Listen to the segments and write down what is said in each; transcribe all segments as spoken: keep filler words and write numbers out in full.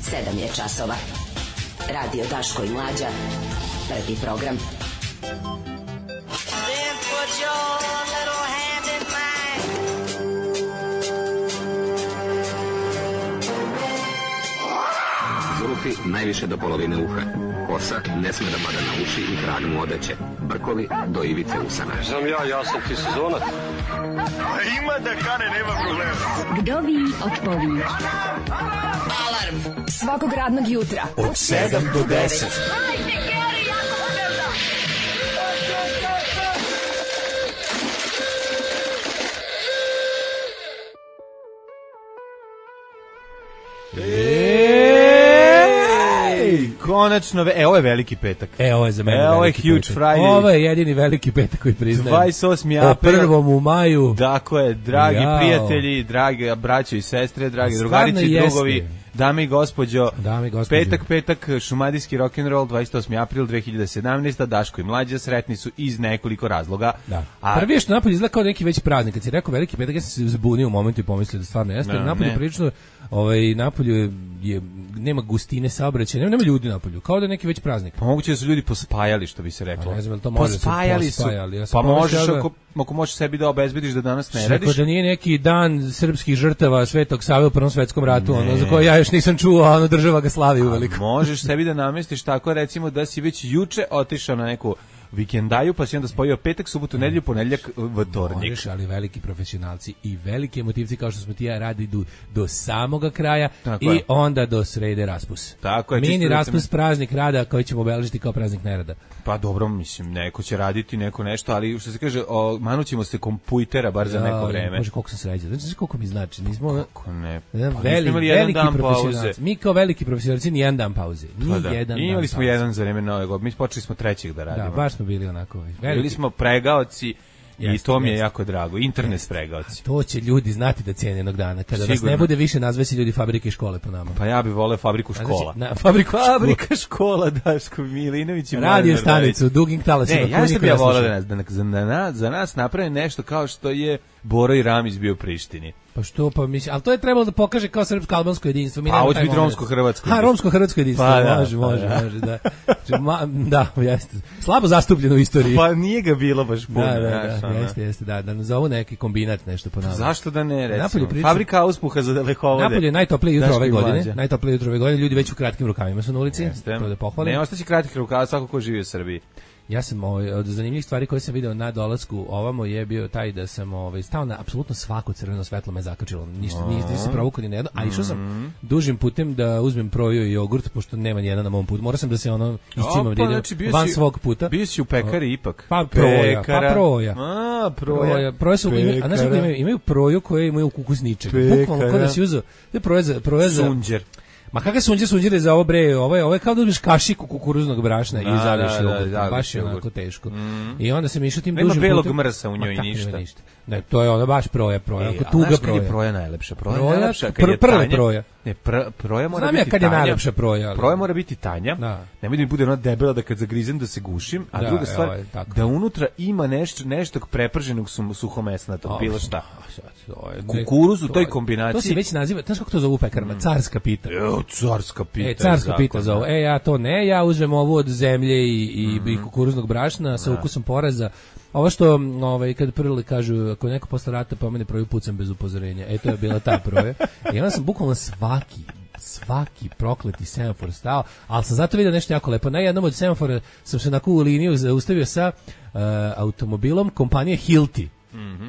sedam je časova. Radio Daško i Mlađa. Prvi program. Zvuki najviše do polovine uha. Kosa ne sme da pada na uši i trag mu odeće. Brkovi do ivice usana. Znam ja, ja sam ti sezonac. Ima da kane, nema problema. Kdovi od povi. Alarm svakog radnog jutra od sedam do deset. Hajde, Geri, jako moderno. Ej, konačno, ve... e, ovo je veliki petak. E, ovo je za mene e, ovo je veliki huge petak. Friday. Ovo je jedini veliki petak koji priznajem. dvadeset osmi april. O prvom u maju. Dakle, je, dragi Jao. prijatelji, dragi braćo i sestre, dragi Stvarno drugarice i jeste. drugovi, dame i gospođo, Dame i gospođo. petak, petak, šumadijski rock'n'roll, dvadeset osmi april dve hiljade sedamnaeste. Daško i Mlađa sretni su iz nekoliko razloga. Da. A Prvi je što napolje izgleda kao neki veći praznik. Kad si rekao veliki petak, ja sam se zbunio u momentu i pomislio da stvarno jeste. Ne, Napolje ne. prilično, ovaj, napolju je, je, nema gustine saobraćaja, nema, nema ljudi napolju. Kao da je neki već praznik. pa moguće da su ljudi pospajali, što bi se reklo. Pa ne znam, jel to može da se Pospajali su. pospajali? Ja sam Pa pomislio možeš, da- ako, ako možeš sebi da obezbediš da danas ne Rekao radiš. da nije neki dan srpskih žrtava Svetog Save u Prvom svetskom ratu, ono, za koje ja još nisam čuo, a ono država ga slavi uveliko. Možeš sebi da namestiš tako, recimo da si već juče otišao na neku vikendaju, pa si onda spojio petak, subotu, nedelju, ponedeljak, vtornik. Možeš, ali veliki profesionalci i veliki emotivci kao što smo ti ja radi idu do samoga kraja Tako i je. onda do srede raspus. Tako je, Mini čisto da raspus, se- praznik rada koji ćemo obeležiti kao praznik nerada. Pa dobro, mislim, neko će raditi, neko nešto, ali što se kaže, o, manućemo se kompujtera bar za neko Ja, vreme. Može, koliko sam sređen. Znači, koliko mi znači. Nismo, Kako ne? jedan Pa veli, nismo imali jedan veliki dan pauze. profesionalci. Mi kao veliki profesionalci ni jedan dan pauze. Ni Pa da. jedan I imali dan smo pauze. jedan za vreme Nove godine. Mi počeli smo trećeg da radimo. Da, baš smo bili onako. Bili Veliki. smo pregaoci i Jeste, to mi je jeste. jako drago. Internet pregaoci. To će ljudi znati da cijene jednog dana. Kada nas Sigurno. ne bude više, nazvesi ljudi fabrike i škole po nama. Pa ja bih voleo fabriku Znači, škola. na fabriku Fabrika škola, Daško Milinović i Radio Mladen stanicu, dugim talasima. Ne, ja koju sam niko ja ne voleo sluša. da nas, da, nas- za, nas, za nas naprave nešto kao što je Boro i Ramić bio u Prištini. Pa što, pa mislim, ali to je trebalo da pokaže kao srpsko-albansko jedinstvo. Mi Pa, nemamo hoće taj biti moment. romsko-hrvatsko Ha, jedinstvo. romsko-hrvatsko jedinstvo, Pa da, može, pa može, da. može, da. Znači, ma, da, jeste. Slabo zastupljeno u istoriji. Pa nije ga bilo baš puno. da, da, znaš, da, ono. jeste, jeste, da, da nazovu neki kombinat nešto po nama. Zašto da ne, recimo? Napolje priča- Fabrika auspuha za dalekovode. Napolje je najtoplije jutro Daško ove i godine. Mlađa. Najtoplije jutro ove godine, ljudi već u kratkim rukavima su na ulici. Jeste. To da pohvalim. Ne, ostaće kratkih rukava svako ko živi u Srbiji. Ja sam ovaj, od zanimljivih stvari koje sam video na dolasku ovamo je bio taj da sam ovaj, stao na apsolutno svako crveno svetlo me zakačilo. Ništa, nisam, nisam provukao ni na jedno, a išao sam Mhm. dužim putem da uzmem proju i jogurt, pošto nema nijedan na mom putu. Morao sam da se ono iscimam, da idem znači, bio van si- svog puta. Bio si u pekari ipak. Pa proja, pa Pekara. proja. A, proja. Proja, proja su, imaju, a znaš kako Pekara. imaju, imaju proju koje imaju kukus ničega. Pekara. Bukvalno kao da si uzeo, to je proja za, proja za, Sunđer. ma kakve sunđe sunđere za ovo bre, ovo je, ovo je kao da uzmeš kašiku kukuruznog brašna Da, i zaliješ da, da, jogurt, zaliješ baš je jogurt. onako teško. I onda sam išao tim Nema dužim belog putem. mrsa u njoj Ma, i tako nema ništa. Ne, to je ona baš proja, proja, E, ako a tuga znaš kad proja. je proja najlepša? Proja, Proja, najlepša kad pr- je prve tanja. proja. Ne, pr, proja mora Znam ja biti kad je tanja. najlepša proja, ali- Proja mora biti tanja. Da. Nemoj da mi bude ona debela da kad zagrizem da se gušim, a Da, druga evo, stvar je, tako. da unutra ima nešto nešto preprženog su, suhomesnatog, A, bilo šta. a, sad, to je- Kukuruz u to toj je- kombinaciji. To se već naziva, znaš kako to zovu u pekarama? Carska pita. Evo, carska pita. E, carska zakon, pita zovu. da. E, ja to ne, ja uzmem ovu od zemlje i, i, i kukuruznog brašna sa ukusom poraza. Ovo što, m, ovaj, kad prvi kažu, ako neko posle rata pomene proju pucam bez upozorenja. E, to je bila ta proja. I onda sam bukvalno svaki, svaki prokleti semafor stao, ali sam zato vidio nešto jako lepo. Na jednom od semafora sam se onako u liniju zaustavio sa uh, automobilom kompanije Hilti.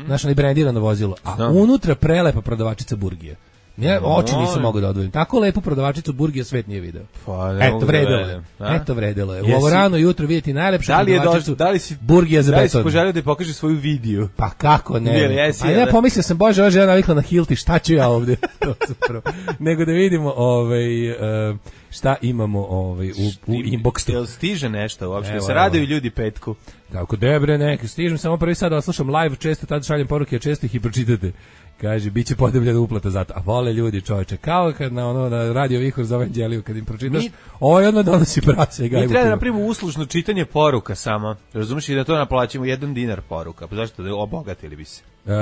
Znaš, onaj brendirano vozilo. A Znam. unutra prelepa prodavačica burgije. Ja oči nisam Molim. mogao da odvojim. Tako lepu prodavačicu burgija svet nije video. Pa, ne Eto, mogu da vredelo je. verujem, a? Eto, vredelo je. U Jesi- ovo rano jutro vidjeti najlepšu Da li je prodavačicu došlo, da li si burgija za da li si beton. poželio da je pokaže svoju video? Pa kako ne? Nije li, jesi, A ja jel da? pomislio sam, bože, ova žena navikla na Hilti, šta ću ja ovde? To sam prvo. Nego da vidimo ovaj, e, šta imamo ovaj, u, u inboxu. Jel stiže nešto uopšte? Evo, Se evo. raduju ljudi petku. Kako debre, neki stižem samo prvi sad da vas slušam live, često tad šaljem poruke, a često ih i pročitate. Kaže, bit će podebljena uplata zato. A vole ljudi, čoveče, kao kad na, ono, na radio Vihor za Evanđeliju, kad im pročitaš, Mi- ovo je odmah donosi prase i gajbu Mi treba da piva. napravimo uslužno čitanje poruka samo. Razumiješ i da to naplaćimo jedan dinar poruka. Pa zašto da obogatili bi se? Uh,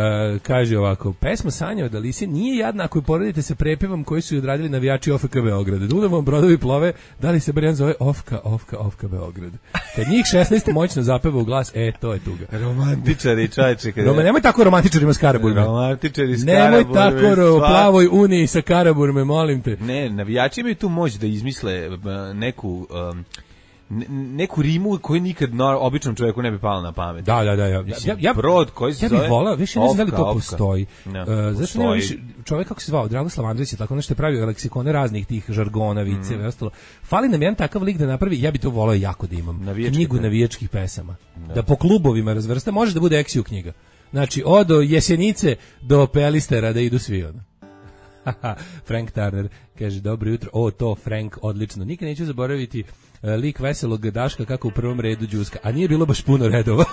kaže ovako, pesma Sanja od Alise nije jadna ako je poredite se prepevom koji su odradili navijači O F K Beograd. Dunavom brodovi plove, da li se bar jedan zove Ofka, Ofka, Ofka Beograd. Kad njih šesnaest moćno zapeva u glas, e, to je tuga. Romantičari, čajče. Roma, nemoj tako romantičarima s Karaburme. Romantičari s Nemoj Karaburme. tako o plavoj uniji sa Karaburme, molim te. Ne, navijači imaju tu moć da izmisle neku... Um, neku rimu koju nikad no, običnom čovjeku ne bi palo na pamet. Da, da, da. Ja, ja, ja, brod koji se ja zove... Ja bih volao, više ne znam da li to ofka. postoji. Ne, uh, zašto postoji. nema više, čovjek kako se zvao, Dragoslav Andrić je tako nešto je pravio leksikone raznih tih žargona, viceva i ostalo. Fali nam jedan takav lik da napravi, ja bi to volao jako da imam. Navijački knjigu navijačkih pesama. Da. da po klubovima razvrsta, može da bude Eksiju knjiga. Znači, od Jesenice do Pelistera da idu svi ono. Frank Turner kaže, dobro jutro, o to Frank, odlično. Nikad neću zaboraviti uh, lik veselog Daška kako u prvom redu đuska, a nije bilo baš puno redova.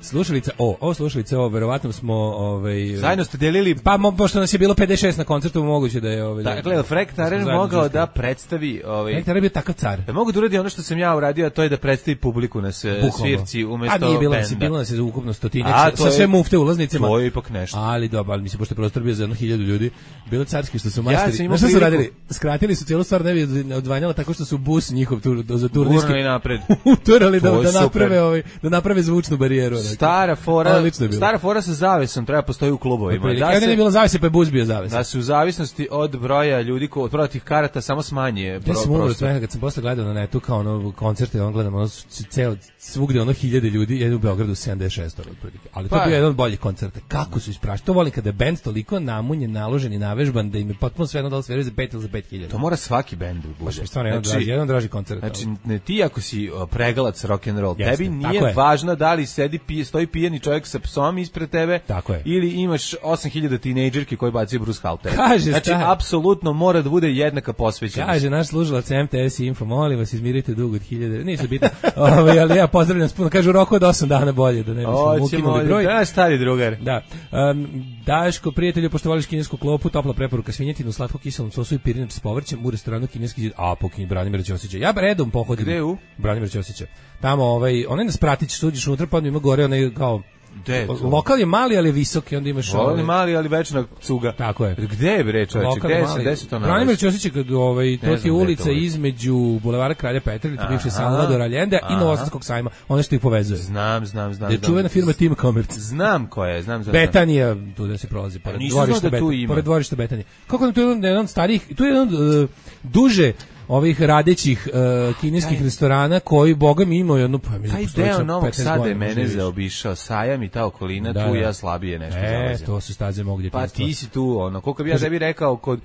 Slušalica, o, o slušalice, o, verovatno smo, ovaj... Zajedno ste delili... Pa, mo, pošto nas je bilo pedeset šest na koncertu, moguće da je... Ovaj, dakle, Frank Turner mogao da predstavi... Ovaj, Frank Turner je bio takav car. Da mogu da uradi ono što sam ja uradio, a to je da predstavi publiku na svirci umjesto benda. A nije bilo nas, bilo nas je ukupno stotinjak, sa sve mufte ulaznicama. To je ipak nešto. Ali dobro, ali mislim, pošto je prostor bio za jedno hiljadu ljudi, bilo carski što su majstori... Ja znaš što su radili? Skratili su cijelu stvar, ne bi odvanjala tako što su bus njihov tur, za turnirski... Gurnali napred. Uturali da, da, naprave, ovaj, da naprave zvučnu barijeru. Stara fora, stara fora sa zavesom treba postoji u klubovima. Da se, nije bilo zavese, pa je bus bio zaves. Da se u zavisnosti od broja ljudi, ko, od broja tih karata samo smanje pro, ja sam umro svega, kad sam posle gledao na netu kao ono koncerte, on gledam ono ceo, svugde ono hiljade ljudi, jedan u Beogradu sedamdeset šest otprilike. Ali to pa, je bio jedan od boljih koncerta. Kako su isprašali? To volim kada je bend toliko namunjen, naložen i navežban da im je potpuno sve jedno da li sviraju za pet ili za pet hiljada. To mora svaki bend da bude. Baš stvarno jedan, znači, draži, jedan draži koncert. Znači, ne, ti ako si pregalac rock and roll, tebi nije važno da li sedi pije, stoji pijani čovjek sa psom ispred tebe ili imaš osam hiljada tinejdžerki koji bacaju Bruce Halter. Kaže, znači, apsolutno mora da bude jednaka posvećenost. Kaže naš slušalac M T S Info, molim vas, izmirite dug od hiljade. Nisu bitno, ovaj, ali ja pozdravljam spuno. Kaže, u roku od osam dana bolje, da ne bismo ukinuli broj. Da, stari drugar. Da. Um, Daško, prijatelju, pošto voliš kinesku klopu, topla preporuka svinjetinu, slatko kiselom sosu i pirinač s povrćem u restoranu Kineski zid. A, pokinji Branimira Ćosića. Ja redom pohodim. Gde u? Branimira Ćosića. Tamo, ovaj, onaj nas pratić, suđiš unutra, pa ima gore, onaj kao... De, lokal je mali, ali je visoki, onda imaš... Lokal je mali, ali večna cuga. Tako je. Gde je bre, čoveče? Gde je, gde se to nalazi? Branimir Ćosić, ovaj, to je ulica između Bulevara Kralja Petra, ili bivše Salvador Allende i Novosadskog sajma, ono što ih povezuje. Znam, znam, znam. Je čuvena firma Team Commerce. Znam ko je, znam, znam. Betanija, tu da se prolazi, pored dvorišta Betanije. Pored dvorišta Betanije. Kako nam tu je jedan starijih, tu je jedan uh, duže ovih radećih uh, kineskih taj, restorana koji, boga mi, imaju jednu... Pa, taj deo Novog Sada je mene zaobišao, Sajam i ta okolina, da, tu ja slabije nešto e, zalazim. E, to su staze mog djetinjstva. Pa ti si tu, ono, koliko bi ja tebi rekao kod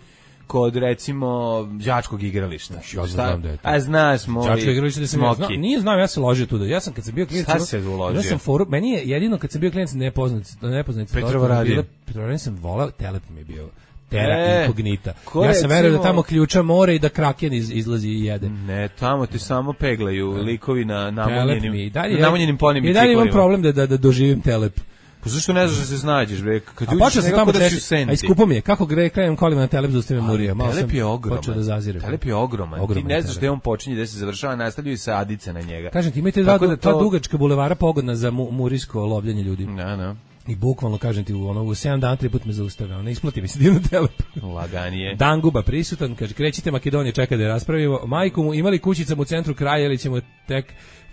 kod recimo đačkog igrališta. Ja znam da je to. A znaš, moj đačko igralište da sam ja znam, nije znam, ja se ložio tu. Ja sam kad sam bio klinac, sad se uložio. Ja sam foru, meni je jedino kad sam bio klinac nepoznat, nepoznat. Petrova radio. Petrova sam volao, Telep mi je bio. Terra e, incognita. Ja sam verujem da tamo ključa more i da kraken iz, izlazi i jede. Ne, tamo ti samo peglaju likovi na namunjenim, dalje, namunjenim ponim biciklima. I dalje imam problem da, da, da doživim Telep. Pa zašto ne znaš da se snađeš, bre? Kad a počeo sam tamo češći, a iskupo mi je. Kako gre, krenem kolima na Telep, zaustavim Murija. Telep je ogroman. Počeo da zaziram. Telep je ogroman. ogroman. Ti ne znaš gde on počinje, gde se završava, nastavljaju se Adice na njega. Kažem ti, imate dva, da to... dugačka bulevara pogodna za mu, murijsko lovljenje ljudi. Da, da. I bukvalno, kažem ti, u ono, u sedam dana tri put me zaustavio. Ona isplati mi se divno Telep. Laganije. Danguba prisutan, kaže, krećite Makedonije, čeka da je raspravimo. Majku mu, imali kućicam u centru kraja ili ćemo tek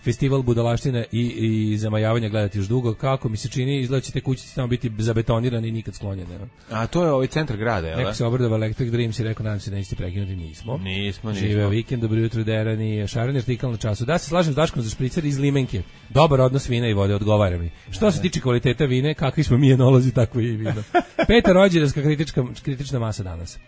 festival budalaštine i, i zamajavanja gledati još dugo. Kako mi se čini, izgleda će te kućice tamo biti zabetonirane i nikad sklonjene. A to je ovaj centar grada, jel? Neko se obradova Electric Dreams i rekao, nadam se da nećete prekinuti, nismo. Nismo, nismo. Žive vikend, dobro jutro, Derani, šarani artikal na času. Da se slažem s Daškom za špricer iz Limenke. Dobar odnos vina i vode, odgovara mi. Što se tiče kvaliteta vine, kakvi smo mi enolozi, tako i vino. Peta rođendanska kritička, kritična masa danas.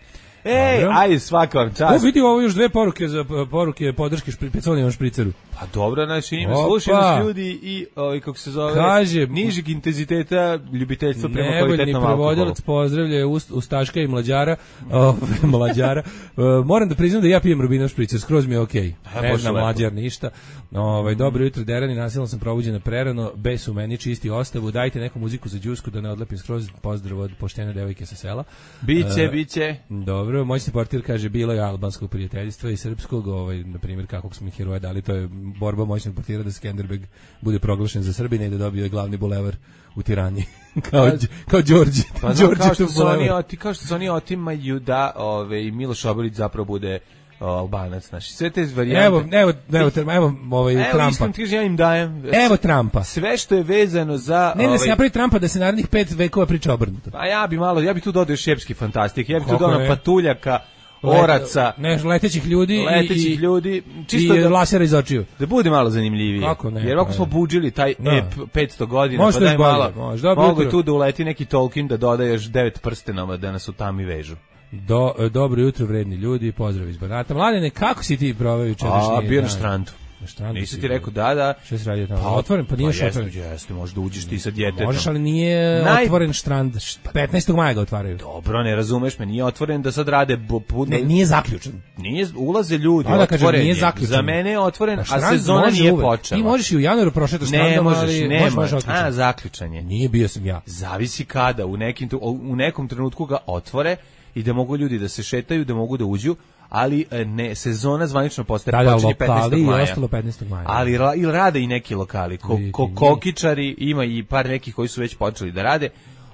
Ej, aj svaka vam čast. O, vidi ovo još dve poruke za poruke podrške špriconijevom špriceru. Pa dobro, znači ima slušaju nas ljudi i ovaj kako se zove, kaže nižeg intenziteta ljubiteljstva prema kvalitetnom alkoholu. Nevoljni prevodilac pozdravlja Ustaška i mlađara, o, mlađara. Uh, moram da priznam da ja pijem Rubinov špricer, skroz mi je okej. Okay. Ne znam mlađar ništa. Ovaj dobro jutro, Derani, nasilno sam probuđena prerano, bez u meni čisti ostavu. Dajte neku muziku za đusku da ne odlepim skroz. Pozdrav od poštene devojke sa sela. Biće, uh, biće. Dobro, moćni portir kaže bilo je albanskog prijateljstva i srpskog, ovaj na primjer kakvog smo heroja dali, to je borba moćnog portira da Skenderbeg bude proglašen za Srbina i da dobio glavni bulevar u Tirani. kao, kao Đorđe. Pa znam, kao što su oni, oti, kao što su oni otimaju da ove, i Miloš Obilić zapravo bude Albanac, znači sve te varijante. Evo, evo, evo, evo, evo ovaj evo, Trumpa. Iskreno ti ja im dajem. Evo Trumpa. Sve što je vezano za Ne, ne, ovaj, se napravi Trumpa da se narednih pet vekova priča obrnuto. Pa ja bi malo, ja bi tu dodao šepski fantastik, ja bi tu dodao patuljaka, oraca, ne, letećih ljudi letećih i, ljudi, čisto i da lasera iz očiju. Da bude malo zanimljivije. Kako ne? Jer ako smo budžili taj ne. ep petsto godina, možda pa daj bolje, malo. Možda mogu tu da uleti neki Tolkien da doda još devet prstenova da nas u tami vežu. Do, dobro jutro, vredni ljudi, pozdrav iz Banata. Mladene, kako si ti proveo jučerašnji dan? A, bio na štrandu. Na štrandu Nisi ti rekao da, da. Što si radio tamo? Pa otvoren, pa nije pa što otvoren. Jeste, jeste, možeš da uđeš ti sa djetetom. Možeš, ali nije Naj... otvoren štrand. petnaestog maja ga otvaraju. Dobro, ne razumeš me, nije otvoren da sad rade... Budno... Ne, nije zaključen. Nije, ulaze ljudi, da, otvoren nije je. zaključen. Za mene je otvoren, a sezona nije uvek. počela. Ti možeš i u januaru prošeti štandom, ne možeš, ali ne možeš a, zaključan je. Nije, bio sam ja. Zavisi kada, u, nekim, u nekom trenutku ga otvore i da mogu ljudi da se šetaju, da mogu da uđu, ali ne, sezona zvanično postaje da, počinje petnaestog maja. I ostalo petnaestog maja. Ali ra, ili rade i neki lokali, ko, ko kokičari, ima i par nekih koji su već počeli da rade.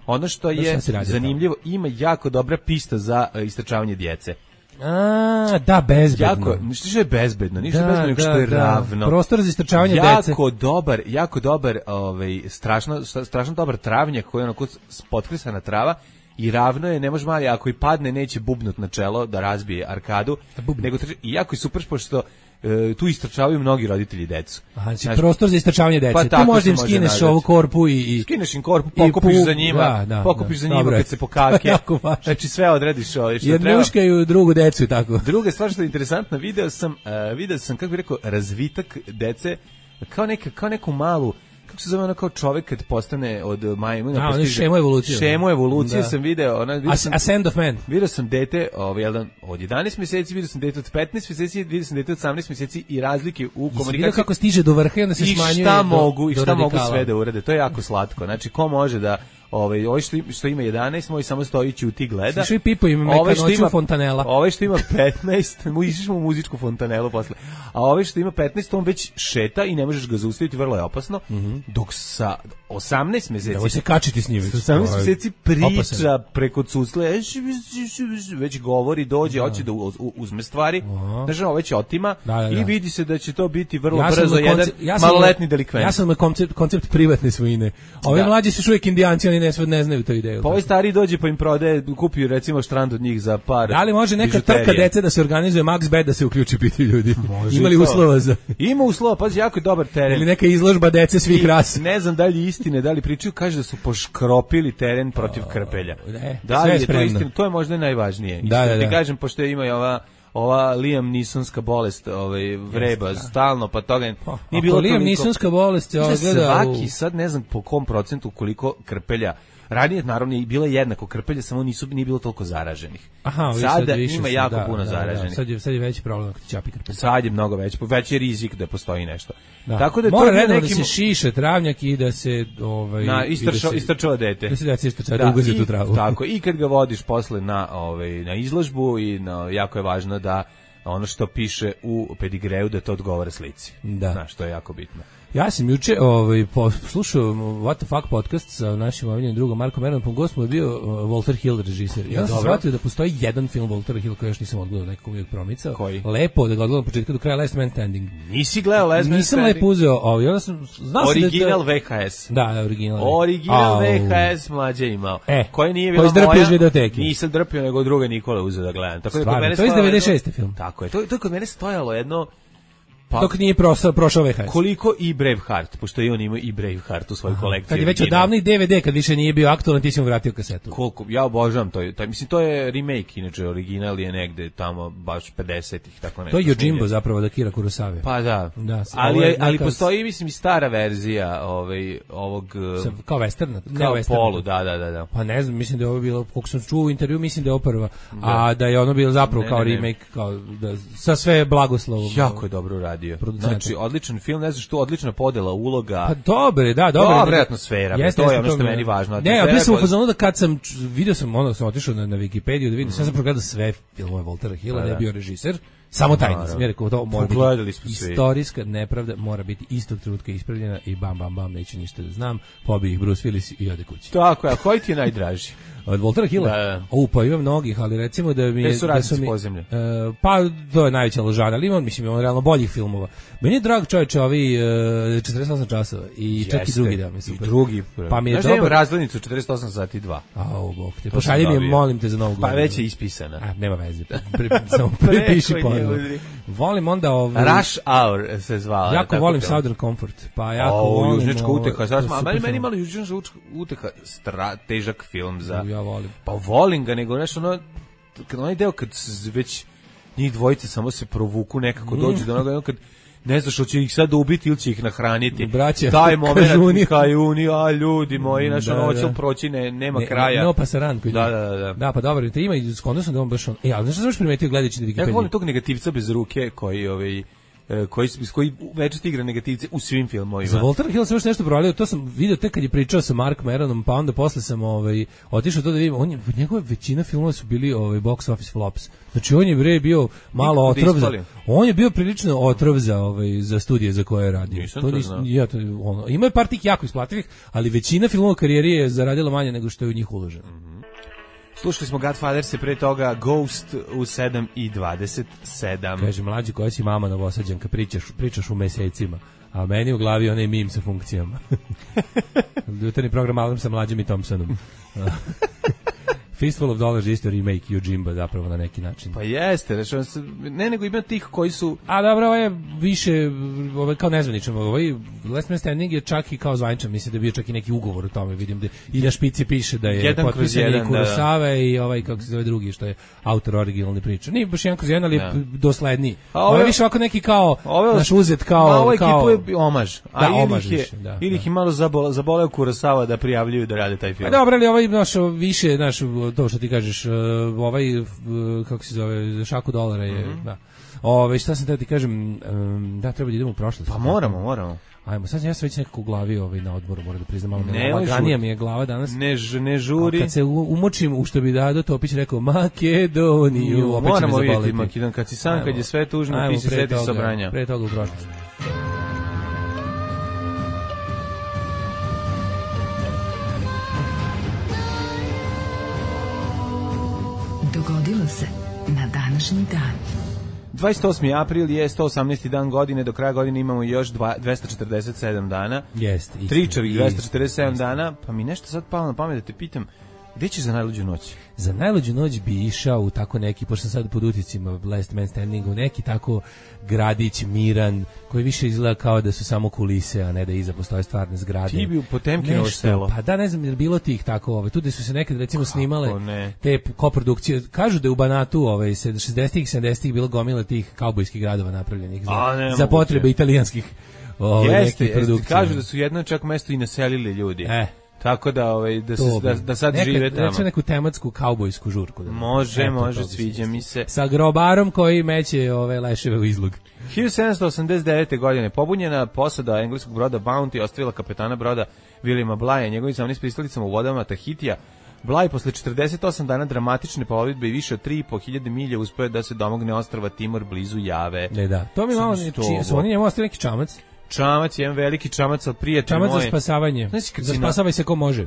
Ono što je zanimljivo, tamo. Ima jako dobra pista za uh, istrčavanje djece. A, da, bezbedno. Jako, ništa što je bezbedno, ništa da, bezbedno, nego što je da. ravno. Prostor za istrčavanje jako djece. Jako dobar, jako dobar, ovaj, strašno, strašno dobar travnjak koji je onako potkrisana trava. I ravno je, ne može mali, ako i padne neće bubnut na čelo da razbije arkadu, nego trči, i jako je super pošto e, tu istrčavaju mnogi roditelji decu. Aha, znači prostor za istrčavanje dece. Pa tu možda im skineš može ovu korpu i, i... Skineš im korpu, pokupiš za njima, da, da, pokupiš da, za njima dobro, kad se pokake. Znači sve odrediš ovo što jer treba. Jer muškaju drugu decu tako. Druga stvar što je interesantna, video sam, uh, video sam, kako bih rekao, razvitak dece, kao, neka, kao neku malu, kako se zove ono kao čovjek kad postane od majmuna. A, ono šemo evolucije. Šemo evolucije da. sam video. Ona, video sam, Ascend of Man. Video sam dete ovaj, jedan, od jedanaest mjeseci, video sam dete od petnaest mjeseci, video sam dete od osamnaest mjeseci i razlike u komunikaciji. Vidio kako stiže do vrha i onda se smanjuje. I šta do, mogu, i šta do mogu sve da urade. To je jako slatko. Znači, ko može da... Ovaj ovaj što, što ima jedanaest, moj samo stoji ćuti gleda. Svi pipo im neka noću fontanela. Ovaj što ima petnaest, mu išli u muzičku fontanelu posle. A ovaj što ima petnaest, on već šeta i ne možeš ga zaustaviti, vrlo je opasno. Mm -hmm. Dok sa osamnaest mjeseci da se kačiti s njim. Sa osamnaest mjeseci priča opasan. Preko cucle, već govori, dođe, hoće da, da uzme stvari. Znači, ovo već otima da, da, da. I vidi se da će to biti vrlo ja brzo jedan ja maloletni delikvent. Ja sam na koncept koncept privatne svojine. Ovi da. Mlađi su još uvijek Indijanci, oni ne, ne znaju tu ideju. Pa ovaj stari dođe pa im prodaje, kupio recimo štrand od njih za par. Da li može neka trka dece da se organizuje Max Bet da se uključi piti ljudi? Može. Imali uslova za? Ima uslova, pazi, jako je dobar teren. Ili neka izložba dece svih I, rasa. Ne znam da li istine, da li pričaju, kaže da su poškropili teren protiv krpelja. Ne, da li je to istina? To je možda najvažnije. Da, da, da. Ti kažem, pošto ima i ova ova Liam Neesonska bolest, ovaj vreba Jeste, da. stalno, pa toga pa, nije bilo Liam Neesonska bolest, ja gleda svaki u... sad ne znam po kom procentu koliko krpelja. Ranije naravno je bilo jednako krpelje, samo nisu nije bilo toliko zaraženih. Aha, sada sad ima jako da, puno da, zaraženih. Da, sad je sad je veći problem kad ćapi krpelje. Sad je mnogo veći, veći je rizik da postoji nešto. Da. Tako da mora to nekim... nekim... da se šiše travnjak i da se ovaj na istrčao da istrčao dete. Da se da se istrčao da ugazi tu travu. Tako, i kad ga vodiš posle na ovaj na izložbu i na, jako je važno da ono što piše u pedigreju da to odgovara slici. Da. Znaš, to je jako bitno. Ja sam juče ovaj, slušao What the Fuck podcast sa našim omiljenim drugom Markom Ermantom, gost mu je bio uh, Walter Hill režiser. Ja sam shvatio da postoji jedan film Waltera Hill koji još nisam odgledao, nekako uvijek promicao. Koji? Lepo da ga odgledam od početka do kraja, Last Man Standing. Nisi gledao Last Man nisam Standing? Nisam lepo uzeo, ovaj, onda sam, znao original sam da... V H S. Da, original. Original V H S mlađe imao. E, koji nije bila moja. Koji iz videoteke. Nisam drpio, nego druga Nikola uzeo da gledam. Tako da kod mene to je iz devedeset šeste film. Tako je, to, to je kod mene stojalo jedno... Pa, dok nije prošao, prošao V H S. Koliko i Braveheart, pošto i on ima i Braveheart u svojoj kolekciji. Kad je već odavno i D V D, kad više nije bio aktualan, ti si mu vratio kasetu. Koliko, ja obožavam to. to mislim, to je remake, inače, original je negde tamo baš pedesetih, tako nešto. To je Yojimbo zapravo, da Kira Kurosawa. Pa da, da ali, je, ali postoji, mislim, i stara verzija ovaj, ovog... Sa, kao westerna? Kao western. Polu, da, da, da, da. Pa ne znam, mislim da je ovo bilo, koliko sam čuo u intervju, mislim da je ovo prva, da. A da je ono bilo zapravo ne, kao ne, remake, ne. Kao da, sa sve blagoslovom. Jako je dobro uradio. Znači, odličan film, ne znam što, odlična podela uloga. Pa dobre, da, dobre. Dobre atmosfera, jeste, to je ono što meni važno. Ne, ja sam u fazonu da kad sam video sam ono sam otišao na, na Wikipediju da vidim, mm. sam sam progledao sve filmove Waltera Hilla, da je bio režiser. Samo tajnica. Ja rekao, to mora Pogledali biti istorijska nepravda, mora biti istog trenutka ispravljena i bam, bam, bam, neću ništa da znam, pobije ih Bruce Willis i ode kući. Tako je, a koji ti je najdraži? Od Waltera Hilla? Da, da. O, pa ima mnogih, ali recimo da mi je... Gde su Radnici podzemlje? Uh, pa, to je najveća ložana, ali ima, mislim, ima realno boljih filmova. Meni je drag čovječe ovi uh, četrdeset osam časova i Jeste. Čak i drugi da mi super. I drugi. Pa mi je znaš dobar... da imam razglednicu četrdeset osam sati dva. Au, bog te. Pošalji mi je, molim te za novu godinu. Pa već je ispisana. A, nema veze. Pri, samo prepiši ponovno. Volim onda ovaj Rush Hour se zvala. Jako volim to. Southern Comfort. Pa jako o, volim Južnička uteha. Sad smo, meni meni malo Južnička uteha stra, težak film za. Ja volim. Pa volim ga, nego nešto ono kad onaj deo kad već njih dvojice samo se provuku nekako mm. dođu do onoga kad ne znaš hoće ih sad ubiti ili će ih nahraniti. Braća, taj moment kajuni, a ljudi moji, naša da, noć da. proći ne, nema ne, kraja. No pasaran koji. Da, da, da. Da, pa dobro, te ima i skoro sam da on baš on. E, ali znaš što sam primetio gledajući na Wikipediji? Ja volim tog negativca bez ruke koji ovaj koji koji večito igra negativce u svim filmovima. Za Waltera Hilla sam još nešto provalio, to sam video tek kad je pričao sa Mark Meronom, pa onda posle sam ovaj otišao to da vidim, on je, njegove većina filmova su bili ovaj box office flops. Znači on je bre bio malo otrov za, on je bio prilično otrov za ovaj za studije za koje je radio. Nisam to nis, ja to ono, ima je par tih jako isplativih, ali većina filmova u karijeri je zaradila manje nego što je u njih uloženo. Mm-hmm. Slušali smo Godfather se pre toga Ghost u sedam i dvadeset sedam. Kaže, mlađi koja si mama Novosađanka, pričaš, pričaš u mesecima, a meni u glavi onaj mim sa funkcijama. Jutarnji program Alarm sa Mlađim i Thompsonom. Fistful of Dollars isto remake Yojimba zapravo na neki način. Pa jeste, rečeno se, ne nego ima tih koji su... A dobro, ovo je više, ovo je kao nezvaničan, ovaj Last Man Standing je čak i kao zvaničan, mislim da je bio čak i neki ugovor o tome, vidim da i na špici piše da je potpisan i Kurosawa i ovaj, kako se zove drugi, što je autor originalne priče. Nije baš jedan kroz jedan, ali je dosledniji. Ovo je više ovako neki kao, naš uzet kao... Ma ovo kao, ekipu je omaž. A da, ili omaž je, više, da. Ili ih je malo zaboleo, zaboleo Kurosawa da prijavljuju da rade taj film. A dobro, ali ovaj naš više, naš to što ti kažeš, ovaj kako se zove, šaku dolara je, mm-hmm. da. Ove, šta sam da ti kažem, da treba da idemo u prošlost. Pa moramo, moramo. Ajmo, sad ja sam već nekako u glavi ovaj, na odmoru, moram da priznam, malo ne, laganija mi je glava danas. Ne, ne žuri. A kad se umočim u što bi Dado Topić rekao Makedoniju, opet će me zaboliti. Moramo vidjeti Makedon, kad si sam, ajmo, kad je sve tužno, ajmo, ti si seti sobranja. Pre toga u prošlost. Dogodilo se na današnji dan. dvadeset osmi april je sto osamnaesti dan godine, do kraja godine imamo još dvesta četrdeset sedam dana. Jeste. Tričavih dvesta četrdeset sedam dana, pa mi nešto sad palo na pamet da te pitam, gde ćeš za najluđu noć? Za najluđu noć bi išao u tako neki, pošto sam sad pod uticima Last Man Standing, u neki tako gradić miran, koji više izgleda kao da su samo kulise, a ne da iza postoje stvarne zgrade. Ti bi u Potemkinovo selo. Pa da, ne znam, je bilo tih tako, ovaj, tu gde su se nekad recimo kako snimale ne? Te koprodukcije. Kažu da je u Banatu ovaj, šezdesetih i sedamdesetih bilo gomila tih kaubojskih gradova napravljenih za, a, za potrebe italijanskih ovaj, jeste, nekih produkcija. Kažu da su jedno čak mesto i naselili ljudi. E. Tako da ovaj da se da, da sad Neka, žive tamo. Neku neku tematsku kaubojsku žurku da. Može, e, može, sviđa mi se. Sa grobarom koji meće ove leševe u izlog. hiljadu sedamsto osamdeset devete. godine pobunjena posada engleskog broda Bounty ostavila kapetana broda Williama Blaya, njegovim zamjenik pristalicama u vodama Tahitija. Bly posle četrdeset osam dana dramatične plovidbe i više od tri i po hiljade milja uspeo da se domogne ostrva Timor blizu Jave. Ne, da. To mi malo ne su oni njemu ostavili neki čamac. Čamac, jedan veliki čamac od prijatelja moje. Čamac za spasavanje. Za spasavaj se ko može.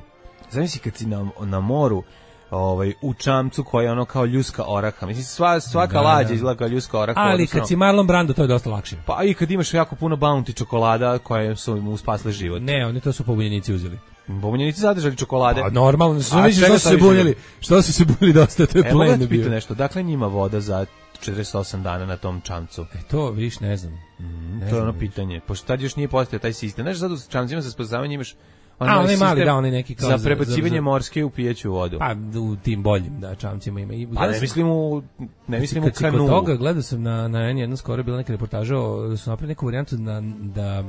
Zamisli kad si na, na moru, ovaj, u čamcu koja je ono kao ljuska oraha. Mislim, sva, svaka da, lađa izgleda kao ljuska oraha. Ali odnosno, kad si Marlon Brando, to je dosta lakše. Pa i kad imaš jako puno Bounty čokolada koje su mu spasle život. Ne, oni to su pobunjenici uzeli. Pobunjenici zadržali čokolade. A normalno, su misli što su se bunili. Što su se bunili dosta, to je e, plen bio. Evo nešto, dakle njima voda za četrdeset osam dana na tom čamcu. E to, viš, ne znam. Mm, ne to je ono pitanje. Pošto tad još nije postojao taj sistem. Znaš, sad u čamcima za spasavanje imaš On a, onaj mali, da, onaj neki kao za prebacivanje za, za, morske u pijeću vodu. Pa, u tim boljim, da, čamcima ima. I, pa ne mislim u, ne mislim u kanu. Kod toga, gledao sam na, na N jedan, skoro bila neka reportaža, su napravili neku varijantu na, da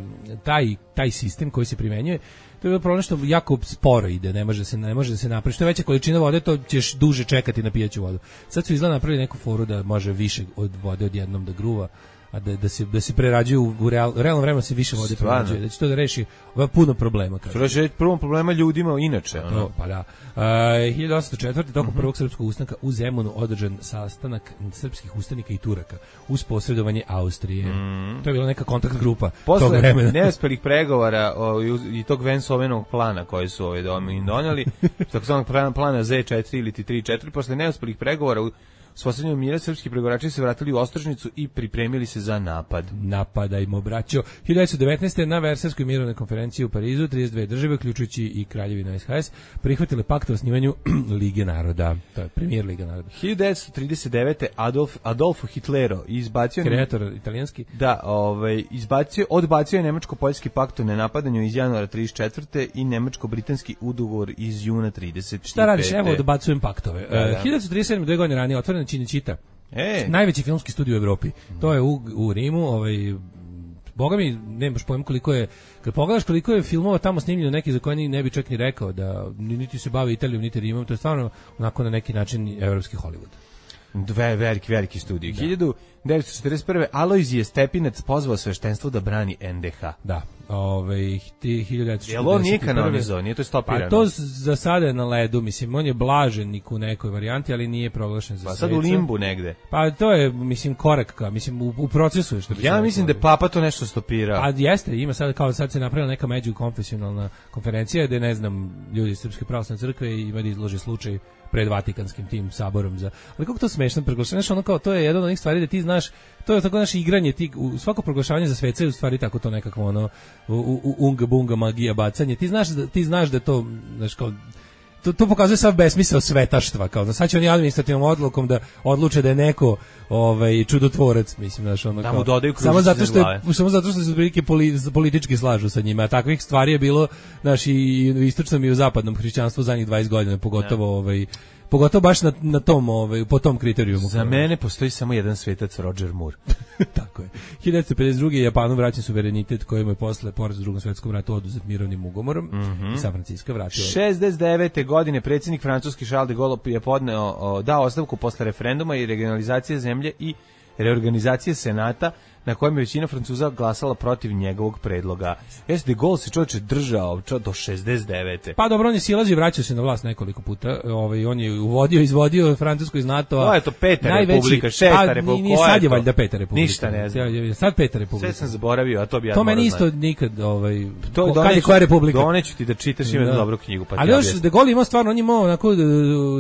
taj, taj sistem koji se primenjuje, to je bilo problem što jako sporo ide, ne može se, ne može da se napravi. Što je veća količina vode, to ćeš duže čekati na pijeću vodu. Sad su izgleda napravili neku foru da može više od vode odjednom da gruva. a da, da, se, da se prerađuju u, u real, realnom vremenu se više vode prerađuje, da će to da reši ova puno problema. To reši prvo problema ljudima inače. Ono. To, pa da. Uh, hiljadu osamsto četvrte. tokom prvog srpskog ustanka u Zemunu održan sastanak srpskih ustanika i Turaka uz posredovanje Austrije. Mm. To je bila neka kontakt grupa posle tog vremena. neuspelih pregovora o, i, i tog Vensovenog plana koji su ovaj domi doneli, takozvanog plana Z četiri ili T tri četiri, posle neuspelih pregovora u uspostavljanju mira srpski pregovarači se vratili u Ostrožnicu i pripremili se za napad. Napadajmo, braćo. hiljadu devetsto devetnaeste. na Versajskoj mirovnoj konferenciji u Parizu trideset dve države, uključujući i Kraljevinu S H S, prihvatile pakt o osnivanju Lige naroda. To je premijer Liga naroda. hiljadu devetsto trideset devete. Adolf, Adolfo Hitlero izbacio... Kreator italijanski. Da, ovaj, izbacio, odbacio je Nemačko-Poljski pakt o nenapadanju iz januara trideset četvrte i Nemačko-Britanski ugovor iz juna trideset pete. Šta radiš? Evo, odbacujem paktove. Da, da. hiljadu devetsto trideset sedme. dve godine ranije, otvoren Cinecittà. E. Najveći filmski studio u Evropi. To je u, u Rimu, ovaj boga mi, nemaš pojma koliko je, kad pogledaš koliko je filmova tamo snimljeno, neki za koje ne bi čak ni rekao da niti se bavi Italijom, niti Rimom, to je stvarno onako na neki način evropski Hollywood. Dve veliki, veliki studiji. Da. hiljadu devetsto četrdeset prve. Alojzije Stepinac pozvao sveštenstvo da brani N D H. Da, ovaj hiljadu devetsto četrdeset prve. Jel on nije kanonizovao, nije to stopirano? Pa to za sada je na ledu, mislim, on je blaženik u nekoj varijanti, ali nije proglašen za pa sveca. sad u limbu negde. Pa to je, mislim, korak ka, mislim, u, u procesu je što bi ja mislim da je Papa to nešto stopirao. A jeste, ima sad, kao sad se napravila neka međukonfesionalna konferencija gde, ne znam, ljudi iz Srpske pravoslavne crkve i ima da izlože slučaj pred Vatikanskim tim saborom za. Ali kako to smešno proglašavanje, ono kao to je jedna od onih stvari da ti znaš, to je tako naše igranje, ti u svako proglašavanje za sveca je u stvari tako to nekakvo ono u, u, unga bunga magija bacanje. Ti znaš da ti znaš da to, znaš, kao to, to pokazuje sav besmisao svetaštva, kao da sad će oni administrativnom odlukom da odluče da je neko ovaj čudotvorac, mislim, znaš, ono da kao, mu dodaju samo zato što je, samo zato što se otprilike poli, politički slažu sa njima, a takvih stvari je bilo, znaš, i u istočnom i u zapadnom hrišćanstvu zadnjih dvadeset godina, pogotovo ja. ovaj pogotovo baš na, na tom, ovaj, po tom kriterijumu. Za mene postoji samo jedan svetac, Roger Moore. Tako je. hiljadu devetsto pedeset druge. Japanu vraćen suverenitet kojim je posle poraza u Drugom svetskom ratu oduzet mirovnim ugovorom mm -hmm. i San Francisco vratio. šezdeset devete. godine predsjednik francuski Charles de Gaulle je podneo, o, dao ostavku posle referenduma i regionalizacije zemlje i reorganizacije senata na kojem je većina Francuza glasala protiv njegovog predloga. Jeste, de Gaulle se čovječe držao čo, do šezdeset devete. Pa dobro, on je silazio i vraćao se na vlast nekoliko puta. Ovaj, on je uvodio, izvodio Francusku iz NATO-a. To je to peta najveći, republika, šesta pa, republika. Nije sad je valjda peta republika. Ništa ne znam. Sad peta republika. Sve sam zaboravio, a to bi ja to meni isto znati. Nikad, ovaj, to ko, kad je koja republika. Doneću ti da čitaš, ima da. dobru knjigu. Pa ali još de Gaulle imao stvarno, on je imao onako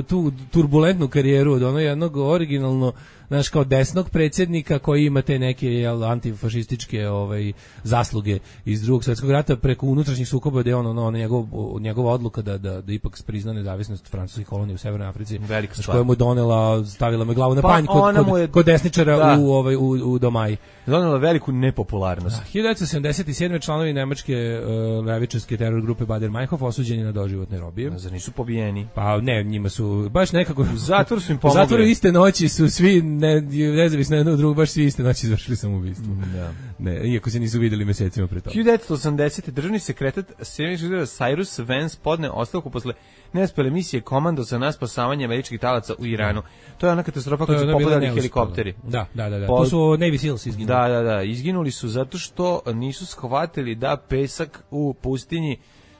tu turbulentnu karijeru od ono jednog originalno, znaš, kao desnog predsjednika koji ima te neke jel, antifašističke ovaj, zasluge iz Drugog svjetskog rata preko unutrašnjih sukoba gde je on, ono, ono, njegov, njegova odluka da, da, da ipak prizna nezavisnost francuskih kolonija u Severnoj Africi, znaš, koja mu donela, stavila me glavu na pa panj kod, kod, je, kod desničara da. u, ovaj, u, u Domaji. Donela veliku nepopularnost. Da, hiljadu devetsto sedamdeset sedme. članovi nemačke uh, levičarske teror grupe Bader-Meinhof osuđeni na doživotne robije. Zar nisu pobijeni? Pa ne, njima su baš nekako... U zatvoru su im pomogli. U zatvoru iste noći su svi, ne, nezavisno jedno od drugog, baš svi iste noći izvršili samoubistvo. Da. Ne, iako se nisu videli mesecima pre toga. hiljadu devetsto osamdesete. državni sekretar Cyrus Vance podne ostavku posle neuspele misije komandosa na spasavanje američkih talaca u Iranu. To je ona katastrofa kad su popadali helikopteri. Da, da, da, da. Po, to su Navy Seals izginuli. Da, da, da. Izginuli su zato što nisu shvatili da pesak u pustinji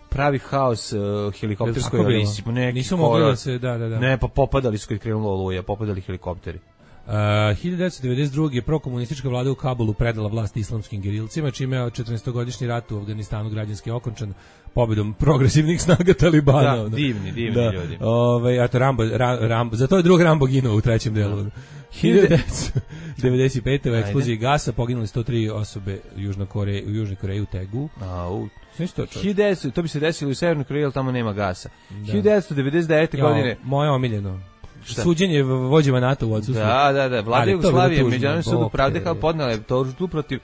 pravi haos uh, helikopterskoj avisi. Nisu mogli da se, da, da, da. Ne, pa popadali su kad krenula oluja, popadali helikopteri. Uh, hiljadu devetsto devedeset druge. prokomunistička vlada u Kabulu predala vlast islamskim gerilcima, čime je četrnaestogodišnji rat u Afganistanu građanski okončan pobedom progresivnih snaga Talibana. Da, divni, divni da. ljudi. Ove, a to Rambo, Ram, Rambo, zato je drug Rambo ginuo u trećem delu. hiljadu devetsto devedeset pete. u eksploziji gasa poginuli sto tri osobe Južno Koreje, u Južnoj Koreji u Tegu. Au. hiljadu devetsto to bi se desilo u Severnoj Koreji, ali tamo nema gasa. Da. hiljadu devetsto devedeset devete. Ja, godine. Moje omiljeno. Šta? Suđenje vođima NATO u odsustvu. Da, da, da. Vlada Jugoslavije, Međunarodni sud u Pravde podnela je tužbu protiv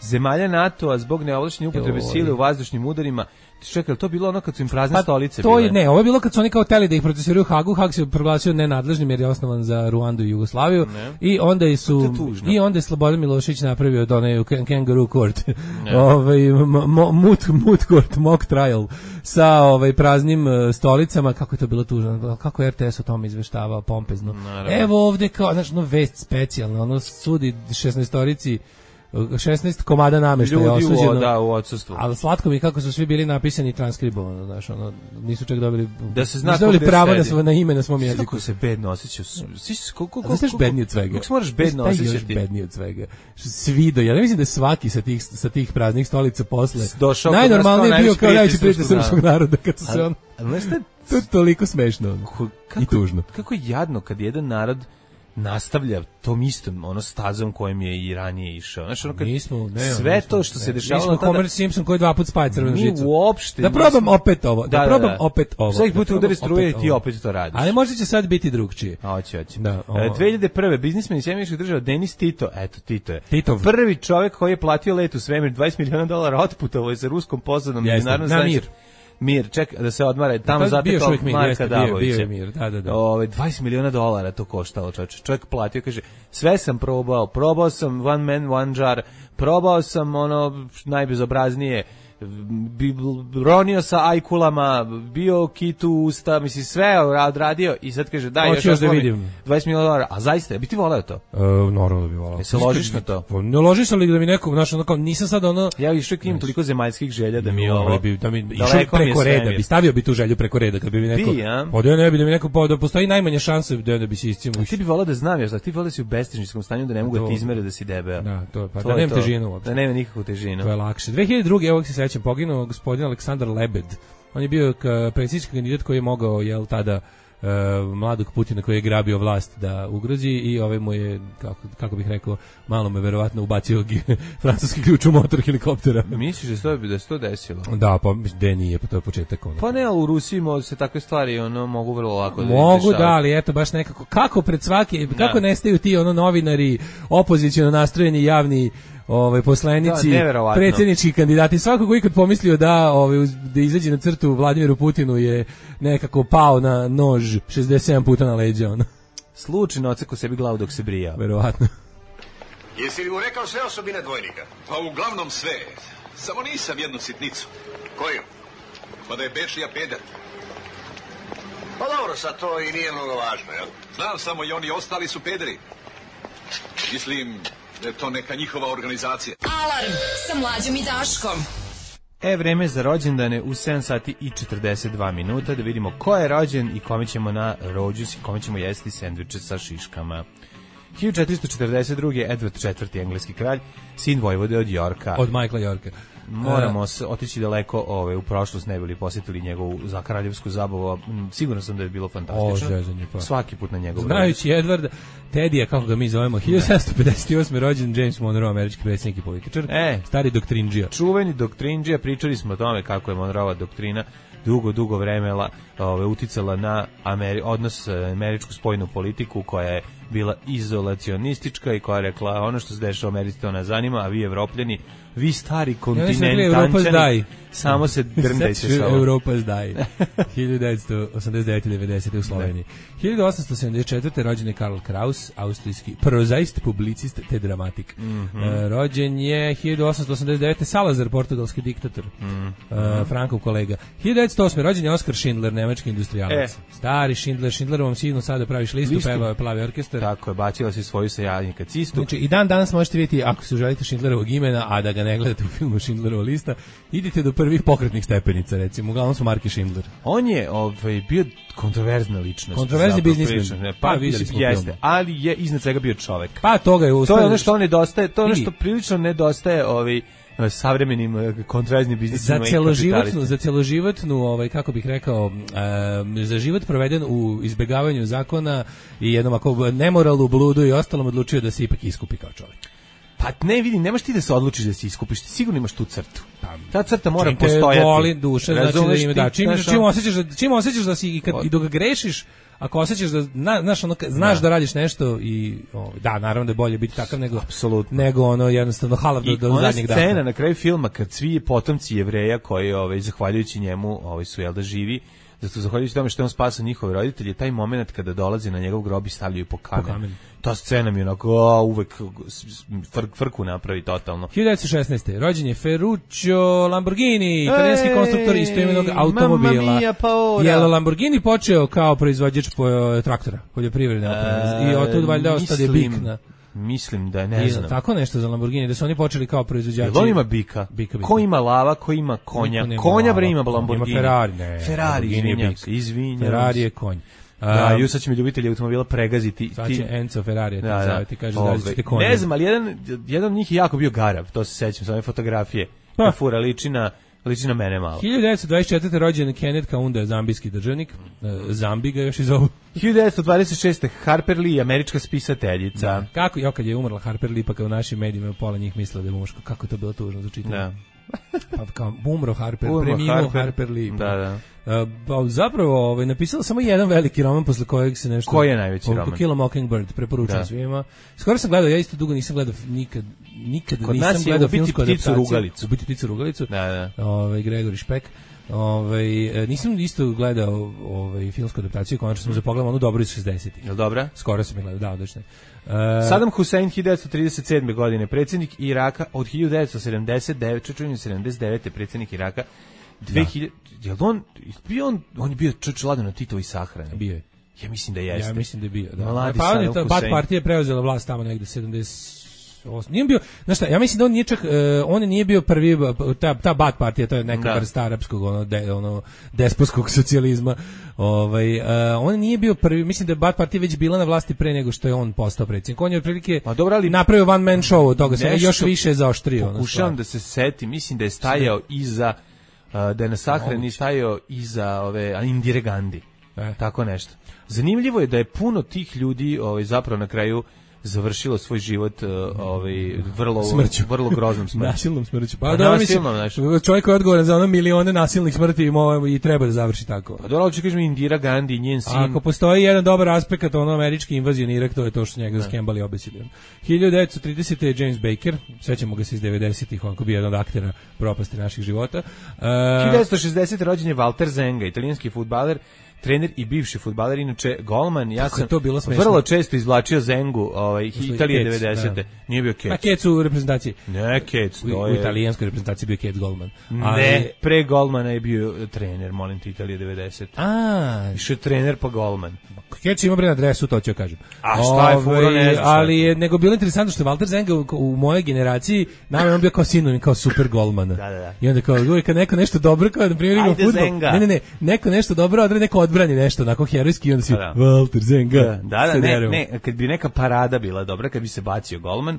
zemalja NATO-a zbog neovlašćene upotrebe sile u vazdušnim udarima. Čekaj, to bilo ono kad su im prazne pa, stolice to bile? Je, ne, ovo je bilo kad su oni kao teli da ih procesuiraju u Hagu. Hag se proglasio nenadležnim jer je osnovan za Ruandu i Jugoslaviju. Ne. I onda su i onda je Slobodan Milošević napravio od onaj kangaroo court. ovaj mut mut court mock trial sa ovaj praznim stolicama. Kako je to bilo tužno. Kako je R T S o tome izveštavao pompezno. Naravno. Evo ovde kao znači no vest specijalna, ono sudi šesnaestorici šesnaest komada nameštaja ljudi osuđeno. u, da, u odsustvu. Ali slatko mi kako su svi bili napisani i transkribovano, znaš, ono, nisu čak dobili, da se zna nisu dobili gde pravo sedi. na, svo, na ime na svom jeziku. Kako se bedno osjećao. Koliko Znaš što je bednije od svega? Kako se moraš bedno osjećati? Još bednije od svega. Svi do, ja ne mislim da je svaki sa tih, sa tih praznih stolica posle došao najnormalniji kao bio kao najveći prijatelj srpskog srpskog naroda, kad su se on... Ali znaš to je toliko smešno kako, i tužno. Kako je jadno kad jedan narod nastavlja tom istom ono stazom kojim je i ranije išao. Znači ono kad mi smo, ne, sve nismo, to što ne, se dešavalo mi smo Homer Simpson koji dva puta spaja crvenu žicu. Mi uopšte da probam nismo... opet ovo, da, da probam da, da. opet ovo. Svaki put da udari struje i ti opet to radiš. Ali možda će sad biti drugčije. Hoće, hoće. Da, dve hiljade prve biznismen iz Sjedinjenih Država Denis Tito, eto Tito je. Titov. Prvi čovjek koji je platio let u svemir, dvadeset miliona dolara otputovao je sa ruskom pozadom međunarodnom na mir. Mir, ček da se odmara, tamo zatekao Marka Dabovića. Bio mir, da, da, da. Ove, dvadeset miliona dolara to koštalo, čovječe. Čovjek platio, kaže, sve sam probao, probao sam one man, one jar, probao sam ono najbezobraznije, ronio sa ajkulama, bio kitu usta, misli sve odradio i sad kaže daj još, još da vidim. dvadeset miliona dolara, a zaista, bi ti voleo to? Uh, normalno bi voleo. E se ložiš na to? Ne ložiš ali da mi neko, znaš, ono kao, nisam sad ono... Ja išao k njim toliko zemaljskih želja da mi ovo... Bi, da mi išao preko reda, bi stavio bi tu želju preko reda, kad bi mi neko... Ti, ja? Pa da ne bi da mi neko, pa da postoji najmanje šanse da, da bi se iscimo. Ti bi voleo da znam, još da ti voleo da si u bestižničkom stanju, da ne mogu da ti izmere da si debeo. Da, to, pa to da nema težinu uopšte. Da nema nikakvu težinu. To je lakše. dve hiljade druge. Evo se sećam, poginuo gospodin Aleksandar Lebed. On je bio predsjednički kandidat koji je mogao, jel, tada uh, mladog Putina koji je grabio vlast da ugrozi i ovaj mu je, kako, kako bih rekao, malo me verovatno ubacio francuski ključ u motor helikoptera. Misliš da, to, da se to desilo? Da, pa gde nije, pa to je početak. Ono. Pa ne, ali u Rusiji se takve stvari ono, mogu vrlo lako da mogu, da, ali eto, baš nekako, kako pred svaki, kako da. Nestaju ti ono novinari, opoziciono nastrojeni javni ovaj poslanici, da, predsjednički kandidati, svako ko ikad pomislio da ovaj da izađe na crtu Vladimiru Putinu je nekako pao na nož šezdeset sedam puta na leđa ono. Slučajno oceko sebi glavu dok se brija. Verovatno. Jesi li mu rekao sve osobine dvojnika? Pa uglavnom sve. Samo nisam jednu sitnicu. Koju? Pa da je Bečija peder. Pa dobro, sad to i nije mnogo važno, jel? Znam samo i oni ostali su pederi. Mislim da je to neka njihova organizacija. Alarm sa Mlađom i Daškom. E, vreme za rođendane u sedam sati i četrdeset dva minuta, da vidimo ko je rođen i kome ćemo na rođus i kome ćemo jesti sendviče sa šiškama. hiljadu četiristo četrdeset druge. Edward četvrti. engleski kralj, sin vojvode od Yorka. Od Michaela Yorka. Moramo uh, otići daleko ove, u prošlost, ne bili posjetili njegovu za kraljevsku zabavu. Siguran sam da je bilo fantastično. O, zezanje, pa. Svaki put na njegovu. Znajući Edwarda, Tedija, kako ga mi zovemo, hiljadu sedamsto pedeset osme. rođen James Monroe, američki predsjednik i političar. E, stari doktrindžija. Čuveni doktrindžija, pričali smo o tome kako je Monroeva doktrina dugo, dugo vremena ove, uticala na Ameri odnos američku spoljnu politiku koja je bila izolacionistička i koja je rekla ono što se dešava u Americi to nas zanima, a vi Evropljani, vi stari kontinentančani, samo se drndajte sa ovom. Europa zdaj. hiljadu devetsto osamdeset devete devedesete u Sloveniji. hiljadu osamsto sedamdeset četvrte. rođen je Karl Kraus, austrijski prozaist, publicist te dramatik. Mm -hmm. uh, rođen je hiljadu osamsto osamdeset devete. Salazar, portugalski diktator. Mm -hmm. uh, Frankov kolega. hiljadu devetsto osme. rođen je Oskar Schindler, nemački industrijalac. E. Stari Schindler, Schindlerovom sinu sada praviš listu, listu. Pevao je Plavi orkestar. Tako je, bacila si svoju sajadnika cistu. Znači, i dan danas možete vidjeti, ako se želite Schindlerovog imena, a da ga ne gledate u filmu Schindlerova lista, idite do prvih pokretnih stepenica, recimo, uglavnom su Marki Schindler. On je ovaj, bio kontroverzna ličnost. Kontroverzni biznismen. Pa, pa vidjeli smo jeste, film. Ali je iznad svega bio čovek. Pa toga je uspio. To je ono što on nedostaje, to je ono što prilično nedostaje ovaj savremenim kontroverznim biznisima za celoživotnu za celoživotnu ovaj kako bih rekao e, za život proveden u izbegavanju zakona i jednom ako nemoralu, bludu i ostalom odlučio da se ipak iskupi kao čovjek. Pa ne vidim, nemaš ti da se odlučiš da se iskupiš, ti sigurno imaš tu crtu. Ta crta mora čim postojati. Čim te voli duša, znači da ima da čim, čim osjećaš da čim osjećaš da si i, kad, i dok grešiš, ako osjećaš da na, znaš, ono, znaš da. da radiš nešto i o, da, naravno da je bolje biti takav nego apsolutno, nego ono jednostavno halav do, do zadnjeg dana. I ona scena na kraju filma kad svi potomci Jevreja koji ovaj zahvaljujući njemu ovaj su jel da živi, zato zahvaljujući tome što je on spasao njihove roditelje, taj momenat kada dolazi na njegov grob i stavljaju po kamen. Po kamen. Ta scena mi je onako o, uvek fr, frku napravi totalno. hiljadu devetsto šesnaeste. rođen je Ferruccio Lamborghini, italijanski konstruktor istoimenog automobila. Je Lamborghini počeo kao proizvođač po, traktora, poljoprivredne opreme. I otud valjda ostade bik na Mislim da je, ne znam. Tako nešto za Lamborghini, da su oni počeli kao proizvođači. Jel on ima bika? Bika, bika. Ko ima lava, ko ima konja? Konja bre ima Lamborghini. Ima Ferrari, ne. Ferrari, izvinjam se, izvinjam. Ferrari je konj. Da, ju sad će mi ljubitelji automobila pregaziti. Sad će Enzo Ferrari, da, da. Zove, ti kaže da ćete konje. Ne znam, ali jedan, jedan od njih je jako bio garav, to se sećam, sa ove fotografije. Pa. Fura liči na, liči na mene malo. hiljadu devetsto dvadeset četvrte rođen Kenneth Kaunda, zambijski državnik. Zambi ga još i zovu. hiljadu devetsto dvadeset šeste Harper Lee, američka spisateljica. Da. Kako, jo, kad je umrla Harper Lee, pa kao u našim medijima pola njih mislila da je muško. Kako to bilo tužno za čitanje. Da. Pa kao umro Harper, umro preminuo Harper, Harper Lee. Da, da. Uh, zapravo ovaj, napisala samo jedan veliki roman posle kojeg se nešto... Koji je najveći roman? To Kill a Mockingbird, preporučujem svima. Skoro sam gledao, ja isto dugo nisam gledao, nikad, nikad Kod nisam nas gledao filmsku adaptaciju. Rugalicu. Ubiti pticu Rugalicu. Da, da. Ovaj, Gregori Špek. Ovaj, nisam isto gledao ovaj, filmsku adaptaciju, konačno sam mm. zapogledao onu dobru iz šezdesetih. Jel dobra? Skoro sam je gledao, da, odlično. Uh, Saddam Hussein hiljadu devetsto trideset sedme godine, predsjednik Iraka od hiljadu devetsto sedamdeset devete predsjednik Iraka. dve hiljade Da. Jel on bio on on je bio čuč ladno na Titovoj sahrani. Bio je. Ja mislim da jeste. Ja mislim da je bio, da. Mladi pa on je Bat partija preuzela vlast tamo negde sedamdeset osam. Nije bio, znaš šta, ja mislim da on nije čak, uh, on nije bio prvi, ta, ta Bat partija, to je neka vrsta arapskog, ono, de, ono, despotskog socijalizma, ovaj, uh, on nije bio prvi, mislim da je Bat partija već bila na vlasti pre nego što je on postao predsjednik. On je otprilike napravio one man show od toga, se još više zaoštrio. Pokušavam da se setim, mislim da je stajao iza, uh, da je na sahrani stajao iza ove Indire Gandhi. E. Tako nešto. Zanimljivo je da je puno tih ljudi ovaj, zapravo na kraju završilo svoj život uh, ovaj vrlo smrću. vrlo groznom smrću. Nasilnom smrću. Pa, pa da mislim, čovjek koji je odgovoran za ono milione nasilnih smrti i treba da završi tako. Pa dobro, kažemo Indira Gandhi, njen sin. Ako postoji jedan dobar aspekt ono američke invazije na Irak, to je to što njega skembali obesili. hiljadu devetsto tridesete je James Baker, sećamo ga se iz devedesetih, on ko bio jedan od aktera propasti naših života. Uh, hiljadu devetsto šezdesete rođen je Walter Zenga, italijanski fudbaler, trener i bivši fudbaler, inače golman. Ja sam to bilo smešno. Vrlo često izvlačio Zengu, ovaj Italije devedesete. Da. Nije bio Kec. A Kec u reprezentaciji. Ne, Kec, to u, je. U italijanskoj reprezentaciji bio Kec golman. Ali ne, pre golmana je bio trener, molim te, Italije devedesete. A, više trener pa golman. Kec ima bre na adresu, to ću kažem. A šta je furo, ne znam. Ali je nego bilo interesantno što Walter Zenga u, u mojoj generaciji, nama je on bio kao sinonim, kao super golmana. Da, da, da. I onda kao uvijek kad neko nešto dobro, kao na primjer igra fudbal. Ne, ne, ne, neko nešto dobro odradi, neko odbrani nešto, onako herojski, onda si da. Walter Zenga. Da, da, ne, ne, kad bi neka parada bila dobra, kad bi se bacio golman.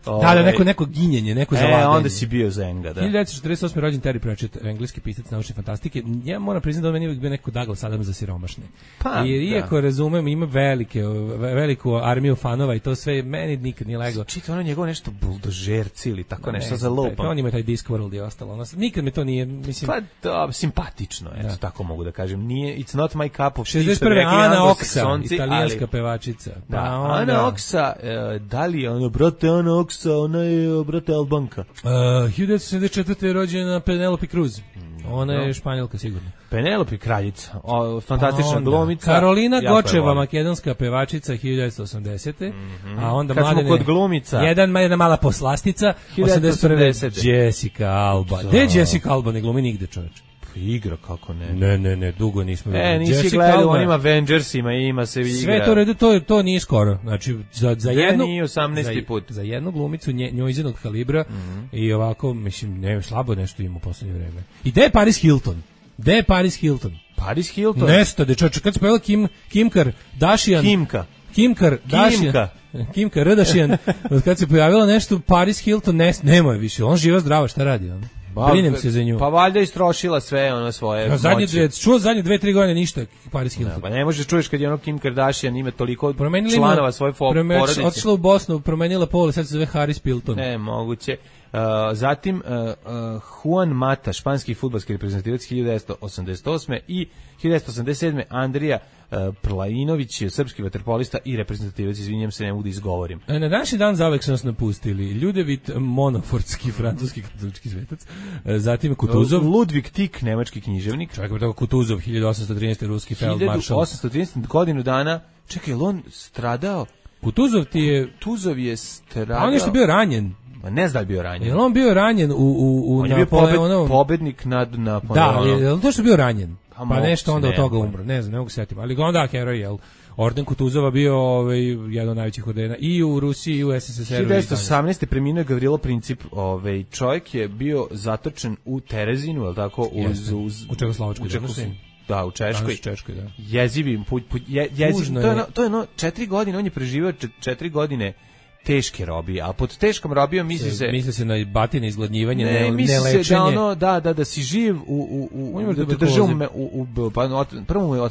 Ove, da, da, neko, neko ginjenje, neko zalaganje. E, onda si bio Zenga, da. hiljadu devetsto četrdeset osme rođen Terry Pratchett, engleski pisac naučne fantastike. Ja moram priznati da on meni uvijek bio neko Douglas Adams za siromašne. Pa, jer iako da. razumem, ima velike, veliku armiju fanova i to sve, meni nikad nije lego. Čita ono njegovo nešto buldožerci ili tako ne, nešto za lupom. On ima taj Discworld i ostalo. Ono, nikad mi to nije, mislim... Pa, da, simpatično, eto, da. Tako mogu da kažem. Nije, it's not my cup of tea. šezdeset prve Ana Oksa, italijanska ali, pevačica. Pa da, onda, Ana Oksa, uh, da li je ono, brate, Ana Oksa, ona je, brate, Albanka. Uh, hiljadu devetsto sedamdeset četvrte je rođena Penelope Cruz. Ona je Španjolka, sigurno. Penelope kraljica, o, fantastična onda glumica. Karolina Gočeva, makedonska pevačica, hiljadu devetsto osamdesete. Mm-hmm. A onda kad mladene, smo kod glumica. Jedan, jedna mala poslastica, osamdeset prve. Jessica Alba. Gde je Jessica Alba? Ne glumi nigde, čoveč. Igra, kako ne. Ne, ne, ne, dugo nismo vidjeli. E, nisi gledao onim Avengersima i ima se igra. Sve to redu, to, to nije skoro. Znači, za, za jednu... nije osamnaesti put. Za, za jednu glumicu nje, njojzinog kalibra mm-hmm. i ovako, mislim, ne, slabo nešto ima u poslednje vreme. I gde je Paris Hilton? Gde je Paris Hilton? Paris Hilton? Nesto, dečoče, kad se pojela Kim, Kim Kardashian... Kimka. Kim Kardashian. Kimka. Kim Kardashian. Od kad se pojavila nešto, Paris Hilton, ne, nema je više. On živa zdrava, šta radi on? Brinem se za nju. Pa valjda istrošila sve ono svoje ja, zadnje dve, čuo zadnje dve, tri godine ništa Paris Hilton. Ja, pa ne možeš čuješ kad je ono Kim Kardashian ima toliko promenili članova ima, svoje prome, porodice. Otišla u Bosnu, promenila pol, sad se zove Harris Pilton. Ne, moguće. Uh, zatim uh, uh, Juan Mata, španski fudbalski reprezentativac hiljadu devetsto osamdeset osme i hiljadu devetsto osamdeset sedme Andrija uh, Prlajinović, srpski vaterpolista i reprezentativac, izvinjam se, ne mogu da izgovorim. Na današnji dan zavek su nas napustili Ljudevit Monofordski, francuski katolički svetac, zatim Kutuzov, Ludvig Tik, nemački književnik, čovjek tako Kutuzov, hiljadu osamsto trinaeste ruski feldmaršal, hiljadu osamsto trinaeste godinu dana, čekaj, on stradao? Kutuzov ti je... Kutuzov je stradao... A on je što bio ranjen. Ma ne zna da je bio ranjen. Je on bio ranjen u u u on je bio pobed, pobednik nad Napoleonom. Da, je, je to što bio ranjen. Pa, pa nešto onda od toga umro. Ne znam, ne mogu se setiti. Ali onda heroj, jel? orden Kutuzova bio ovaj, jedan od najvećih ordena i u Rusiji i u S S S R-u. hiljadu devetsto osamnaeste. preminuo Gavrilo Princip, ovaj, čovjek je bio zatočen u Terezinu, je li tako? Uz, uz, u Čekoslovačkoj. U Čekoslovačkoj. Da, u Češkoj. Češkoj, da. Jezivim, pu, pu, je, jezivim. To je, ono, to je ono, četiri godine, on je preživio četiri godine teške robije, a pod teškom robijom misli se... Misli se na batine, izgladnjivanje, ne, ne misli nelečenje. se da, ono, da, da, da si živ u... u, u da te drže u... u, u pa, prvo mu je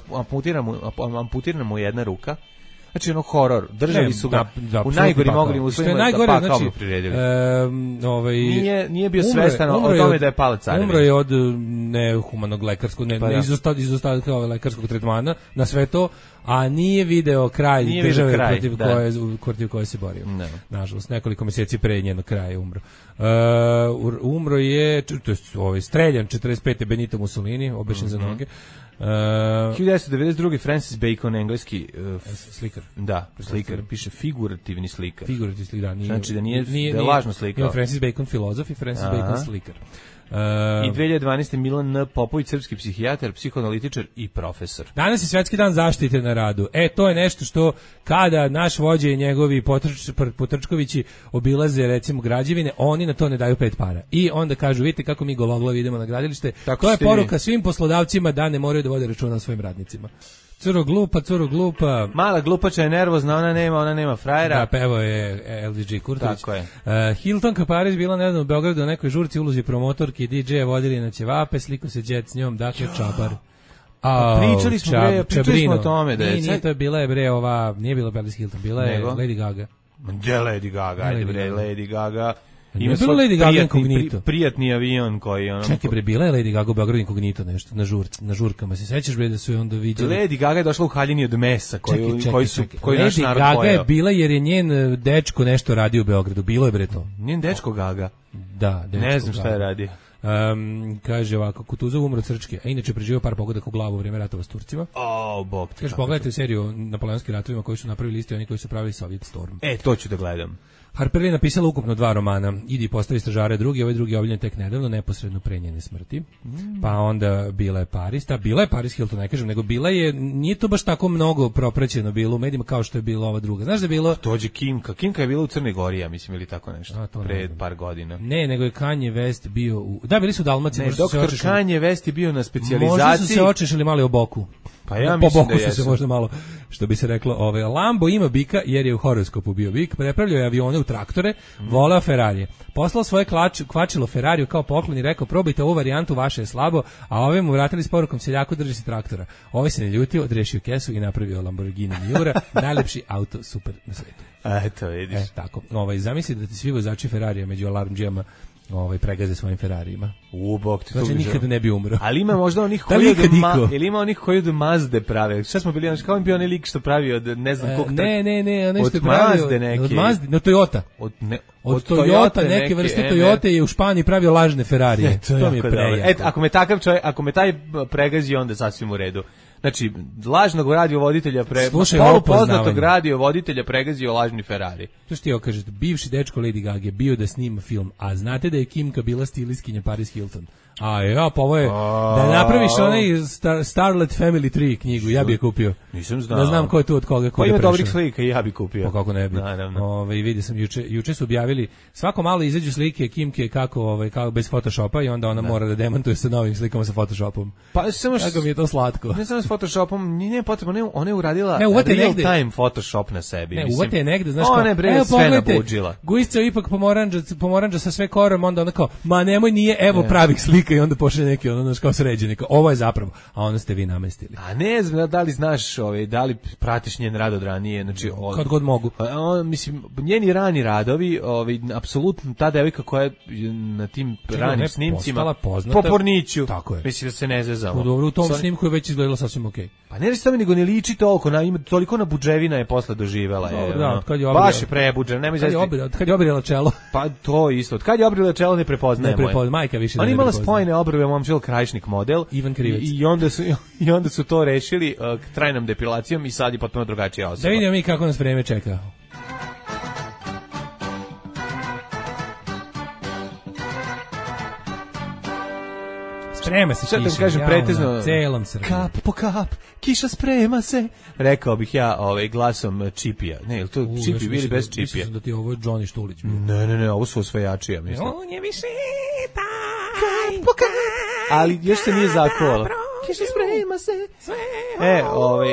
amputirana mu jedna ruka. Znači, ono, horor. Držali ne, su ga da, da, u najgorim moglim uslovima da pakao znači, mu priredili. E, ovaj, nije, nije bio svestan o tome da je pala carevina. Umro je od nehumanog lekarskog, ne, pa, ne, izostavka lekarskog tretmana na sve to, a nije video kraj nije države kraj, protiv, da. koje, protiv koje se borio. Ne. Nažalost, nekoliko mjeseci pre njenog kraja je umro. Uh, umro je, to je ovaj, streljan četrdeset pete Benito Mussolini, obešen mm-hmm. za noge. Uh, hiljadu devetsto devedeset druge. Francis Bacon, engleski uh, slikar. Da, slikar, piše figurativni slikar. Figurativni slikar, da, nije, znači da nije, nije, da je lažno slikao. Nije Francis Bacon filozof i Francis Aha. Bacon slikar. Uh, I dve hiljade dvanaeste. Milan N. Popović, srpski psihijatar, psihoanalitičar i profesor. Danas je Svetski dan zaštite na radu. E, to je nešto što kada naš vođa i njegovi potrč, potrčkovići obilaze recimo građevine, oni na to ne daju pet para. I onda kažu, vidite kako mi gologlavi idemo na gradilište. Tako to je poruka vi. Svim poslodavcima da ne moraju da vode računa o svojim radnicima. Curo glupa, curo glupa. Mala glupača je nervozna, ona nema, ona nema frajera. Da, pevo je L D G Kurtović. Tako je. Uh, Hilton Kaparić bila nedavno u Beogradu u nekoj žurci ulozi promotorki i D J-a vodili na ćevape, sliko se džet s njom, dakle čabar. A pričali smo čab, bre, pričali smo o tome da je. Nije, nije to je bila je bre ova, nije bila Paris Hilton, bila je Nego? Lady Gaga. Gdje Lady Gaga? Ajde bre, Lady Gaga. Ima bilo Lady Gaga inkognito. Prijatni avion koji ono. Čekaj bre, bila je Lady Gaga u Beogradu inkognito nešto na žurci, na žurkama. Se sećaš bre da su je onda viđali? Lady Gaga je došla u haljini od mesa koji čekaj, čekaj, koji su čekaj. koji naš narod Lady Gaga pojeo. je bila jer je njen dečko nešto radio u Beogradu. Bilo je bre to. Njen dečko Gaga. Da, dečko. Ne znam šta je radio. Um, kaže ovako, Kutuzov umro crčke, a inače preživio par pogodaka u glavu u vrijeme ratova s Turcima. O, bog ti. Kaže, pogledajte seriju o napoleonskim ratovima koji su napravili isti oni koji su pravili Soviet Storm. E, to ću da gledam. Harper je napisala ukupno dva romana. Idi postavi stražare drugi, ovaj drugi je objavljen tek nedavno, neposredno pre njene smrti. Mm. Pa onda bila je Paris, ta bila je Paris Hilton, ne kažem, nego bila je, nije to baš tako mnogo propraćeno bilo u medijima kao što je bila ova druga. Znaš da je bilo... Tođe Kimka, Kimka je bila u Crnoj Gori, ja mislim, ili tako nešto, a, pred par godina. Ne, nego je Kanye West bio u... Da, bili su u Dalmaciji. Ne, doktor Kanye West je bio na specijalizaciji. Možda su se očešali malo o boku. Pa ja po mislim boku da su jesu. se možda malo, što bi se reklo, ovaj Lambo ima bika jer je u horoskopu bio bik, prepravljao je avione u traktore, mm. voleo Ferrarije. Poslao svoje klač, kvačilo Ferrariju kao poklon i rekao probajte ovu varijantu, vaše je slabo, a ove mu vratili s porukom seljaku drži se traktora. Ovaj se ne ljutio, odrešio kesu i napravio Lamborghini Miura, najlepši auto super na svetu. Eto, vidiš. E, tako. Ovaj, zamisli da ti svi vozači Ferrarija među alarmdžijama ovaj pregaze svojim Ferrarijima. U bog ti znači, nikada ne bi umro. Ali ima možda onih koji od ma, ili ima onih koji od Mazde prave. Šta smo bili, znači kao bio onaj lik što pravi od ne znam koliko. Ne, ne, ne, onaj što je pravio od Mazde, od Mazde, no Toyota. Od ne, od, od Toyota, Toyota neke, neke vrste Toyota je u Španiji pravio lažne Ferrarije. To, to mi je prejako. Et, ako me takav čovjek, ako me taj pregazi, onda sasvim u redu. Znači, lažnog radiovoditelja pre polupoznatog radiovoditelja pregazio lažni Ferrari. To što ti okažete, bivši dečko Lady Gaga bio da snima film, a znate da je Kimka bila stilistkinja Paris Hilton. A ja, pa ovo je, da napraviš onaj Star, Starlet Family tri knjigu, ja bi je kupio. Nisam znao. Da znam ko je tu od koga. Pa ima dobrih slika i ja bi kupio. Pa kako ne bi. Naravno. Ove, vidi sam, juče, juče su objavili, svako malo izađu slike Kimke kako, ovaj, kako bez Photoshopa i onda ona da. mora da demantuje sa novim slikama sa Photoshopom. Pa samo što... Kako mi je to slatko. Ne samo s Photoshopom, nije potrebno, ne, ona je uradila ne, real negde. time Photoshop na sebi. Ne, mislim. uvate je negde, znaš ona je bre evo, sve nabuđila. Gujica ipak pomoranđa, pomoranđa sa sve korom, onda ona kao, ma nemoj, nije, evo ne. pravih slika i onda pošle neki ono, znaš, kao sređeni, kao, ovo je zapravo, a onda ste vi namestili. A ne znam, da li znaš, ovaj, da li pratiš njen rad od ranije, znači... Od, kad god mogu. On, mislim, njeni rani radovi, ovaj, apsolutno, ta devojka koja je na tim Čekaj, ranim snimcima, po Porniću, tako je. mislim da se ne zezamo. U dobro, u tom Sa... snimku je već izgledalo sasvim okej. Okay. Pa ne reći nego ne liči toliko, na, ima toliko na buđevina je posle doživela. Dobro, je, da, ono, kad je obrila, baš je prebuđen, nemoj kad, kad je obrila čelo. Pa to isto, od kad je obrila čelo ne prepoznajemo. Ne prepoznaje, majka više ne. Ona imala spojene obrve, momčil Krajišnik model. Ivan Krivec. I, i, onda su, I onda su to rešili uh, trajnom depilacijom i sad je potpuno drugačija osoba. Da vidimo mi kako nas vreme čeka. Sprema se Sad da kiša, kažem ja, pretežno na celom Srbiji. Kap po kap, kiša sprema se. Rekao bih ja ovaj glasom Čipija. Ne, je li to U, Čipi još bili mislim bez da- Čipija? Mislim da ti ovo je Johnny Štulić. bio. Ne, ne, ne, ovo su osvajači, ja mislim. On je više Kap po kap. Ali još se nije zakovalo. Kiša sprema se. E, ovaj,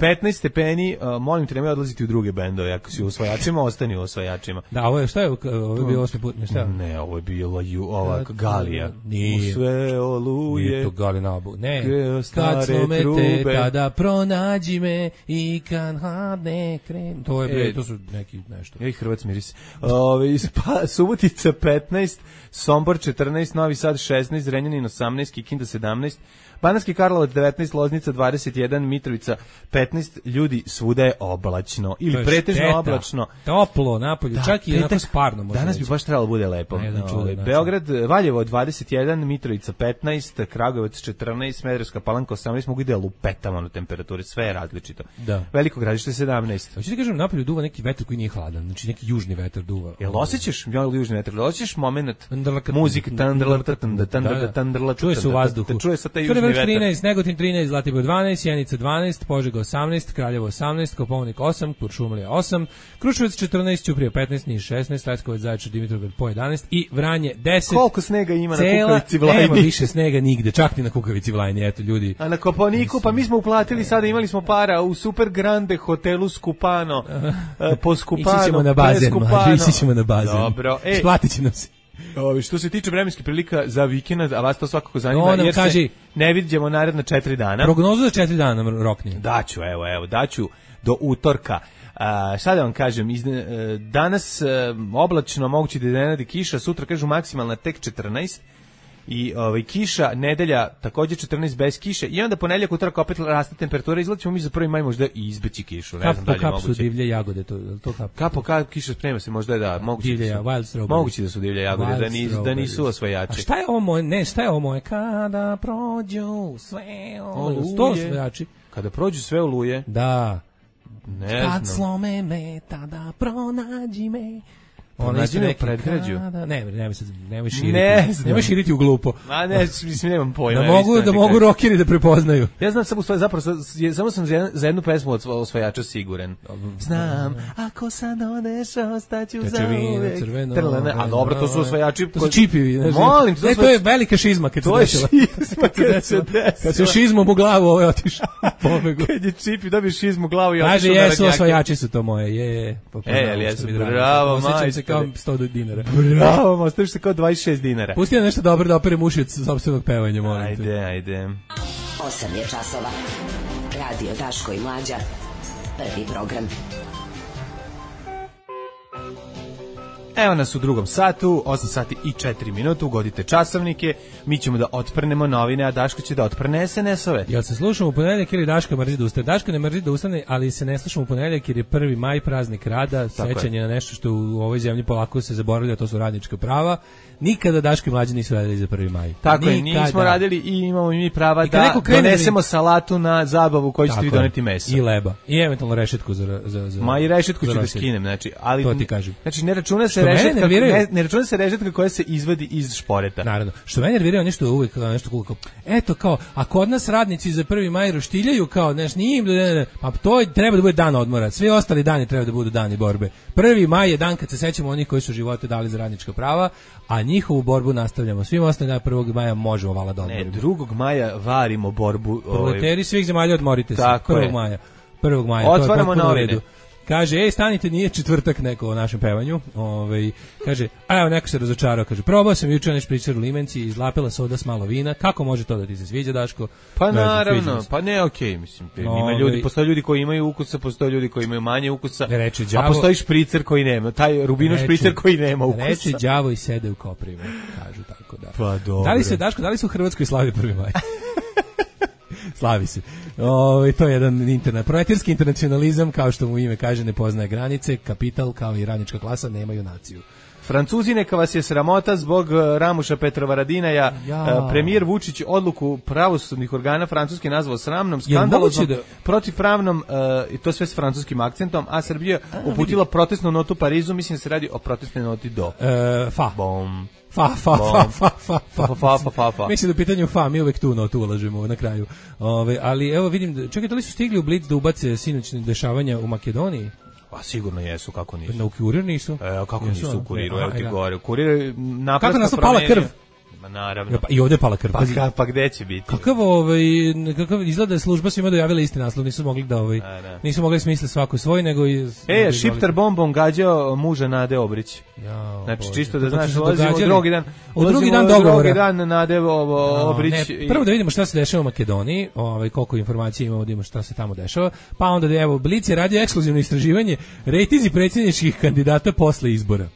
petnaest stepeni, uh, molim te, nemoj odlaziti u druge bendove. Ako si u osvajačima, ostani u osvajačima. Da, ovo je, šta je, ovo je bio osmi put, ne šta? Ne, ovo je bila ju, ova Galija. Nije. U sve oluje. Nije to Galinabu. Ne, Geo stare kad slome trube. te, tada pronađi me i kad hadne krenu. To je, bre, E, to su neki nešto. Ej, Hrvac miris. Ove, pa, Subotica petnaest, Sombor četrnaest, Novi Sad šesnaest, Zrenjanin osamnaest, Kikinda sedamnaest, Banatski Karlovac devetnaest, Loznica dvadeset jedan, Mitrovica petnaest, ljudi svuda je oblačno To ili je pretežno šteta. oblačno. Toplo napolju, Da, čak i onako petak, sparno. možda Danas bi reći. baš trebalo bude lepo. Na jedan čudan Ovaj, način. Beograd, Valjevo dvadeset jedan, Mitrovica petnaest, Kragujevac četrnaest, Smederevska Palanka osamnaest, mogu ide lupetama na temperaturi, sve je različito. Da. Veliko Gradište sedamnaest. Hoću ti kažem, napolju duva neki vetar koji nije hladan, znači neki južni vetar duva. Jel osjećaš, jel južni vetar, jel osjećaš moment Tandrlaka- muzika, tandrlaka, Da, tandrlaka, da. tandrlaka, Čuje se u vazduhu. čuje se taj južni Crvenac vetar. trinaest, Negotin trinaest, Zlatibor dvanaest, Sjenica dvanaest, Požega osamnaest, Kraljevo osamnaest, Kopaonik osam, Kuršumlija osam, Kruševac četrnaest, Ćuprija petnaest, Niš šesnaest, Leskovac, Zaječar, Dimitrovgrad po jedanaest i Vranje deset. Koliko snega ima na Cela- Kukavici Vlajni? Nema više snega nigde, čak ni na Kukavici Vlajni, eto ljudi. A na Kopaoniku, pa mi smo uplatili sada, imali smo para u Super Grande hotelu Skupano, e, po Skupano, Ići ćemo na bazen, Preskupano. mlađe, ići ćemo na bazen. Dobro, e, Splatit će nam se. ovi, što se tiče vremenskih prilika za vikend, a vas to svakako zanima, No, nam jer kaži. se ne vidimo naredna četiri dana. Prognozu za četiri dana rokni. Daću, evo, evo, daću do utorka. A, šta da vam kažem, iz, e, danas e, oblačno, moguće da iznenadi kiša, sutra kažu maksimalna tek četrnaest, i ovaj kiša, nedelja takođe četrnaest bez kiše, i onda ponedeljak, utorak opet raste temperatura, izlaćemo mi za prvi maj možda i izbeći kišu, ne Kap znam po da li je kap su moguće. divlje jagode, to, je li to kap? Kapo kap kiša sprema se, možda je da, moguće Divlje, da su, wild strawberries. moguće da su divlje jagode, da, Wild nisu, da nisu strawberries. osvajači. A šta je ovo moje? Ne, šta je ovo moje? Kada prođu sve oluje. Sto osvajači. Kada prođu sve oluje, Da. ne Kad znam. slome me, tada pronađi me. Pronađi isto me u neki predgrađu. kada- Ne, nemoj sad, nemoj širiti. Ne znam. Nemoj širiti u glupo. Ma ne, mislim, nemam pojma. Da ja mogu, iskreno da ti mogu kažem. rokeri da prepoznaju. Ja znam samo svoje, zapravo, sa- je- samo sam za, jedan, za jednu pesmu od osvajača siguran. Znam, ako sad odeš, ostaću za Tečevina, uvek. crveno. Trlane, a dobro, to su osvajači. To su čipivi. znaš. Molim, to, Ne, su- to je velika šizma kad se to je desila. šizma kad se desila. Kad se desila. šizmom u glavu ovo je otišao. Pobegu. Kad je čipi, dobiješ šizmu u glavu i Kaže, otišao na jesu radnjake. osvajači su to moje, je. Pa, pa, E, znamo ali što jesu, mi drago. bravo, Osjećam se majstore. kao sto dinara. Bravo, ostaviš se kao dvadeset šest dinara. Pusti nam nešto dobro da operem uši od sopstvenog pevanja, molim te. Ajde, ajde. osam je časova. Radio Daško i Mlađa. Prvi program. Evo nas u drugom satu, osam sati i četiri minuta, ugodite časovnike, mi ćemo da otprnemo novine, a Daško će da otprne es en es-ove. Jel se slušamo u ponedeljak ili Daška mrzi da ustane? Daška ne mrzi da ustane, ali se ne slušamo u ponedeljak jer je prvi maj, praznik rada, sećanje na nešto što u ovoj zemlji polako se zaboravlja, to su radnička prava. Nikada Daško i Mlađe nisu radili za prvi maj. Tako je, Nikada. nismo radili i imamo i mi prava I kad da neko krene da donesemo mi- salatu na zabavu koju ćete Tako vi je. doneti meso. I leba. I eventualno rešetku za... za, za Ma i rešetku za ću da roštilj. skinem, znači, ali To ti kažem. Znači ne računa se Što mene rešetka, nerviraju- ne, ne računa se rešetka koja se izvadi iz šporeta. Naravno. Što mene nervirao nešto uvek kao nešto kao, eto kao, a kod nas radnici za prvi maj roštiljaju kao, znaš, nije im, ne, ne, pa to je- treba da bude dan odmora. Svi ostali dani treba da budu dani borbe. Prvi maj je dan kad se sećamo onih koji su živote dali za radnička prava, a njihovu borbu nastavljamo. Svim ostalim dana prvog maja možemo vala da Ne, odmorimo. drugog maja varimo borbu. ovaj, Proleteri svih zemalja odmorite se. Tako prvog je. maja. prvog maja. to je Otvaramo potpuno u novine. redu. Kaže, ej, stanite, nije četvrtak neko o našem pevanju. Ovaj kaže, a evo neko se razočarao, kaže, probao sam juče nešto pričar u limenci, izlapila soda s malo vina. Kako može to da ti se sviđa, Daško? Pa Ne znam, sviđa naravno, mi se. pa ne, okej, mislim, ima Ovaj- ljudi, postoje ljudi koji imaju ukusa, postoje ljudi koji imaju manje ukusa, Ne reče a đavo- postoji špricer koji nema, taj rubino Reče- špricer koji nema ukusa. Reče đavo i sede u koprivu, kažu tako da. Pa dobro. Da li se, Daško, da li se u Hrvatskoj slavi prvi maj? Slavi se. O, to je jedan internet, proletarski internacionalizam, kao što mu ime kaže, ne poznaje granice, kapital kao i radnička klasa nemaju naciju. Francuzi, neka vas je sramota zbog eh, Ramuša Petrovaradinaja. Ja. Eh, Premijer Vučić odluku pravosudnih organa Francuske nazvao sramnom, Jel skandaloznom, moguće protivpravnom, eh, i to sve s francuskim akcentom, a Srbija uputila protestnu notu Parizu, mislim da se radi o protestnoj noti do. E, fa. Bom. Fa, fa, fa, fa, fa, fa, fa, fa, fa, fa, fa. Mislim da u pitanju fa, mi uvek tu, no, tu ulažemo na kraju. Ove, ali evo vidim, čekajte li su stigli u Blitz da ubace sinoćne dešavanja u Makedoniji? Pa sigurno jesu, kako nisu. Na Kurir nisu? E, kako jesu, nisu u Kuriru, aha, evo ti da. gore. Kurir naprosto kako nas pala krv? Ma naravno. Pa, i ovde je pala krv. Pa, ka, pa gde će biti? Kakav ovaj kakav izgleda da je služba svima dojavila isti naslov, nisu mogli da ovaj a, da. nisu mogli smisliti svako svoj, nego i E, šiptar bombom gađao muža Nade Obrić. Ja, znači Bože, čisto da to znaš, su ulazimo u događali. drugi dan. U drugi dan u dogovora. Drugi dan Nade ovo, Obrić. No, ne, prvo da vidimo šta se dešava u Makedoniji, ovaj koliko informacija imamo, da vidimo šta se tamo dešava. Pa onda da evo Blic je radio ekskluzivno istraživanje rejtinzi predsjedničkih kandidata posle izbora.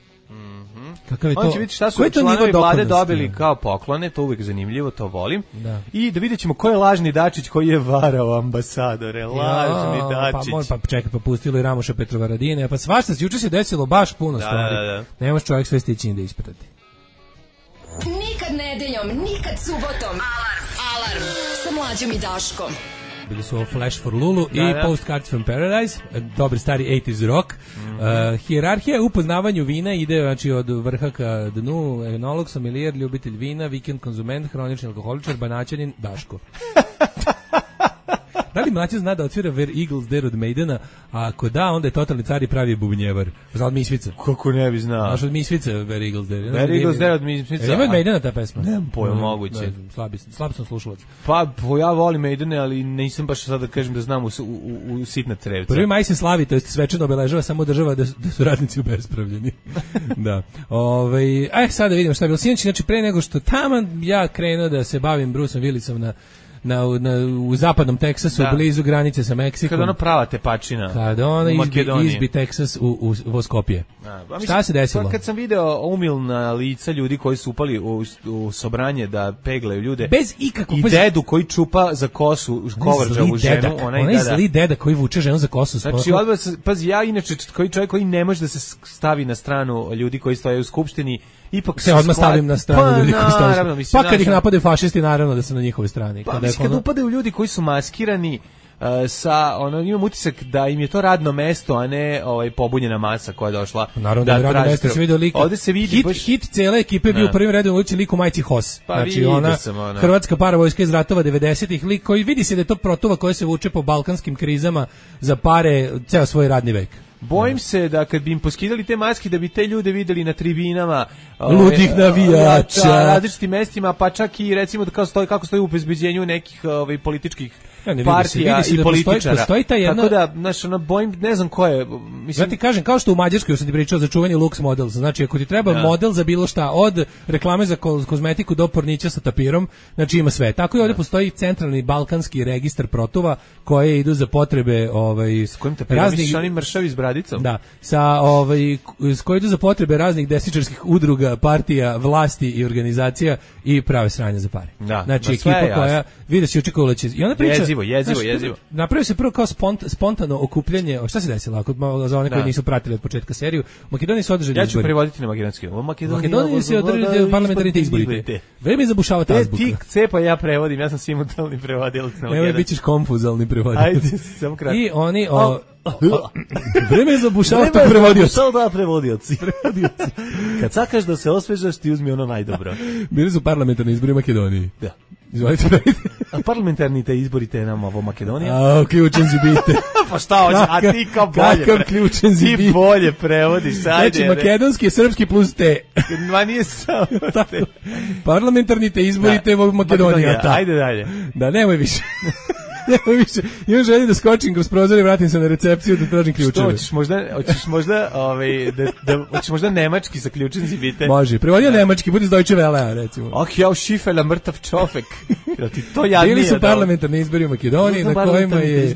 Kakav je to? On će vidjeti šta su članovi vlade dobili kao poklone, to uvijek zanimljivo, to volim. Da. I da vidjet ćemo ko je lažni Dačić koji je varao ambasadore, lažni ja, Dačić. Pa, moj, pa čekaj, pa pustilo i Ramoša Petrovaradine, pa svašta, juče se desilo baš puno da, stvari. Da, da. Ne može čovjek sve stići da isprati. Nikad nedeljom, nikad subotom. Alarm, alarm, sa Mlađom i Daškom. Bili su ovo Flash for Lulu da, i da. Postcards from Paradise, dobri stari osamdeset rock. Mm-hmm. Uh, hijerarhija u poznavanju vina ide znači od vrha ka dnu, enolog, sommelier, ljubitelj vina, vikend konzument, hronični alkoholičar, banaćanin, Daško. Da li mlađe zna da otvira Where Eagles Dare od Maidena, a ako da, onda je totalni car i pravi bubnjevar. Zna od Misvica. Kako ne bi znao. Znaš od Misvica Where Eagles Dare. Where Eagles Dare od Misvica. Ima od Maidena ta pesma? Nemam pojma, moguće. Slabi, slab sam slušalac. Pa, ja volim Maidene, ali nisam baš sad da kažem da znam u, u, u, u sitna crevca. Prvi maj se slavi, to jest svečano obeležava samo država da, da su radnici ubespravljeni. Da. Ove, aj, sad da vidimo šta je bilo. Sinoć, znači pre nego što taman ja krenuo da se bavim Bruceom Willisom na Na, na, u zapadnom Teksasu, da. Blizu granice sa Meksikom. Kada ono prava tepačina. Kada ona izbi, izbi Teksas u, u Voskopje. A, šta se desilo? Pa kad sam video umilna lica ljudi koji su upali u, u sobranje da peglaju ljude. Bez ikakvog... I dedu koji čupa za kosu kovrđavu ženu. Onaj, onaj da, zli deda koji vuče ženu za kosu. Znači, odbog, pazi, ja inače koji čovjek koji ne može da se stavi na stranu ljudi koji stoje u skupštini, ipak se odmah stavim na stranu pa, ljudi koji stoje. Naravno, mislim, pa kad ih napade fašisti, naravno da su na njihovoj strani. Pa, kada mislim, kad upadaju ljudi koji su maskirani, uh, sa ono imam utisak da im je to radno mesto, a ne ovaj pobunjena masa koja je došla. Naravno da, da radno mesto se vidi lik. Ovde se vidi hit, baš... hit cele ekipe bio u prvim redovima ulici lik u majici Hos. Pa znači ona, ona hrvatska paravojska iz ratova devedesetih, lik koji vidi se da je to protuva koja se vuče po balkanskim krizama za pare ceo svoj radni vek. Bojim se da kad bi im poskidali te maske da bi te ljude videli na tribinama ludih ove, navijača na različitim mestima, pa čak i recimo da kao stoji, kako stoji u obezbeđenju nekih ovaj, političkih ja, ne, partija se, i da političara. Postoji, postoji ta jedna... Tako da, znaš, ono, bojim, ne znam ko je... Mislim... Ja ti kažem, kao što u Mađarskoj sam ti pričao za čuvanje Lux Models, znači ako ti treba ja. model za bilo šta, od reklame za kozmetiku do pornića sa tapirom, znači ima sve. Tako i ovdje ja. postoji centralni balkanski registar protuva koje idu za potrebe ovaj, s kojim tapirom raznih... misliš oni mršavi s bradicom? Da, sa, ovaj, s koje idu za potrebe raznih desničarskih udruga, partija, vlasti i organizacija i prave sranje za pare. Da, znači ekipa koja vidi se očekovala će... I ona priča, jezivo, jezivo, znaš, jezivo. Napravio se prvo kao spont, spontano okupljanje. O šta se desilo? Ako za one koji da. nisu pratili od početka seriju, u Makedoniji su održani izbori. Ja ću izbori. prevoditi na makedonski. U Makedoniji, Makedoniji se održali parlamentarni izbori. Vreme je zabušavati azbuka. Ti cepa ja prevodim, ja sam simultalni prevodilac na makedonski. Evo bićeš konfuzalni prevodilac. Ajde, samo kratko. I oni o vreme je zabušavati prevodioci. Da, prevodioci. prevodioci. Kad sakaš da se osvežaš, ti uzmi ono najdobro. Bili su parlamentarni izbori u Makedoniji. Da. Izvolite. A parlamentarni te izbori te nam ovo Makedonija? A, ključen si bite. Pa šta hoće, a ti kao bolje. Kakav ključen si bite. Ti bolje prevodiš, ajde. Znači, makedonski, srpski plus te. Ma nije samo te. Parlamentarni te izbori te ovo Makedonija. Ajde dalje. Da, nemoj više. Nemoj više. Imam želji da skočim kroz prozor i vratim se na recepciju da tražim ključeve. Što, hoćeš možda, hoćeš možda, ovaj, da, da, hoćeš možda nemački sa ključem si bite? Može, prevodio nemački, budi iz Deutsche Welle, recimo. Oh, ja u šifela mrtav čovek. Ti to ja nije. Bili su parlamentarni izbori u Makedoniji, na kojima je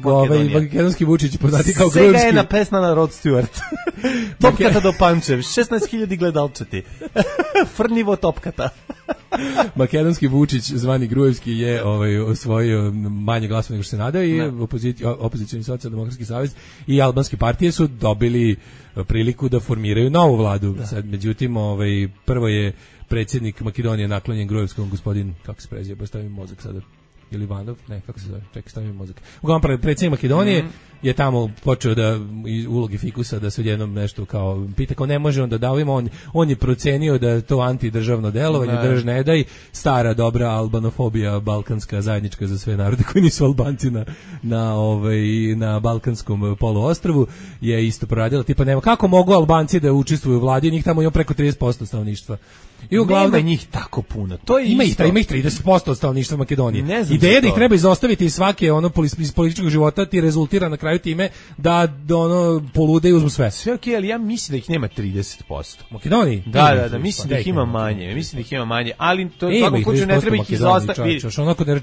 ovaj makedonski Vučić poznati kao grunski. Svega je na pesna na Rod Stewart. Topkata do Pančev, šesnaest hiljada gledalčati. Frnivo topkata. Makedonski Vučić, zvani Grujevski, je ovaj, osvojio manje glasova nego što se nadao i opozici, opozicioni socijaldemokratski savez i albanske partije su dobili priliku da formiraju novu vladu. Da. Sad, međutim, ovaj, prvo je predsjednik Makedonije naklonjen Grujevskom, gospodin, kako se prezije, baš stavim mozak sada. ili Ivanov, ne, kako se zove, čekaj, stavim mozak. Uglavnom, predsjednik Makedonije mm. je tamo počeo da iz ulogi fikusa da se odjednom nešto kao pita kao ne može on da da ovima, on, on je procenio da to antidržavno delovanje, ne. drž ne daj, stara dobra albanofobija balkanska zajednička za sve narode koji nisu Albanci na, na, ovaj, na balkanskom poluostrvu je isto proradila, tipa nema, kako mogu Albanci da učestvuju u vladi, njih tamo ima preko trideset posto stanovništva. I uglavnom nema njih tako puno. To je ima isto. ih, ima ih trideset posto od stanovništva Makedonije. Ideja da ih treba izostaviti iz svake ono iz političkog života ti rezultira na kraju time da, da ono polude i uzmu sve. Sve okej, okay, ali ja mislim da ih nema trideset posto. Makedoniji? Da, da, da, mislim da ih ima manje. Mislim da ih ima manje, ali to u svakom slučaju ne treba ih izostaviti.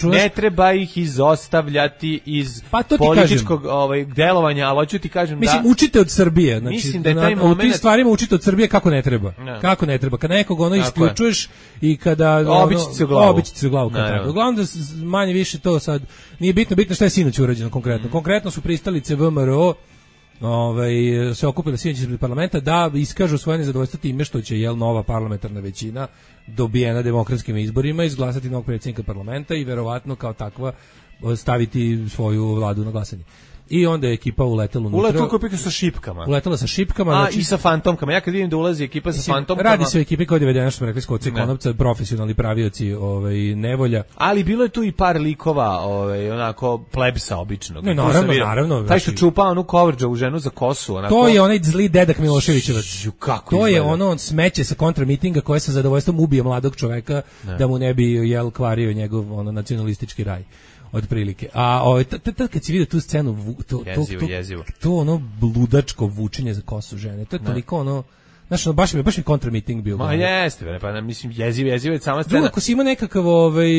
Ne treba ih izostavljati iz pa političkog ovaj delovanja, ali hoću ti kažem da mislim učite od Srbije, znači mislim da je taj moment u tim stvarima učite od Srbije kako ne treba. Kako ne treba. Kad nekog ono isključuješ i kada obići se u glavu. Obići se u glavu kad tako. Uglavnom da manje više to sad nije bitno, bitno šta je sinoć urađeno konkretno. Mm. Konkretno su pristalice V M R O ovaj, se okupile sinoć ispred parlamenta da iskažu svoje nezadovoljstvo time što će jel nova parlamentarna većina dobijena demokratskim izborima izglasati novog predsjednika parlamenta i verovatno kao takva staviti svoju vladu na glasanje. I onda je ekipa uletela unutra. Uletela kopika sa šipkama. Uletela sa šipkama. A, znači, i sa fantomkama. Ja kad vidim da ulazi ekipa sa fantomkama... Radi se o ekipi koja je dovedena, što smo rekli, Skoci Konopca, profesionalni pravioci ovaj, nevolja. Ali bilo je tu i par likova, ovaj, onako, plebsa običnog. Ne, naravno, naravno. Taj što čupa onu Kovrđovu ženu za kosu. Onako... To je onaj zli dedak Miloševićevac. Kako to izgleda? Je ono, on smeće sa kontramitinga koje sa zadovoljstvom ubije mladog čoveka ne. Da mu ne bi jel kvario njegov ono, nacionalistički raj. Otprilike. A ovaj tad kad si vidio tu scenu to to jezivo, to, jezivo. to ono ludačko vučenje za kosu žene. To je toliko ono znaš, ono, baš mi baš mi kontramiting bio. Ma jeste, pa mislim jezivo, jezivo je sama scena. Drugo, ako si ima nekakav ovaj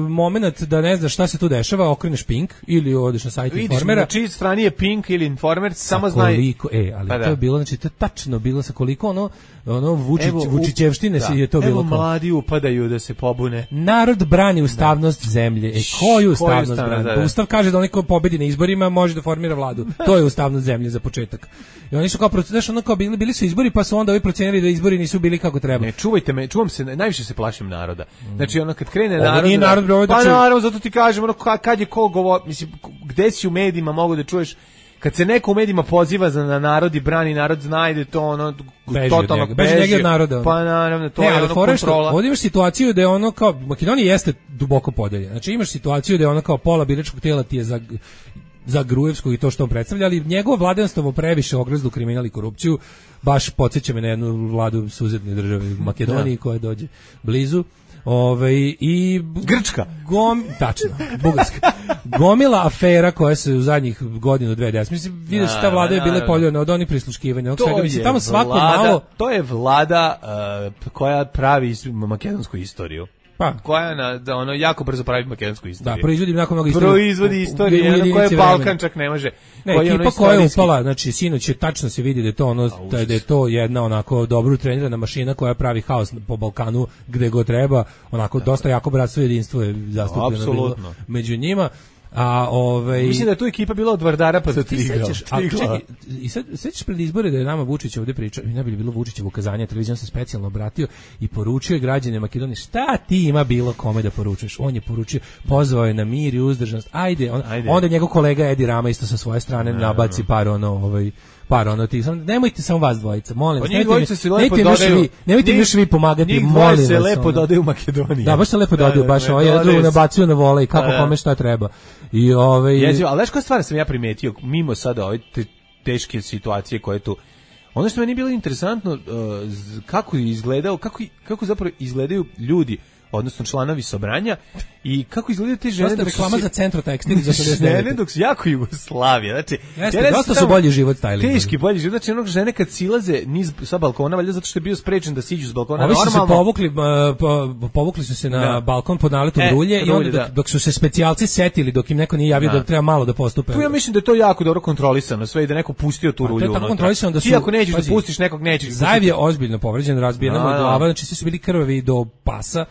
momenat da ne znaš šta se tu dešava, okreneš Pink ili odeš na sajt Informera. Na čiji strani je Pink ili Informer, samo znaj. Koliko, e, ali pa to je bilo, znači to je tačno bilo sa koliko ono ono Vučić, Vučićevštine se je to bilo. Evo mladi upadaju da se pobune. Narod brani ustavnost da. zemlje. E, koju ustavnost brani? Da, da. Ustav kaže da onaj ko pobedi na izborima može da formira vladu. To je ustavnost zemlje za početak. I oni su kao, znaš, ono kao bili, bili su izbori, pa su onda ovi procenili da izbori nisu bili kako treba. Ne, čuvajte me, čuvam se, najviše se plašim naroda. Znači, ono kad krene narod... Ovo nije narod, bro, pa naravno, zato ti kažem, ono, kad je ko govor, mislim, gde si u medijima mogu da čuješ, kad se neko u medijima poziva za na narod i brani narod, zna da je to ono totalno beži njega od naroda. Pa naravno, to ne, je ono kontrola. Ovdje imaš situaciju da je ono kao, Makedonija jeste duboko podeljena. Znači imaš situaciju da je ono kao pola biračkog tijela ti je za za Gruevskog i to što on predstavlja, ali njegovo vladanstvo previše ogrezlo kriminal i korupciju, baš podsjeća me na jednu vladu susedne države u Makedoniji koja dođe blizu. Ove, i Grčka. Gom, tačno, Bugarska. Gomila afera koja se u zadnjih godinu dve deset. Mislim, vidio se ta vlada je bila poljena od onih prisluškivanja. To, mislim, tamo svako vlada, malo... to je vlada uh, koja pravi makedonsku istoriju. Pa. Koja na, da ono jako brzo pravi makedonsku istoriju. Da, proizvodi jako mnogo istorije. Proizvodi istorije, ono koje Balkan čak ne može. Ne, ekipa ono koja je upala, znači sinoć je tačno se vidi da je to ono, da je to jedna onako dobro trenirana mašina koja pravi haos po Balkanu gde god treba, onako da, dosta jako bratstvo i jedinstvo je zastupljeno bilo među njima. A ovaj mislim da je tu ekipa bila od Vardara pa do Tigra. I sad sećaš pred izbore da je nama Vučić ovde pričao, i ne bi bilo Vučićevo ukazanje, televizijom se specijalno obratio i poručio građanima Makedonije šta ti ima bilo kome da poručuješ. On je poručio, pozvao je na mir i uzdržanost. Ajde, on, ajde. Onda njegov kolega Edi Rama isto sa svoje strane ne, nabaci ne, par ono ovaj par ono ti sam nemojte samo vas dvojica, molim vas. Nemojte još vi, nemojte još vi pomagati, molim vas. Se lepo dodaju u Makedoniji. Da, baš se lepo dodaju, baš ovaj jedan drugi nabacuju na vole i kako kome šta treba. I ovaj jezivo, ali znaš koja stvar sam ja primetio mimo sada ove te, teške situacije koje tu. Ono što meni je bilo interesantno uh, kako je izgledao, kako kako zapravo izgledaju ljudi, odnosno članovi sobranja i kako izgledaju te žene dok reklama za Centro Tekstil za šezdeset devet. Ne, dok su jako Jugoslavija, znači jeste, dosta su bolji život styling. Teški bolji život, znači onog žene kad silaze niz sa balkona, valjda zato što je bio sprečen da siđu s balkona. Ovi su se povukli, po, povukli su se na da. balkon pod naletom e, rulje i onda dok, da. dok su se specijalci setili, dok im neko nije javio da, da treba malo da postupe. Tu ja mislim da je to jako dobro kontrolisano, sve i da neko pustio tu rulju. To je tako kontrolisano da su ti ako nećeš da pustiš nekog nećeš. Zajev je ozbiljno povređen, razbijena mu glava, znači svi su bili krvavi do pasa.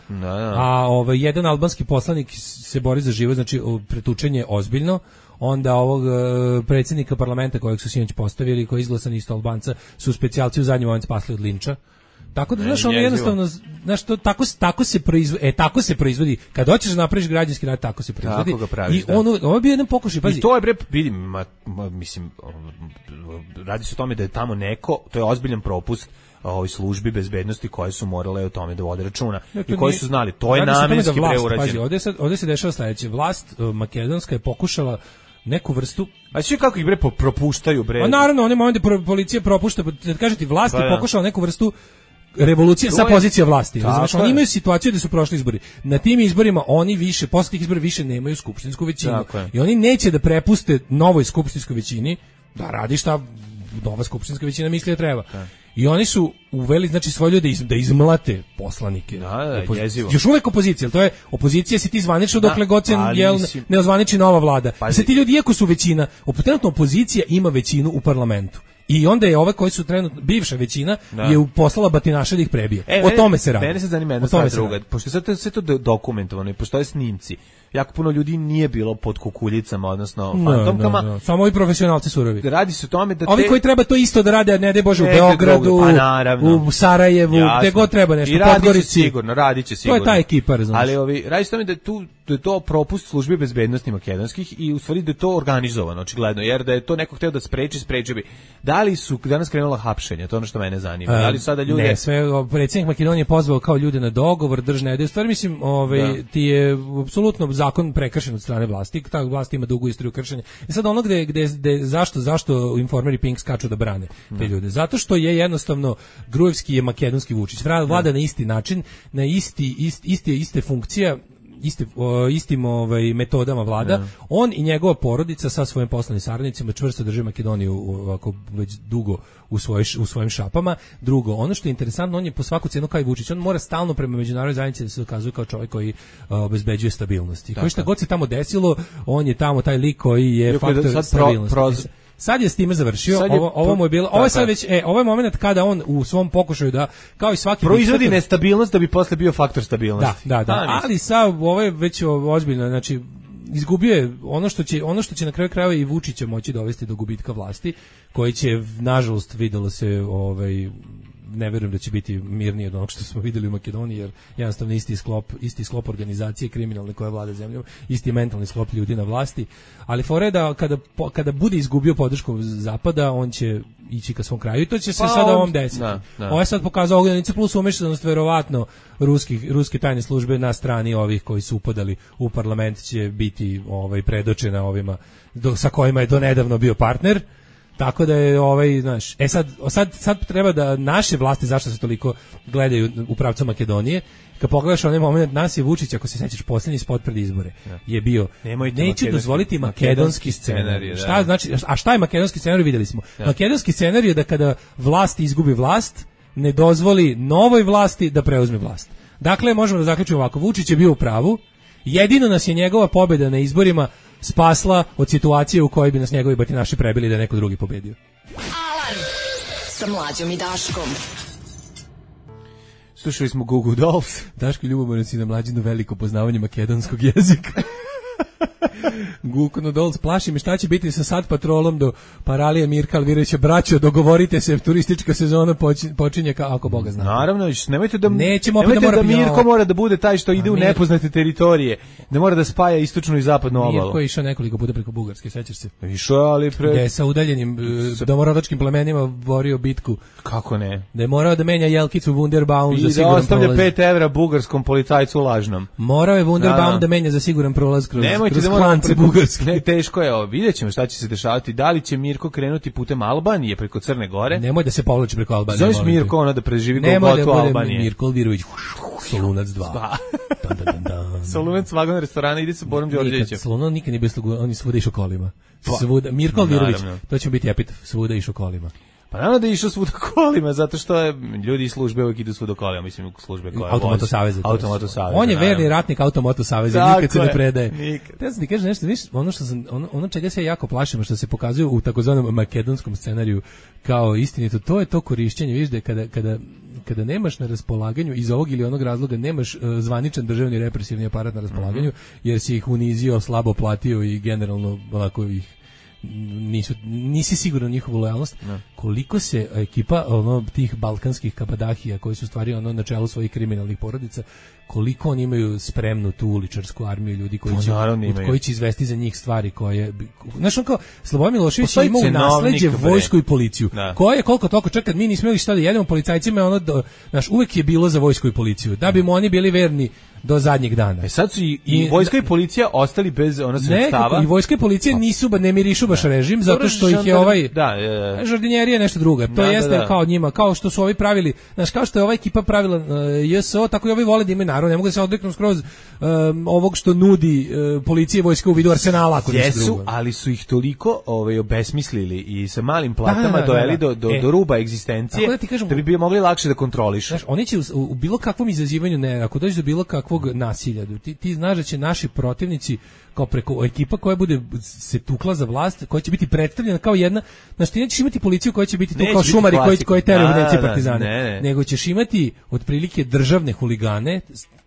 A ovaj jedan albanski poslanik se bori za život, znači pretučenje ozbiljno. Onda ovog uh, predsjednika parlamenta kojeg su sinoć postavili, koji je izglasan isto Albanca, su specijalci u zadnji moment spasli od linča. Tako da znaš, ono jednostavno, znaš, to tako tako se proizvodi, e tako se proizvodi. Kad hoćeš da napraviš građanski rat, tako se proizvodi. Tako ga praviš, I ono, ovo je bio jedan pokušaj, pazi. I to je bre, vidim, ma, ma, mislim, radi se o tome da je tamo neko, to je ozbiljan propust ovoj službi bezbednosti koje su morale o tome da vode računa ja, i koji su znali, to je namenski da preurađeno. Pazi, ovdje, sad, ovdje se dešava sledeće, vlast uh, makedonska je pokušala neku vrstu. A sve kako ih bre propuštaju bre. A naravno, oni momentu pro, policija propušta, da kažete vlast je pokušala neku vrstu revolucije sa pozicije vlasti. Znači oni imaju situaciju da su prošli izbori. Na tim izborima oni više, posle tih izbora više nemaju skupštinsku većinu. I oni neće da prepuste novoj skupštinskoj većini da radi šta nova skupštinska većina misli da treba. Da. I oni su uveli, znači, svoje ljude iz, da izmlate poslanike. Da, da, Opozi jezivo. Još uvek opozicija, to je opozicija si ti zvanično da, dokle god se jel, ne ozvaniči nova vlada. Pa se ti ljudi, iako su većina, trenutno opozicija ima većinu u parlamentu. I onda je ove koji su trenutno bivša većina da. je poslala batinaše da ih prebije. E, o tome se radi. Mene se zanima jedna stvar druga. Pošto je sve, sve to dokumentovano i postoje snimci, jako puno ljudi nije bilo pod kukuljicama, odnosno fantomkama. No, no, no. Samo ovi profesionalci surovi. Radi se o tome da te... Ovi koji treba to isto da rade, a ne daj Bože, u Beogradu, pa, u Sarajevu, gde god treba nešto, u Podgorici. Sigurno, radit će sigurno. To je ta ekipa, razumiješ. Ali ovi, radi se o tome da je, tu, da je to propust službi bezbednosti makedonskih i u stvari da je to organizovano, očigledno, jer da je to neko hteo da spreči, spreči bi. Da li su danas krenula hapšenja, to je ono što mene zanima. Da li sada ljude... Ne, sve, predsjednik Makedonije pozvao kao ljude na dogovor, držne ide. U stvari, mislim, ovaj, ti je apsolutno zakon prekršen od strane vlasti, ta vlast ima dugu istoriju kršenja. I sad ono gde, gde, gde zašto, zašto Informer i Pink skaču da brane te ljude? Zato što je jednostavno Gruevski je makedonski Vučić. Vlada na isti način, na isti, isti, isti, iste funkcija, Iste, o, istim ovaj, metodama vlada, yeah. On i njegova porodica sa svojim poslovnim saradnicima čvrsto drže Makedoniju ovako već dugo u, svoj, u svojim šapama. Drugo, ono što je interesantno, on je po svaku cenu kao i Vučić, on mora stalno prema međunarodnoj zajednici da se dokazuje kao čovjek koji uh, obezbeđuje stabilnost. I koji šta god se tamo desilo, on je tamo taj lik koji je Joko faktor sad stabilnosti. Pro, pro, Sad je s time završio, je, ovo, ovo mu je bilo, ovo je sad već, e, ovo je moment kada on u svom pokušaju da, kao i svaki... Proizvodi nestabilnost da bi posle bio faktor stabilnosti. Da, da, da, A, ali sad ovo je već ozbiljno, znači, izgubio je ono što će, ono što će na kraju krajeva i Vučića moći dovesti do gubitka vlasti, koji će, nažalost, videlo se, ovaj, ne verujem da će biti mirnije od onog što smo videli u Makedoniji, jer jednostavno isti sklop, isti sklop organizacije kriminalne koja vlada zemljom, isti mentalni sklop ljudi na vlasti, ali fore da kada, kada bude izgubio podršku Zapada, on će ići ka svom kraju i to će se pa, sada ovom desiti. Da, da. Ovo je sad pokazao Ogljenice plus umešanost verovatno ruskih, ruske tajne službe na strani ovih koji su upadali u parlament će biti ovaj, predočena ovima do, sa kojima je donedavno bio partner. Tako da je ovaj, znaš, e sad, sad, sad treba da naše vlasti, zašto se toliko gledaju u pravcu Makedonije, kad pogledaš onaj moment, nas je Vučić, ako se sećaš, posljednji spot pred izbore, ja. je bio, Nemojte neće dozvoliti makedonski scenarij. Šta znači, a šta je makedonski scenarij, videli smo. Ja. Makedonski scenarij je da kada vlast izgubi vlast, ne dozvoli novoj vlasti da preuzme vlast. Dakle, možemo da zaključimo ovako, Vučić je bio u pravu, jedino nas je njegova pobjeda na izborima spasla od situacije u kojoj bi nas njegovi batinaši prebili da je neko drugi pobedio. Alarm sa Mlađom i Daškom. Slušali smo Goo Goo Dolls. Daško ljubomoran si na Mlađinu veliko poznavanje makedonskog jezika. Goo Goo Dolls, plaši me šta će biti sa sad patrolom do Paralije Mirka Alvirovića. Braćo, dogovorite se, turistička sezona počinje kao ako Boga zna. Naravno, nemojte da, Nećemo nemojte da, mora da Mirko mora da bude taj što ide u nepoznate teritorije, da mora da spaja istočnu i zapadnu obalu. Mirko je išao nekoliko puta preko Bugarske, sećaš se? Išao, ali pre... Da je sa udaljenim sa... domorodačkim plemenima borio bitku. Kako ne? Da je morao da menja jelkicu Wunderbaum za siguran prolaz. I da ostavlja pet evra bugarskom policajcu lažnom. Morao je Wunderbaum da, da menja za siguran prolaz kroz, kroz klance bugarske. Ne, teško je ovo. Vidjet ćemo šta će se dešavati. Da li će Mirko krenuti putem Albanije preko Crne Gore? Nemoj da se povlači preko Albanije. Zoveš Mirko ono da preživi golgotu Albanije. Mirko Alvirović, Solunac dva. Solunac vagon restorana, ide sa Borom Đorđevićem. Solunac nikad nije bio slugu, on je svuda išao kolima. Svuda, Mirko Alvirović, to će biti epitaf, svuda išao kolima. Pa naravno da je išao svuda kolima, zato što je ljudi iz službe uvijek idu svuda kolima, mislim službe koje Automoto saveza. Automoto saveza. On je verni ratnik Automoto saveza, nikad se ne predaje. Te sam ti kažem nešto, viš, ono što sam, ono, ono čega se ja jako plašim, što se pokazuje u takozvanom makedonskom scenariju kao istinito, to je to korišćenje, viš da kada, kada, kada nemaš na raspolaganju iz ovog ili onog razloga, nemaš uh, zvaničan državni represivni aparat na raspolaganju, mm-hmm. jer si ih unizio, slabo platio i generalno onako ih nisu, nisi siguran njihovu lojalnost, no. koliko se ekipa ono tih balkanskih kabadahija koji su stvari ono na čelu svojih kriminalnih porodica, koliko oni imaju spremnu tu uličarsku armiju ljudi koji će, od koji će izvesti za njih stvari koje, znaš, on kao Slobodan Milošević ima u nasleđe vojsku i policiju, da. Koje koliko toliko čekad mi nismo imali šta da jedemo policajcima, ono, do, znaš, uvek je bilo za vojsku i policiju, da bi mu oni bili verni do zadnjeg dana. E sad su i, i vojska i policija ostali bez ona sredstava. I vojska i policija nisu ba ne mirišu baš režim, zato što ih je ovaj da, je, žardinjerija nešto drugo. To da, jeste da, da. Kao njima, kao što su ovi pravili, znaš, kao što je ova ekipa pravila uh, J S O, tako i ovi vole da imaju narod, ne mogu da se odreknu skroz um, ovog što nudi uh, policija i vojska u vidu arsenala, ako nisu drugo. Ali su ih toliko ovaj obesmislili i sa malim platama da, da, doveli da, da. do do, e, do ruba egzistencije, da, kažem, da bi bi mogli lakše da kontrolišu. Znaš, oni će u, u bilo kakvom izazivanju, ne, ako dođe do bilo kakvog nasilja, ti, ti znaš da će naši protivnici kao preko ekipa koja bude se tukla za vlast, koja će biti predstavljena kao jedna, znači ti nećeš imati policiju koja će biti tu kao šumari koji koji teraju evidencije partizane, ne, ne. Nego ćeš imati otprilike državne huligane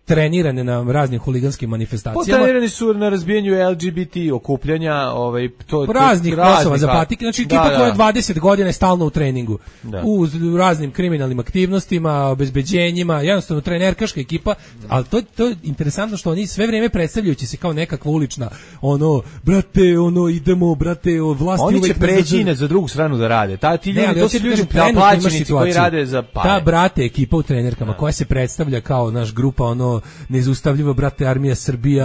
trenirane na raznim huliganskim manifestacijama. Trenirani su na razbijanju L G B T okupljanja, ovaj to raznih Kosova za patike, znači ekipa da, da. koja dvadeset godina je stalno u treningu. Da. U raznim kriminalnim aktivnostima, obezbeđenjima, jednostavno trenerkaška ekipa, ali to to je interesantno što oni sve vrijeme predstavljajući se kao nekakva ulična, ono, brate, ono, idemo, brate, o vlasti oni uvek će preći na za drugu stranu da rade. Ta ti ljudi, ne, to su ljudi plaćenici koji rade za pare. Ta brate ekipa u trenerkama koja se predstavlja kao naš grupa, ono, nezaustavljivo, brate, armija Srbija,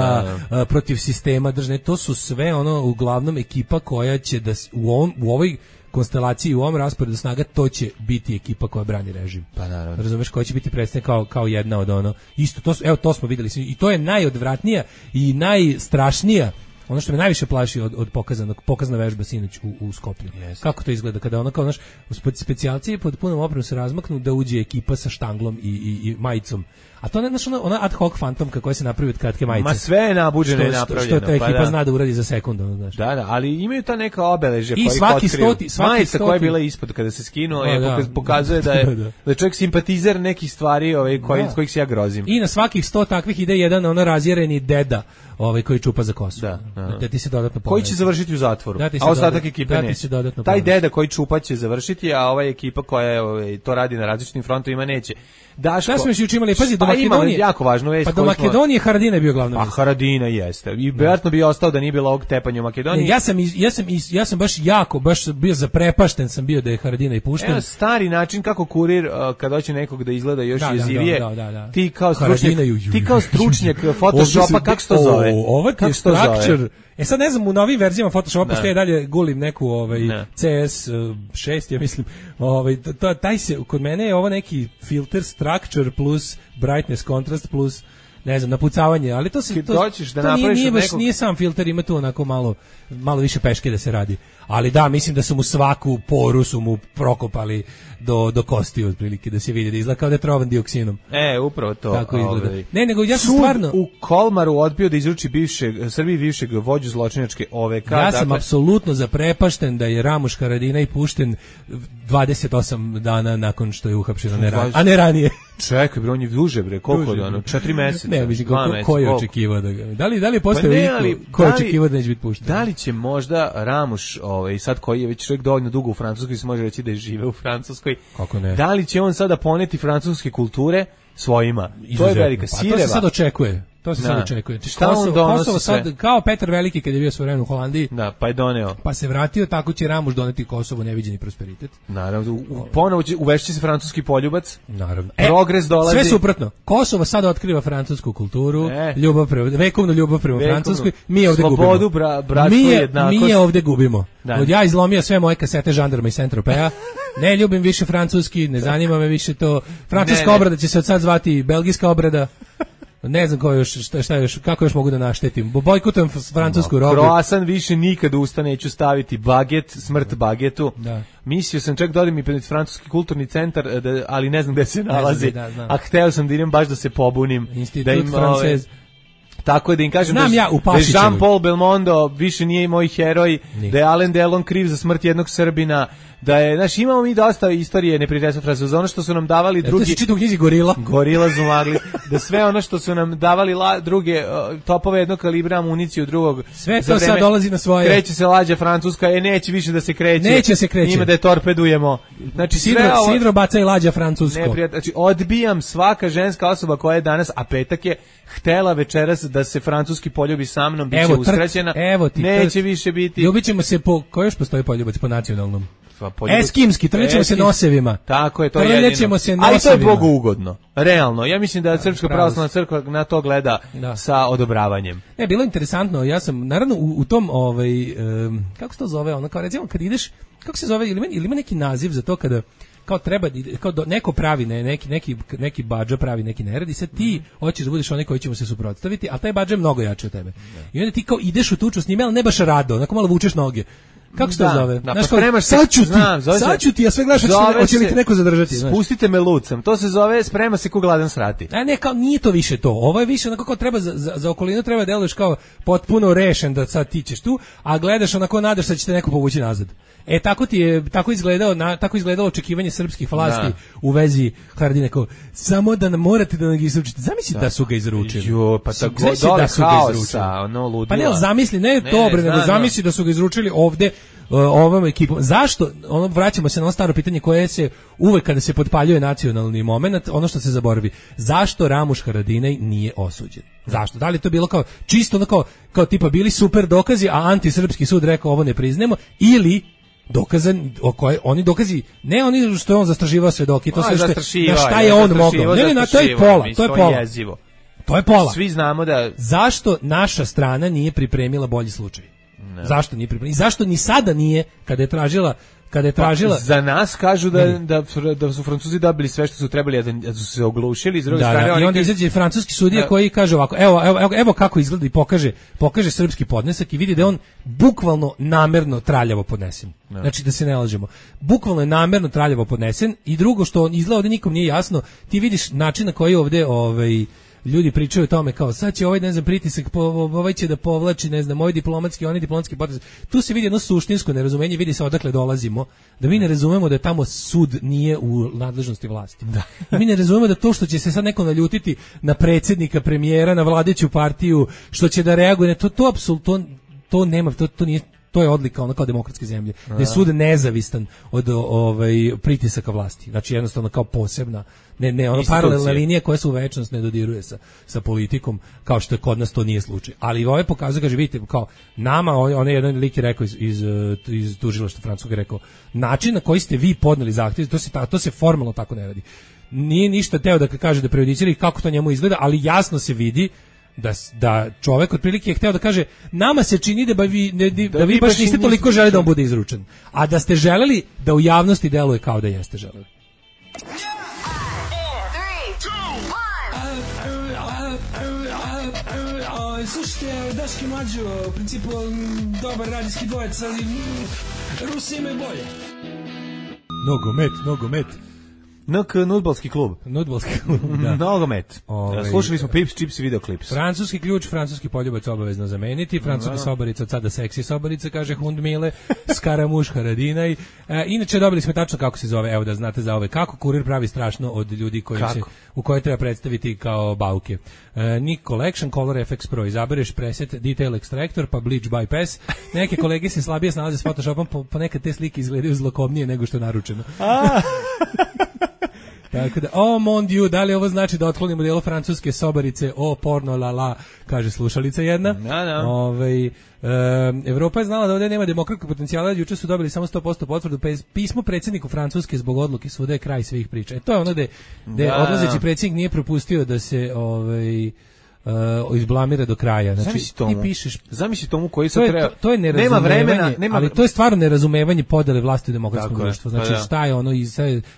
da, da. protiv sistema držne, to su sve ono uglavnom ekipa koja će da u ovom, u ovoj konstelaciji, u ovom rasporedu snaga, to će biti ekipa koja brani režim. Pa naravno. Razumeš, koja će biti predstavljena kao kao jedna od ono. Isto to su, evo to smo videli i to je najodvratnija i najstrašnija. Ono što me najviše plaši od od pokazanog pokazna vežba sinoć u u Skoplju. Yes. Kako to izgleda kada ono kao naš specijalci pod punom opremom se razmaknu da uđe ekipa sa štanglom i i, i majicom. A to ne znaš ona, ona ad hoc fantomka koja se napravi od kratke majice. Ma sve je nabuđeno i napravljeno. Što ta ekipa pa da. zna da uradi za sekundu, ono, znaš. Da, da, ali imaju ta neka obeležja koji svaki stoti, svaki majica koja je bila ispod kada se skinuo, je da. pokazuje da je da je čovjek simpatizer nekih stvari, ovaj koji da. kojih se ja grozim. I na svakih sto takvih ide jedan ona razjereni deda, ovaj koji čupa za kosu. Da, da. da ti se dodatno pogleda. Koji će završiti u zatvoru. Da a ostatak ekipe ne. Taj deda koji čupa će završiti, a ova ekipa koja je ovaj to radi na različitim frontovima neće. Daško. Šta smo još juče imali? Pazi, do Makedonije. Jako važnu vest. Pa do Makedonije smo... Haradinaj bio glavna vest. A Haradinaj jeste. I vjerojatno bi ostao da nije bilo ovog tepanja u Makedoniji. Ne, ja sam ja sam ja sam baš jako baš bio zaprepašten sam bio da je Haradinaj pušten. Evo stari način kako kurir uh, kad hoće nekog da izgleda još da, jezivije. Da, da, da, da. Ti kao stručnjak, ti kao stručnjak Photoshopa kako se to zove? Ovo je structure. E sad ne znam, u novim verzijama Photoshopa postoje dalje gulim neku ovaj ne. C S šest, ja mislim, ovaj to taj se kod mene je ovo neki filter structure plus brightness contrast plus ne znam, napucavanje, ali to se to, da to nije, nije, baš, nekog... nije sam filter, ima tu onako malo malo više peške da se radi. Ali da, mislim da su mu svaku poru su mu prokopali do do kosti otprilike, da se vidi da izgleda kao da je trovan dioksinom. E, upravo to. Tako izgleda. Ovaj. Ne, nego ja sam stvarno u Kolmaru odbio da izruči bivšeg Srbiji bivšeg vođu zločinačke O V K. Ja dakle... sam apsolutno zaprepašten da je Ramuš Haradinaj pušten dvadeset osam dana nakon što je uhapšen, ne ranije. A ne ranije. Čekaj, bre, on je duže, bre, koliko dano? četiri meseca. Ne, mislim, ko, ko je očekivao da ga... Da li, da li je postao pa ne, ko je očekivao da neće biti pušten? Da li će možda Ramuš, ovaj, sad koji je već čovjek dovoljno dugo u Francuskoj, se može reći da je žive u Francuskoj, kako ne? Da li će on sada poneti francuske kulture svojima? To je velika sireva. Pa to se sad očekuje. To se sad očekuje. Šta Kosovo, on donosi Kosovo sad, sve? kao Petar Veliki kad je bio svoje vreme u Holandiji. Da, pa je doneo. Pa se vratio, tako će Ramuš doneti Kosovo neviđeni prosperitet. Naravno, u, ponovo će uvešći se francuski poljubac. Naravno. Progres dolazi. Sve suprotno. Kosovo sad otkriva francusku kulturu, e. ljubav prema, vekovnu ljubav prema vekovnu. Francuskoj. Mi ovde Slobodu, gubimo. Bra, bratstvo, mi, jednakost. Mi je ovde gubimo. Da. Od ja izlomio sve moje kasete Žandarma i Saint-Tropeza. Ne ljubim više francuski, ne zanima me više to. Francuska ne, ne. obrada će se od sad zvati belgijska obrada. Ne znam ko još, šta, šta još, kako još mogu da naštetim. Bojkotujem francusku robu. Kroasan više nikad usta neću staviti, baget, smrt bagetu. Da. Mislio sam čak da odem i pred francuski kulturni centar, da, ali ne znam gde se nalazi. Da, a hteo sam da idem baš da se pobunim. Institut da im, francez. Tako je da im kažem Znam da, ja, da je Jean-Paul Belmondo više nije moj heroj, nije. Da je Alain Delon kriv za smrt jednog Srbina, da je, znaš, imamo mi dosta istorije neprijateljstva Francuza, ono što su nam davali drugi... To se čita u knjizi Gorila. Gorila su magli. da sve ono što su nam davali la, druge uh, topove jednog kalibra, amuniciju drugog, sve to sad dolazi na svoje. Kreće se lađa francuska, e neće više da se kreće. Neće se kreće. Ima da je torpedujemo. Znači Sidro, sve ovo, Sidro baca i lađa francusko. Ne, znači odbijam svaka ženska osoba koja je danas, a petak je, htela večeras da se francuski poljubi sa mnom, biće evo, uskraćena. Evo ti, neće trk. Više biti. Ljubićemo se po, ko još postoji poljubac po nacionalnom? Poljubac. Eskimski, trljećemo se nosevima. Tako je, to je jedino. Se ali to je Bogu ugodno. Realno, ja mislim da Srpska pravoslavna crkva na to gleda da. Sa odobravanjem. Ne, bilo interesantno, ja sam, naravno, u, u tom, ovaj, um, kako se to zove, ono, kao recimo, kad ideš, kako se zove, ili ima, ili ima neki naziv za to kada, kao treba, kao do, neko pravi, ne, neki, neki, neki badža pravi neki nerad i sad ti hoćeš da budeš onaj koji ćemo se suprotstaviti, a taj badža je mnogo jači od tebe. I onda ti kao ideš u tuču s njime, ali ne baš rado, onako malo vučeš noge. Kako se to da, zove? Da, znaš, pa spremaš se, sad ću ti, znam, sad ću ti, a sve gledaš hoće li te neko zadržati. Spustite me lucem, to se zove sprema se ko gladan srati. A ne, kao, nije to više to, ovo je više onako kao treba, za, za, za okolinu treba deluješ kao potpuno rešen da sad ti ćeš tu, a gledaš onako nadaš da će te neko povući nazad. E tako ti je tako izgledao na, tako izgledalo očekivanje srpskih vlasti da. U vezi Haradine, kao samo da nam morate da nam ga izručite. Zamisli da, da su ga izručili. Jo, pa tako dole da su ga izručili. No, ludila. Pa ne, zamisli, ne, ne to bre, nego zamisli da su ga izručili ovde uh, ovom ekipom. Zašto? Ono vraćamo se na ono staro pitanje koje se uvek kada se potpaljuje nacionalni momenat, ono što se zaboravi. Zašto Ramuš Haradinaj nije osuđen? Zašto? Da li to bilo kao čisto ono kao kao tipa bili super dokazi, a antisrpski sud rekao ovo ne priznajemo, ili dokazan o koje oni dokazi ne oni što je on zastrašivao svedoke, to sve što na šta je on mogao. Ne, ne, to je pola, to je pola. Jezivo. To je pola. Svi znamo da zašto naša strana nije pripremila bolji slučaj? Ne. Zašto nije pripremila? I zašto ni sada nije kada je tražila kada je tražila pa, za nas kažu da, da da su Francuzi dobili sve što su trebali, da su se oglušili, iz druge da, strane da, oni i onda izađe francuski sudija da. Koji kaže ovako, evo, evo, evo, evo kako izgleda i pokaže, pokaže srpski podnesak i vidi da je on bukvalno namerno traljavo podnesen. Da. Znači da se ne lažemo. Bukvalno je namerno traljavo podnesen i drugo što on izgleda ovde nikom nije jasno, ti vidiš način na koji ovde ovaj ljudi pričaju o tome kao sad će ovaj ne znam pritisak po, ovaj će da povlači ne znam ovaj diplomatski onaj diplomatski potez. Tu se vidi jedno suštinsko nerazumenje, vidi se odakle dolazimo, da mi ne razumemo da tamo sud nije u nadležnosti vlasti. Da. Mi ne razumemo da to što će se sad neko naljutiti na predsjednika, premijera, na vladajuću partiju, što će da reaguje, to to apsolutno to, to nema, to to nije to je odlika ono kao demokratske zemlje, da je sud nezavistan od ovaj pritisaka vlasti. Znači jednostavno kao posebna, ne ne ono paralelna linija koja se u večnost ne dodiruje sa sa politikom, kao što je kod nas to nije slučaj. Ali ovaj pokazuje, kaže vidite, kao nama on je jedan lik je rekao iz iz, iz tužilaštva francuskog je rekao način na koji ste vi podneli zahtev, to se to se formalno tako ne radi. Nije ništa teo da kaže da prejudicira kako to njemu izgleda, ali jasno se vidi da da čovjek otprilike je hteo da kaže nama se čini da vi ne, da, da vi baš niste toliko želeli da on bude izručen, a da ste želeli da u javnosti deluje kao da jeste želeli. Slušajte, Daški Mlađo, u principu dobar radijski dvojec, ali Rusi imaju bolje. Nogomet, nogomet. N K nudbalski klub. Nudbalski klub, da. Nogomet. Ove, Slušali smo Pips, Chips i videoklips. Francuski ključ, francuski poljubac obavezno zameniti. Francuska sobarica od sada seksi sobarica, kaže Hundmile. Skaramuš Haradinaj. E, inače dobili smo tačno kako se zove, evo da znate za ove. Kako kurir pravi strašno od ljudi koji se, u koje treba predstaviti kao bauke. E, Nick Collection, Color F X Pro. Izabereš preset, Detail Extractor, pa Bleach Bypass. Neke kolege se slabije snalaze s Photoshopom, po, po nekad te slike izgledaju zlokobnije nego što je naručeno. Tako da, oh mon dieu, da li ovo znači da otklonimo delo francuske sobarice, o porno la la, kaže slušalica jedna. No, no. Ovaj, e, Evropa je znala da ovdje nema demokratskog potencijala, juče su dobili samo sto posto potvrdu, pismo predsjedniku Francuske zbog odluke suda je kraj svih priča. E to je ono da da odlazeći predsjednik nije propustio da se ovaj Uh, izblamira do kraja. Znači ti pišeš, zamisli tomu koji se treba. To, to je nema vremena, nema, ali to je stvarno nerazumevanje podele vlasti u demokratskom društvu. Znači pa da. Šta je ono i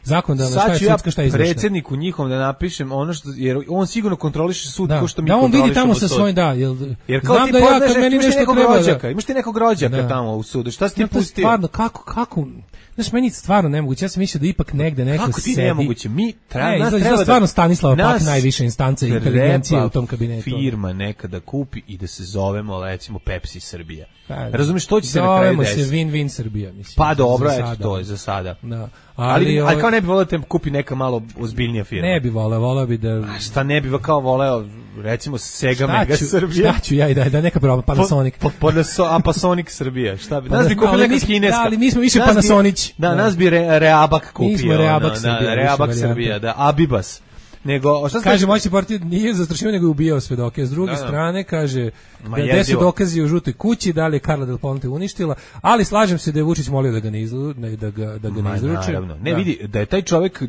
zakonodavno, šta je sudska, šta je izvršna. Predsjedniku njihom da napišem ono što, jer on sigurno kontroliše sud da. Ko što mi da, on kontrolišemo. vidi tamo sa svojim da, jel, jer kao znam ti da ja kad meni nešto treba rođaka, imaš ti nekog rođaka da. Tamo u sudu. Šta si ti pustio? Stvarno kako kako Znaš, meni stvarno nemoguće, ja sam mislio da ipak negde neko kako sedi. Kako ti nemoguće? Mi treba, ne, nas treba da... stvarno Stanislava Pak najviše instance inteligencije u tom kabinetu. ne, firma nekada kupi i da se zovemo, recimo, Pepsi Srbija. Pa, razumiješ, to će se na kraju desiti. Zovemo se Win-Win Srbija, mislim. Pa dobro, eto, to je za sada. Da. Ali, ali, ovaj, ali kao ne bi voleo da te kupi neka malo ozbiljnija firma. Ne bi voleo, voleo bi da... A šta ne bi kao voleo, recimo, Sega Mega ću, Srbija? Šta ću ja i da, da neka prava, Panasonic. Po, po, a Panasonic Srbija, šta bi? Nas bi kupili ali neka kineska. Da, ali mi smo više Panasonić. Da, da, nas bi re, Reabak kupio. Mi smo Reabak no, Srbija. Da, Reabak Srbija, da, Abibas. Nego, šta kaže, moj se partij nije zastrašivao, nego je ubijao svedoke. S druge da, da. strane, kaže, gde su dokazi u žutoj kući, da li je Carla Del Ponte uništila, ali slažem se da je Vučić molio da ga ne, izlu, ne, da ga, da ga ne izruče. Naravno. Ne, da. vidi, da je taj čovjek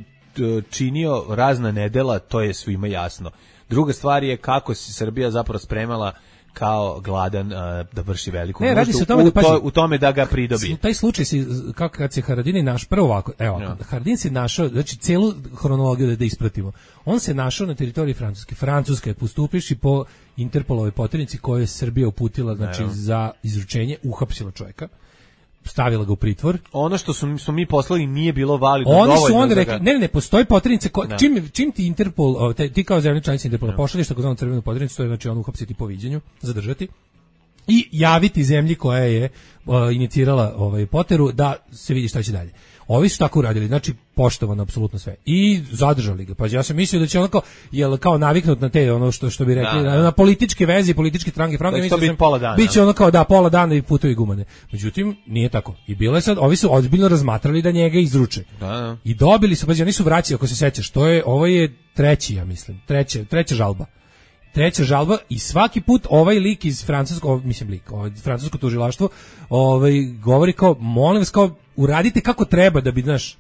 činio razna nedela, to je svima jasno. Druga stvar je kako se Srbija zapravo spremala kao gladan uh, da vrši veliku ne, radi se o tome da, u, to, u tome da ga pridobi. Taj slučaj si, kako kad se Haradini naš prvo ovako, evo, ja. Haradin se našao, znači celu hronologiju da, da ispratimo. On se našao na teritoriji Francuske. Francuska je postupivši po Interpolovoj poternici koju je Srbija uputila, znači ja. za izručenje, uhapsila čovjeka. Stavila ga u pritvor. Ono što su, smo mi poslali nije bilo validno dovoljno. Oni su onda rekli, ne, ne, ne, postoji poternica, ko, čim, čim ti Interpol, te, ti kao zemlja članica Interpola no. pošalješ takozvanu crvenu poternicu, to je znači on uhapsiti po viđenju, zadržati, i javiti zemlji koja je uh, inicirala ovaj poteru da se vidi šta će dalje. Ovi su tako uradili, znači poštovano apsolutno sve. I zadržali ga. Pa ja sam mislio da će ono kao, jel, kao naviknut na te, ono što, što bi rekli, da, da. na političke veze, političke stranke, franke, mislio sam, pola dana. Biće ono kao da, pola dana i putovi gumane. Međutim, nije tako. I bilo je sad, ovi su ozbiljno razmatrali da njega izruče. Da, da. I dobili su, pa oni su vraćali, ako se sećaš, to je, ovo je treći, ja mislim, treća, treća žalba. Treća žalba i svaki put ovaj lik iz francuskog, mislim lik, ovaj francusko tužilaštvo, ovaj govori kao, molim vas, kao uradite kako treba da bi, znaš,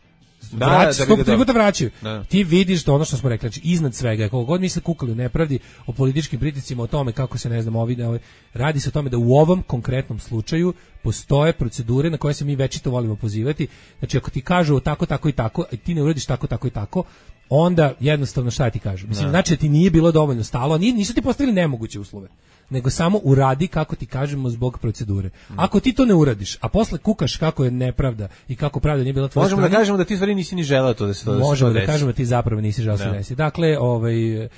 da, vrać, da, da, tri puta vraćaju. Da. Ti vidiš da ono što smo rekli, znači iznad svega, kako god misle kukali u nepravdi, o političkim pritiscima, o tome kako se, ne znam, ovi, ovaj, radi se o tome da u ovom konkretnom slučaju postoje procedure na koje se mi večito volimo pozivati. Znači ako ti kažu tako, tako i tako, a ti ne uradiš tako, tako i tako, onda jednostavno šta ti kažu? Mislim, znači da ti nije bilo dovoljno stalo, nisu ti postavili nemoguće uslove, nego samo uradi kako ti kažemo zbog procedure. Ako ti to ne uradiš, a posle kukaš kako je nepravda i kako pravda nije bila tvoja možemo strana, da kažemo da ti stvari nisi ni želeo to da se to desi. Možemo da kažemo da ti zapravo nisi želeo da se desi. Dakle, ovaj, e,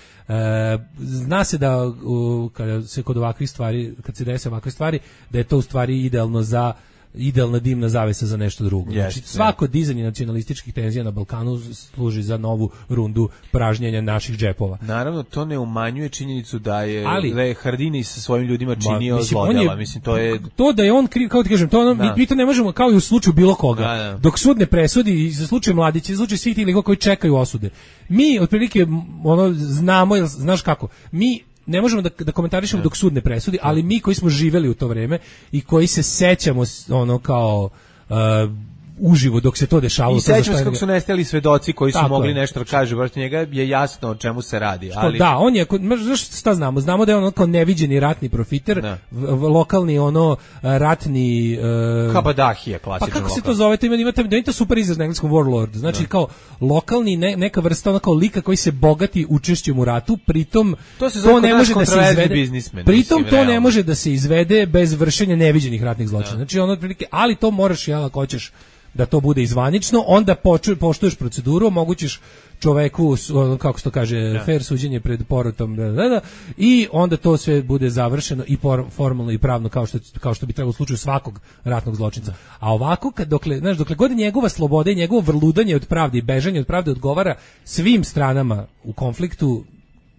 zna se da u, kada se kod ovakvih stvari, kad se dese ovakve stvari, da je to u stvari idealno za idealna dimna zavesa za nešto drugo. Yes, znači, svako yeah. dizanje nacionalističkih tenzija na Balkanu služi za novu rundu pražnjenja naših džepova. Naravno, to ne umanjuje činjenicu da je, ali, da je Haradini sa svojim ljudima činio ma, mislim, zlodjela. Mislim, to je... To da je on kriv, kao ti kažem, to ono, mi, mi to ne možemo, kao i u slučaju bilo koga. Da, da. Dok sud ne presudi, i za slučaj Mladića, i za slučaj svih tih likova koji čekaju osude. Mi, otprilike, ono, znamo, jel, znaš kako, mi ne možemo da, da komentarišemo dok sud ne presudi, ali mi koji smo živeli u to vreme i koji se sećamo ono kao uh, uživo dok se to dešavalo. I sećamo se kako su nestali svedoci koji su mogli je. nešto da kažu, protiv njega je jasno o čemu se radi. Što, ali... Da, on je, znaš šta znamo? Znamo da je on kao neviđeni ratni profiter, v, v, lokalni ono ratni... Uh, Kabadahija, klasičan Pa kako lokal. se to zove? To ima, ima, ima to super izraz na engleskom warlord. Znači da. kao lokalni, ne, neka vrsta ono kao lika koji se bogati učešćem u ratu, pritom to, se to ne može da se izvede. Biznismen, pritom mislim, to realno. ne može da se izvede bez vršenja neviđenih ratnih zločina. Da. Znači ono otprilike, ali to moraš, jel, ako hoćeš da to bude izvanično, onda poču, poštuješ proceduru, omogućiš čoveku, kako se to kaže, ja. fair suđenje pred porotom, da, da, da, i onda to sve bude završeno i por, formalno i pravno kao što, kao što bi trebalo u slučaju svakog ratnog zločinca. A ovako, kad, dokle, znaš, dokle god njegova sloboda i njegovo vrludanje od pravde i bežanje od pravde odgovara svim stranama u konfliktu,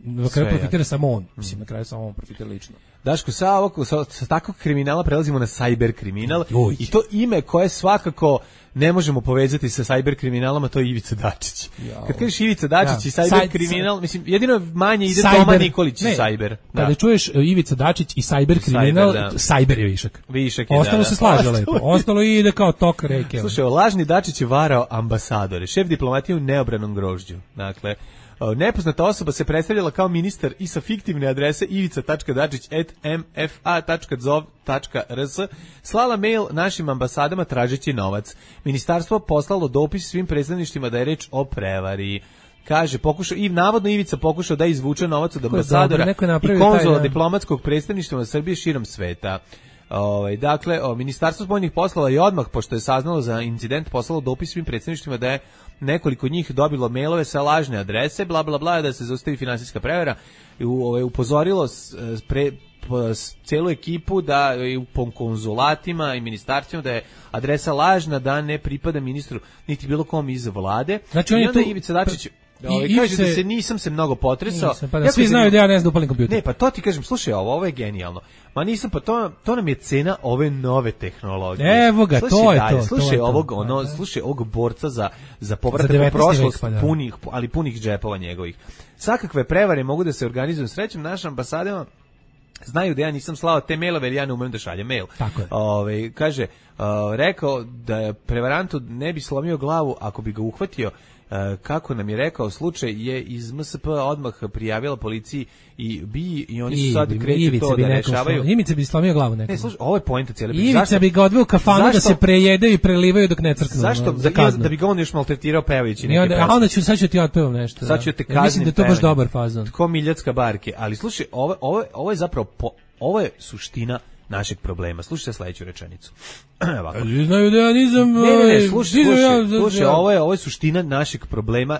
na kraju profitira samo on. Mislim, na kraju samo on profitira lično. Daško, sa, ovog, sa, sa takvog kriminala prelazimo na cyber kriminal i to ime koje svakako ne možemo povezati sa cyber kriminalom, a to je Ivica Dačić. Jao. Kad kažeš Ivica Dačić ja. i cyber Saj, kriminal, mislim, jedino manje ide cyber, Toma Nikolić i cyber. Da. Kada čuješ Ivica Dačić i cyber kriminal, cyber, da. cyber je višak. Višak je, Ostalo da, se slaže da. lepo. Ostalo ide kao tok reke. Slušaj, lažni Dačić je varao ambasadore, šef diplomatije u neobranom grožđu. Dakle, nepoznata osoba se predstavljala kao ministar i sa fiktivne adrese ivica tačka dačić at m f a tačka zov tačka r s slala mail našim ambasadama tražeći novac. Ministarstvo poslalo dopis svim predstavništvima da je reč o prevari. Kaže, pokušao, i navodno Ivica pokušao da izvuče novac od ambasadora i konzula diplomatskog predstavništva Srbije širom sveta. Ovaj dakle, o, Ministarstvo spoljnih poslova je odmah pošto je saznalo za incident poslalo dopis svim predsjedništvima da je nekoliko njih dobilo mailove sa lažne adrese, bla bla bla, da se zaustavi finansijska prevara i ovaj upozorilo s, pre s, celu ekipu da i u konzulatima i ministarstvima da je adresa lažna, da ne pripada ministru niti bilo kom iz vlade. Znači on I je onda tu Ivica Dačić I, kaže se, da se nisam se mnogo potresao. Nisam, pa da svi znaju da ja ne znam da upalim kompjuter. Ne, pa to ti kažem, slušaj, ovo, ovo je genijalno. Ma nisam, pa to, to nam je cena ove nove tehnologije. Evo ga, slušaj, to je dalje, to. Slušaj to je ovog, to. ono, slušaj ovog borca za, za povratak za u prošlost, pa da. punih, ali punih džepova njegovih. Svakakve prevare mogu da se organizuju srećom našim ambasadama. Znaju da ja nisam slao te mailove, jer ja ne umem da šaljem mail. Tako je. Ove, kaže, uh, rekao da je prevarantu ne bi slomio glavu ako bi ga uhvatio. Uh, kako nam je rekao, slučaj je iz M S P odmah prijavila policiji i bi i oni su sad kreću to da rešavaju. Ivica bi slomio glavu nekom. Ne, slušaj, ovo je poenta cijele priče. Ivica Zašto? bi ga odveo u kafanu Zašto? da se prejedaju i prelivaju dok ne crknu. Zašto? Za Da, da bi ga on još maltretirao pevajući neke onda, pesme. a onda ću, sad ću ti otpevam nešto. Sad ću te ja mislim da je to baš pevanjem. dobar fazon. Tko Miljacka barke. Ali slušaj, ovo, ovo, ovo je zapravo, po, ovo je suština našeg problema. Slušajte sledeću rečenicu. Ovako. Znaju da ja nisam... Ne, ne, ne, slušaj, slušaj, ja, slušaj, ja. ovo je, ovo je suština našeg problema,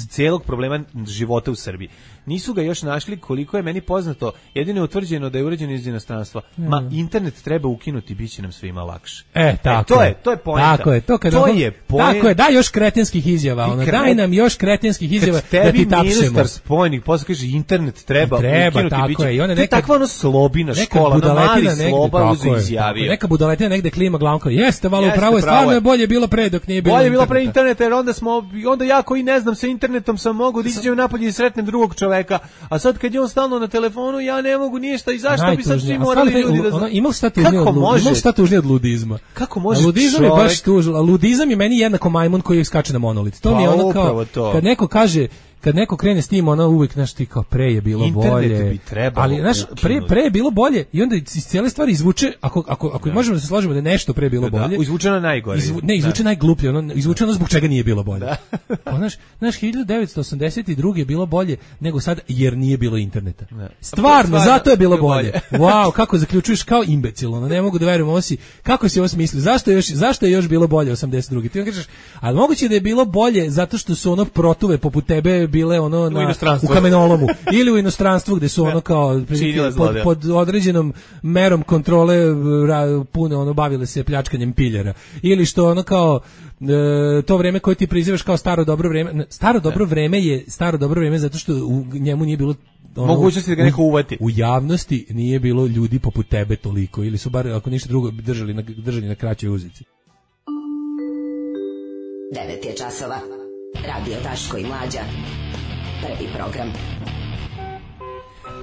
cijelog problema života u Srbiji. Nisu ga još našli, koliko je meni poznato, jedino je utvrđeno da je urađeno iz inostranstva. Ma, internet treba ukinuti, bit će nam svima lakše. E, tako e, to je, to je poenta. Tako je, to, kad to ono, je poenta. Tako je, daj još kretenskih izjava, ono, kret... daj nam još kretenskih izjava kad da ti tapšemo. ministar spoljnih posla kaže internet treba, treba ukinuti, tako biće. je. I onda to je nekad, takva ono slobina škola, na mali sloba uzu izjavio. Neka budaletina negde klima glavom kao, jeste, malo Jeste, pravo je, pravo stvarno je. je bolje bilo pre dok nije bilo Bolje je bilo interneta. pre interneta, jer onda smo, onda ja koji ne znam sa internetom sam mogu da izađem napolje i sretnem drugog čoveka, a sad kad je on stalno na telefonu, ja ne mogu ništa i zašto bi sad svi morali ljudi da znaju? Ima šta tužnije od, ima šta tužnije od ludizma. Kako može a ludizam čovek... je baš tužno, a ludizam je meni jednako majmun koji skače na monolit. To pa, mi je ono kao, to. kad neko kaže, kad neko krene s tim, ona uvijek, znaš, ti kao pre je bilo internet bolje. Bi trebalo ali, znaš, pre, pre je bilo bolje i onda iz cijele stvari izvuče, ako, ako, ako da. možemo da se složimo da je nešto pre bilo da, bolje. Da, izvučeno najgore. Izvu, ne, izvuče najgluplje, ono, izvuče ono zbog čega nije bilo bolje. Da. Pa, znaš, znaš, hiljadu devetsto osamdeset druge je bilo bolje nego sad jer nije bilo interneta. Da. Stvarno, Stvarno, zato je bilo bolje. bolje. Wow, kako zaključuješ kao imbecil, ono, ne mogu da verujem, ovo si, kako si ovo smislio, zašto je još, zašto je još bilo bolje osamdeset druge Ti on kažeš, ali moguće da je bilo bolje zato što su ono protuve poput tebe bile ono na, u kamenolomu ili u inostranstvu gde su ono kao pod, pod određenom merom kontrole ra, puno ono bavile se pljačkanjem piljera ili što ono kao e, to vreme koje ti prizivaš kao staro dobro vreme staro dobro vreme je staro dobro vreme zato što u njemu nije bilo ono, mogućnosti da ga neko uvati. U, u javnosti nije bilo ljudi poput tebe toliko ili su bar ako ništa drugo držali na, držali na kraćoj uzici. devet je časova. Radio Daško i Mlađa. Prvi program.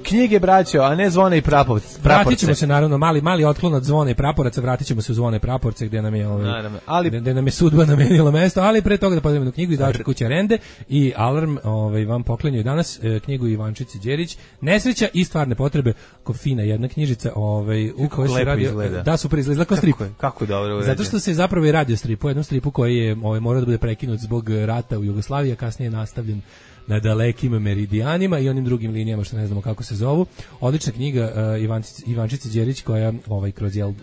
Knjige, braćo, a ne zvone i praporce. Vratit ćemo se naravno, mali, mali otklon od zvone i praporaca, vratit ćemo se u zvone i praporce gdje nam je, ovaj, naravno, ali... gdje, gdje nam je sudba namenila mesto, ali pre toga da podavimo jednu knjigu izdavačke kuće Rende i Alarm ovaj, vam poklanjaju danas eh, knjigu Ivančice Đerić, Nesreća i stvarne potrebe, ko fina jedna knjižica ovaj, u kojoj se radi... Izgleda. Da, super izgleda, kao strip. Kako je, kako je dobro urađen. Zato što se zapravo i radi o stripu, jednom stripu koji je ovaj, morao da bude prekinut zbog rata u Jugoslaviji, a kasnije je nastavljen na dalekim meridijanima i onim drugim linijama što ne znamo kako se zovu. Odlična knjiga uh, Ivančice, Ivančice Đerić koja ovaj, kroz jel, uh,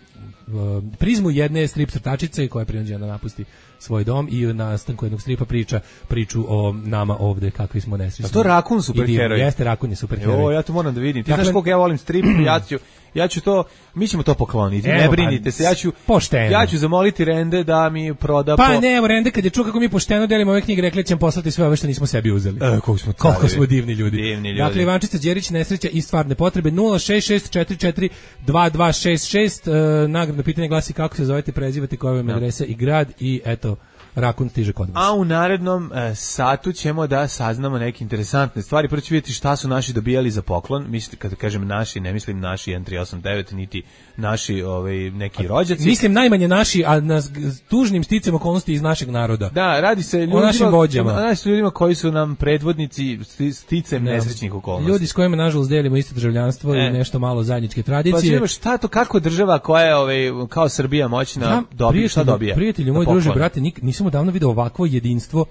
prizmu jedne strip crtačice koja je prinuđena da napusti svoj dom i u nastanku jednog stripa priča priču o nama ovde kakvi smo nesrećni. A to Rakun superheroj. Jeste, Rakun je superheroj. Jo, ja to moram da vidim. Ti dakle, znaš koliko ja volim strip, ja ću, ja ću to, mi ćemo to pokloniti, evo, ne brinite se, ja ću, pošteno. ja ću zamoliti Rende da mi proda pa po... ne, evo Rende kad je čuo kako mi pošteno delimo ove knjige, rekli ćemo poslati sve ove što nismo sebi uzeli. E, koliko smo, koliko smo divni ljudi. divni ljudi. Dakle, Ivančica Đerić, Nesreća i stvarne potrebe, nula šest šest četiri četiri dva dva šest šest, uh, nagradno pitanje glasi kako se zovete, prezivate, koja vam je adresa i grad i eto, Rakun stiže kod vas. A u narednom e, satu ćemo da saznamo neke interesantne stvari. Prvo ću vidjeti šta su naši dobijali za poklon. Mislim, kada kažem naši, ne mislim naši jedan tri osam devet, niti naši ovaj, neki rođaci. Mislim najmanje naši, a na tužnim sticam okolnosti iz našeg naroda. Da, radi se ljudima, o našim vođama. Radi se ljudima koji su nam predvodnici sticem ne. nesrećnih okolnosti. Ljudi s kojima nažalost delimo isto državljanstvo e. i nešto malo zajedničke tradicije. Pa šta to, kako država koja je ovaj, kao Srbija moćna ja, dobije, šta dobija? Prijatelju, moj druže, brate, nik, nisam odavno vidio ovakvo jedinstvo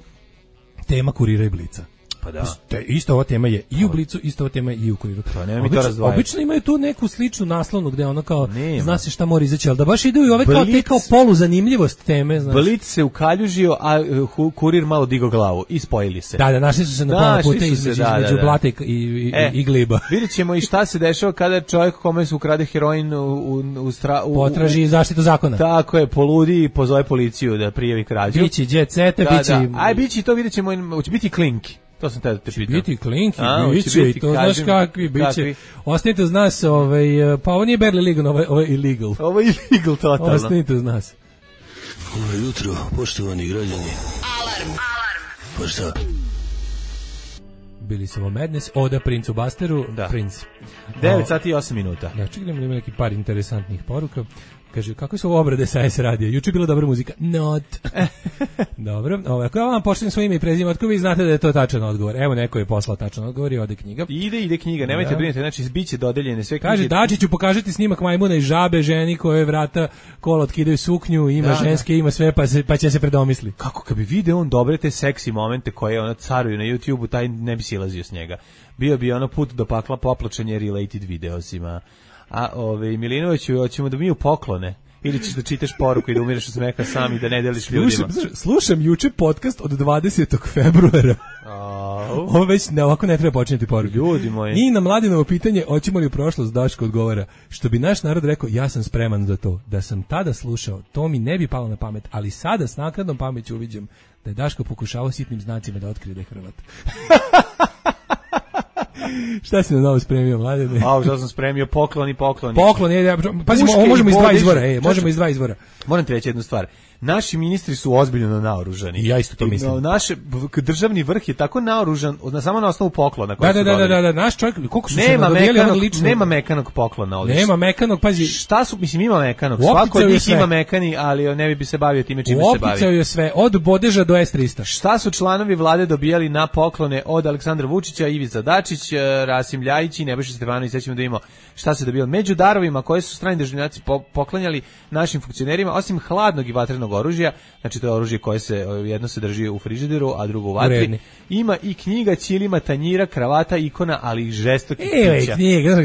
tema Kurira i Blica. Pa da. Te, isto ova tema je i u Blicu, isto ova tema je i u Kuriru. Pa nema mi to razdvajati. Obično imaju tu neku sličnu naslovnu gde ono kao nema. Zna se šta mora izaći, ali da baš idu i ove kao te kao polu zanimljivost teme, znaš. Blic se ukaljužio, a uh, Kurir malo digo glavu i spojili se. Da, da, našli su se na pola puta između, da, između da, da. Blata i, i, e, i gliba. Vidjet ćemo i šta se dešava kada čovjek kome se ukrade heroin u, u, u, stra, u potraži zaštitu zakona. Tako je, poludi i pozove policiju da prijavi krađu. Bići jet sete, da, bići... Da. Aj, bići to, vidjet ćemo, hoće biti klinki. To sam te da te pitam. Biti klinki, biće i to znaš kakvi, biće. Ostanite uz nas, ovaj, pa ovo nije barely legal, ovo je, ovo je illegal. Ovo je illegal totalno. Ostanite uz nas. Dobro jutro, poštovani građani. Alarm, alarm. Pa šta? Bili smo Madness, Oda Princu Busteru, da. Prince. devet sati i osam minuta. Da, čekaj, ima neki par interesantnih poruka. Kaže, kako su ovo obrade sa S radija? Juče je bila dobra muzika. Not. Dobro. Ovo, ako ja vam pošlim svoje ime i prezime, otko vi znate da je to tačan odgovor. Evo, neko je poslao tačan odgovor i ode knjiga. Ide, ide knjiga, nemojte da. brinuti, znači biće dodeljene sve knjige. Kaže, Dačiću, pokažete snimak majmuna i žabe, ženi koje vrata kola otkidaju suknju, ima da, ženske, da. ima sve, pa, se, pa će se predomisli. Kako, kad bi video on dobre te seksi momente koje ona caruju na YouTubeu, taj ne bi silazio s njega. Bio bi ono put do pakla popločenje related videosima. A ove Milinoviću, hoćemo da mi u poklone ili ćeš da čitaš poruku i da umireš od smeha sam i da ne deliš ljudima. Slušam, slušam juče podcast od dvadesetog februara. Oh. Ovo već ne, ovako ne treba počinjeti poruku. Ljudi moji. I na Mladinovo pitanje, hoćemo li u prošlost, Daško odgovara, što bi naš narod rekao, ja sam spreman za to. Da sam tada slušao, to mi ne bi palo na pamet, ali sada s naknadnom pameću uviđam da je Daško pokušavao sitnim znacima da otkrije da je Hrvat. Šta si na novo spremio, Mladene? A, šta sam spremio, pokloni, pokloni. Pokloni, ja, pazimo, ovo možemo iz dva izvora, ej, možemo iz dva izvora. Moram ti reći jednu stvar. Naši ministri su ozbiljno naoružani. Ja isto to mislim. Naš državni vrh je tako naoružan, na samo na osnovu poklona. Da, da, da, da, da, da, naš čovjek, koliko su nema se nadodijeli lično. Nema mekanog poklona ovdje. Nema mekanog, pazi. Šta su, mislim, ima mekanog. Svako od njih ima mekani, ali ne bi se bavio time čime se bavi. Opticao je sve, od bodeža do S trista. Šta su članovi vlade dobijali na poklone od Aleksandra Vučića, Ivica Dačić, Rasim Ljajić i Nebojša Stefanović, sećamo da imamo šta se dobijalo. Među darovima koje su strani državljanci poklanjali našim funkcionerima, osim hladnog i vatrenog oružja, znači to je oružje koje se jedno se drži u frižideru, a drugo u vatri. Ima i knjiga, ćilima, tanjira, kravata, ikona, ali i žestokih pića. Evo knjiga, evo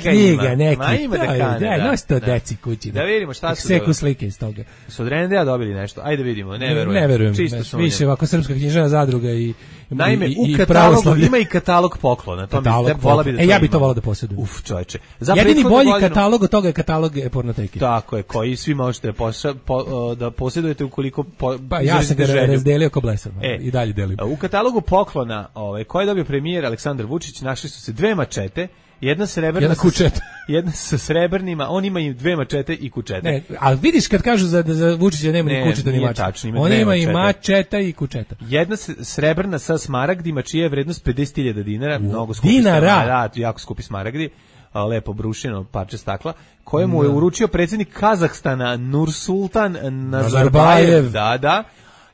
knjiga, neki. Ma ima da kane, da. Da, nosi to deci kući. Da vidimo šta su dobili. Seku slike iz toga. Su od Rendea dobili nešto, ajde vidimo, ne verujem. Ne verujem, čisto više ovako Srpska književna zadruga i Naime, i, u i katalogu ima i katalog poklona. To katalog mi vola bi da e, ja bih to volao da posjedujem. Uf, čoveče. Jedini bolji godinu... katalog od toga je katalog pornoteke. Tako je, koji svi možete poša, po, da posjedujete ukoliko po, pa ja sam ga razdelio ko blesav e, i dalje delim. U katalogu poklona, ovaj, koji je dobio premijer Aleksandar Vučić, našli su se dve mačete, jedna srebrna, jedna kučeta, jedna sa srebrnima, on ima i dve mačete i kučete. Ne, ali vidiš kad kažu za za Vučića nema ne, ni kučeta ni mačeta. On ima i mačeta i kučeta. Jedna srebrna sa smaragdima čija je vrednost pedeset hiljada dinara, mnogo skupi. Dinara, da, jako skupi smaragdi. Lepo brušeno parče stakla, kojemu je uručio predsjednik Kazahstana Nursultan Nazarbajev. Da, da.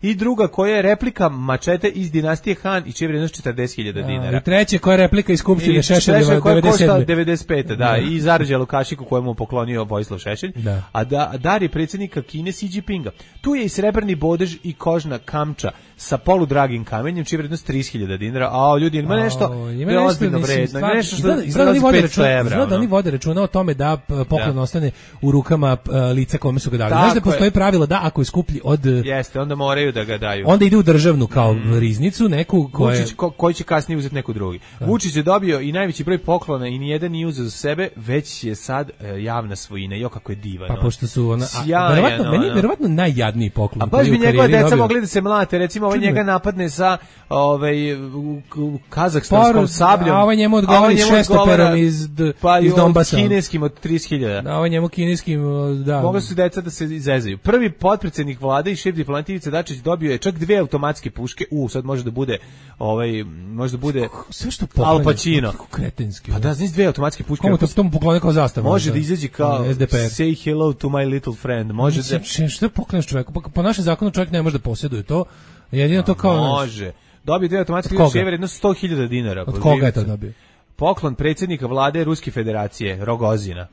I druga koja je replika mačete iz dinastije Han i čija je vrijednost četrdeset hiljada dinara. I treća koja je replika iz Skupštine Šešeljeva devedeset sedme. devedeset pete, da, i zarađa Lukašiku kojemu je poklonio Vojislav Šešelj. Da. A da, dar je predsjednika Kine Xi Jinpinga. Tu je i srebrni bodež i kožna kamča sa poludragim kamenjem čija je vrijednost trideset hiljada dinara. A ljudi, ima nešto je ozbiljno vredno, nešto što izgleda da oni vode računa o tome da poklon ostane u rukama lica kome su ga dali. Znaš da postoji pravilo da ako je skuplji od... Jeste, onda moraju da ga daju. Onda ide u državnu kao mm. riznicu, neku koje... Vučić, ko, koji će kasnije uzeti neku drugi. Da. Vučić je dobio i najveći broj poklona i nijedan nije uzeo za sebe, već je sad e, javna svojina. Jo, kako je divan. Pa pošto su ona... A, verovatno, meni je verovatno najjadniji poklon. A baš bi njegova deca dobio... mogli da se mlate. Recimo, ovaj njega napadne sa ovaj, u, u kazahstanskom sabljom. A ovaj njemu odgovori šestoperom iz, pa iz Donbasa. Pa kineskim od trideset hiljada. Da, ovaj njemu kineskim, da. Mogli su deca da se izezaju. Prvi potpredsjednik vlade i šef diplomatije Ivica Dačić dobio je čak dve automatske puške. U, sad može da bude ovaj može da bude sve što Al Pacino. Kretenski. Pa da, znači dve automatske puške. Komu to tomu poklone kao zastava? Može da izađe kao S D P R. Say hello to my little friend. Može da što pokloneš čoveku? Po, po našem zakonu čovjek ne može da posjeduje to. Jedino to kao može. Dobio dve automatske puške vrednost sto hiljada dinara. Od koga je to dobio? Poklon predsjednika vlade Ruske Federacije Rogozina.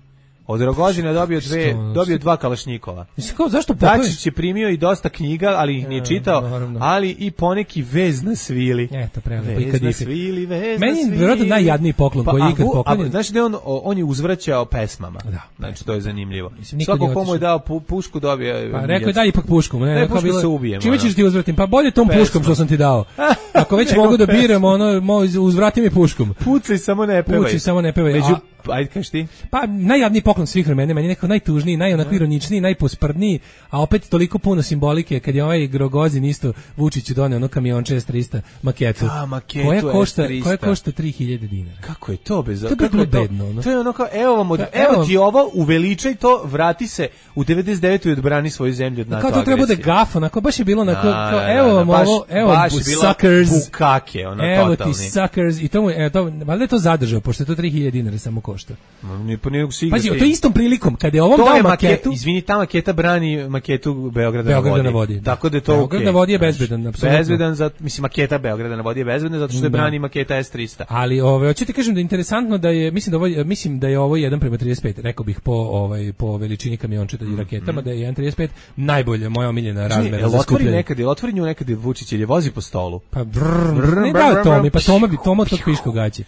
Od Rogozina dobio dve, dobio dva kalašnjikova. Mislim kao zašto Popović? Dačić je primio i dosta knjiga, ali ih nije čitao, naravno. Ali i poneki vez na svili. Eto, prelepo. Vez na svili, vez Meni na svili. je vjerojatno najjadniji poklon pa, koji je ikad poklonjen. Znaš da on, on je uzvraćao pesmama. Da. Znači, to je zanimljivo. Mislim, svako komu je dao pu, pušku dobio... Pa rekao je daj ipak pušku. Ne, ne pušku bilo, se ubijem. Čime ćeš ti uzvratim? Pa bolje tom Pesma. Puškom što sam ti dao. Ako već mogu da biram, ono, uzvrati mi puškom. Pucaj, samo ne pevaj. Pucaj, samo ne pevaj. Među, ajde, kaži ti. Pa najjadniji poklon svih vremena, meni je nekako najtužniji, najonako ironičniji, najposprdniji, a opet toliko puno simbolike kad je ovaj Rogozin isto Vučiću doneo ono kamionče S tristo maketu. A, maketu koja košta, S tristo. koja košta tri hiljade dinara. Kako je to bez? To je kako je to? Bedno, ono. To je ono kao evo vam od, evo, evo ti ovo, uveličaj to, vrati se u devedeset devetoj i odbrani svoju zemlju od NATO agresije. Kao to treba bude gaf, onako baš je bilo onako kao evo vam ovo, evo suckers, bukake, ono evo totalni. ti suckers i to mu je to, valjda je to zadržao pošto je to tri hiljade dinara samo košta. Ni po nijednog siga. Pazi, to istom prilikom kad je ovom dao maketu, maketu, izvini, ta maketa brani maketu Beograda, Beograda na, na vodi. vodi. Tako da je to Beograd okay. na vodi je bezbedan, apsolutno. Bezbedan za, mislim maketa Beograda na vodi je bezbedna zato što je brani maketa S tristo. Ali ovaj hoću ti kažem da je interesantno da je mislim da ovo mislim da je ovo jedan prema trideset pet, rekao bih po ovaj po veličini kamiončeta i raketama mm. da je jedan prema trideset pet najbolje, moja omiljena razmera za skupljanje. Nekad je otvori nju nekad je Vučić ili vozi po stolu. Pa brr, brr, ne da to mi pa Toma bi Toma to piško gaće.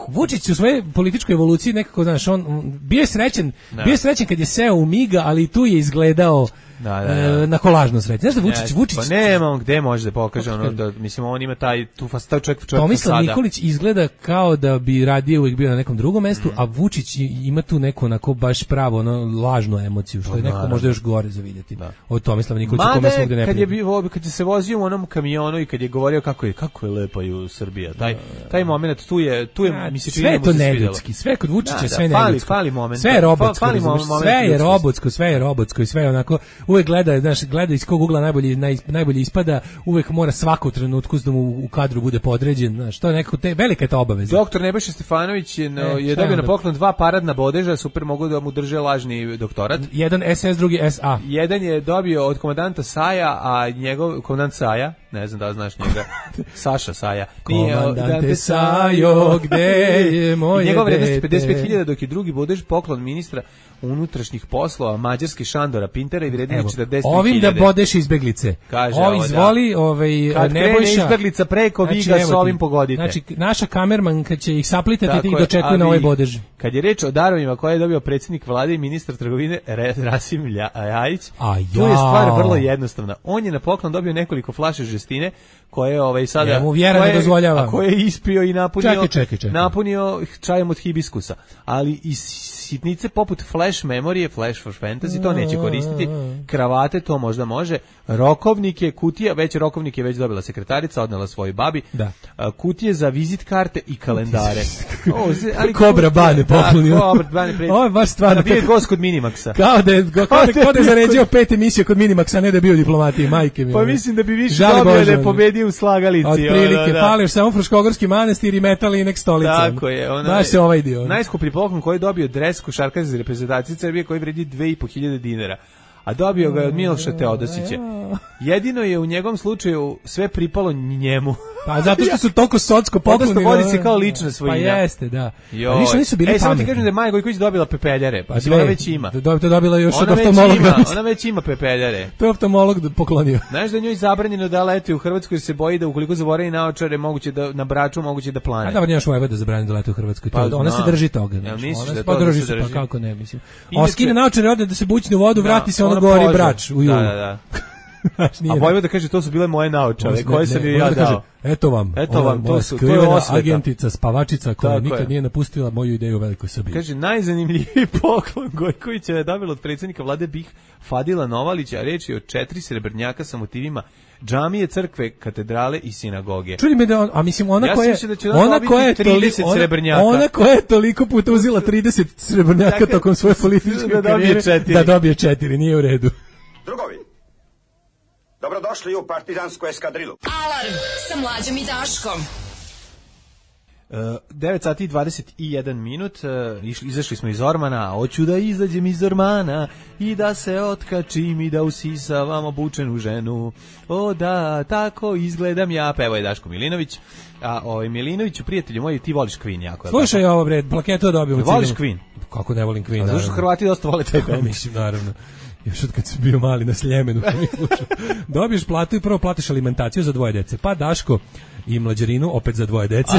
Vučić u svojoj političkoj evoluciji nekako znaš on bio je srećan, no. bio je srećan kad je seo u Miga, ali tu je izgledao da, da, da. E, na kolažno sreće. Znaš da Vučić, ja, Vučić... Pa nema on gde može da pokaže ono, da, mislim, on ima taj, tu fasta čovjek, čovjek Tomislav Nikolić izgleda kao da bi radije uvijek bio na nekom drugom mestu, mm. a Vučić ima tu neku onako baš pravo, ono, lažnu emociju, što je neko naravno. Možda još gore za vidjeti. Da. Od Tomislava Nikolića, kome svugde ne kad je bio, kad je se vozio u onom kamionu i kad je govorio kako je, kako je lepa ju Srbija, taj, taj moment, tu je, tu je, ja, mi se čini sve to neljudski, sve kod Vučića, da, sve da, neljudsko. Fali moment. Sve je robotsko, sve je robotsko, sve je robotsko i sve je onako, uvek gleda, znaš, gleda iz kog ugla najbolje, naj, najbolje ispada, uvek mora svaku trenutku da mu u kadru bude podređen, znaš, to je neko, te, velika je ta obaveza. Doktor Nebojša Stefanović je, no, e, je dobio na poklon dva paradna bodeža, super mogu da mu drže lažni doktorat. Jedan S S, drugi S A. Jedan je dobio od komandanta Saja, a njegov, komandant Saja, ne znam da znaš njega, Saša Saja. Komandante Sajo, gde je moje dete? Njegov vrednost pedeset pet hiljada, dok je drugi bodež poklon ministra unutrašnjih poslova Mađarske Šandora Pintera i vrednost četrdeset hiljada. Ovim da bodeš izbeglice. Kaže o, izvoli, da. ovaj, kad Nebojša. Krene izbeglica preko Viga, znači, s ovim pogodite. Znači, naša kamermanka će ih saplitati i dočekuje na ovaj bodež. Kad je reč o darovima koje je dobio predsjednik vlade i ministar trgovine Rasim Ljajić, tu je stvar vrlo jednostavna. On je na poklon dobio nekoliko flaše žestine koje ovaj sada ja mu vjera ne dozvoljava. A koje je ispio i napunio čekaj, čekaj, čekaj. napunio čajem od hibiskusa. Ali i sitnice poput flash memorije, flash for fantasy, to neće koristiti. Kravate to možda može. Rokovnike, kutija, već rokovnik je već dobila sekretarica, odnela svojoj babi. Da. Kutije za vizit karte i kalendare. o, ali Kobra Bane poklonio. Kobra Bane pred. Ovo je baš stvarno. Bio je gost kod Minimaxa. Kao da je kao da, kao da je zaređio pet emisija kod Minimaxa, ne da je bio diplomatiji, majke mi. Pa mislim da bi više dobio da je pobedio u slagalici. Od prilike, da. Fališ samo Fruškogorski manastir i metal i nek stolica. Tako je. Ona, baš se ovaj dio. Najskuplji poklon koji je dobio dres košarkaša za reprezentaciju Srbije koji vredi dve i po hiljade dinara. A dobio ga je od Miloša Teodosića. Jedino je u njegovom slučaju sve pripalo njemu. Pa zato što su toliko socsko pokloni. Odnosno vodi se kao lična svojina. Pa jeste, da. A nisu nisu bili pametni. E, samo ti kažem da je Maja Gojković dobila pepeljare. Pa ona već ima. Da to dobila još od oftalmologa. Ona već ima pepeljare. To je oftalmolog poklonio. Znaš da njoj zabranjeno da leti u Hrvatskoj, se boji da ukoliko zaboravi naočare moguće da na Braču moguće da plane. A da nemaš Vojvoda zabranjeno da leti u Hrvatskoj. Pa, ona se drži toga. Ja, ona se pa drži se, pa kako ne mislim. A skine naočare, ode da se bućne u vodu, vrati se, ono gori Brač u julu. Da, da. A Vojvoda kaže to su bile moje naočare koje sam joj ja dao. Eto vam, eto vam, to su to je osveta. Agentica, spavačica koja tako nikad je. Nije napustila moju ideju o velikoj Srbiji. Kaže najzanimljiviji poklon Gojkovića je dobila od predsjednika vlade Bih Fadila Novalića, reč je o četiri srebrnjaka sa motivima džamije, crkve, katedrale i sinagoge. Čudi me da on, a mislim ona ja koja da ona koja je trideset ona, srebrnjaka. Ona koja je toliko puta uzela trideset srebrnjaka dakle, tokom svoje političke da karijere da dobije četiri, nije u redu. Drugovi, dobrodošli u partizansku eskadrilu. Alarm sa Mlađom i Daškom. Uh, devet sati i dvadeset jedan minut, uh, išli, izašli smo iz Ormana, hoću da izađem iz Ormana i da se otkačim i da usisavam obučenu ženu. O da, tako izgledam ja, pevo je Daško Milinović. A ovaj Milinoviću, prijatelju moji, ti voliš Queen jako. Slušaj ovo bre, plaketu dobio. Voliš Queen? kako ne volim Queen. Zašto Hrvati dosta vole taj band? Mislim, naravno. Još od kad sam bio mali na Sljemenu, pa mi slušao. Dobiješ platu i prvo platiš alimentaciju za dvoje dece. Pa Daško i mlađarinu opet za dvoje dece.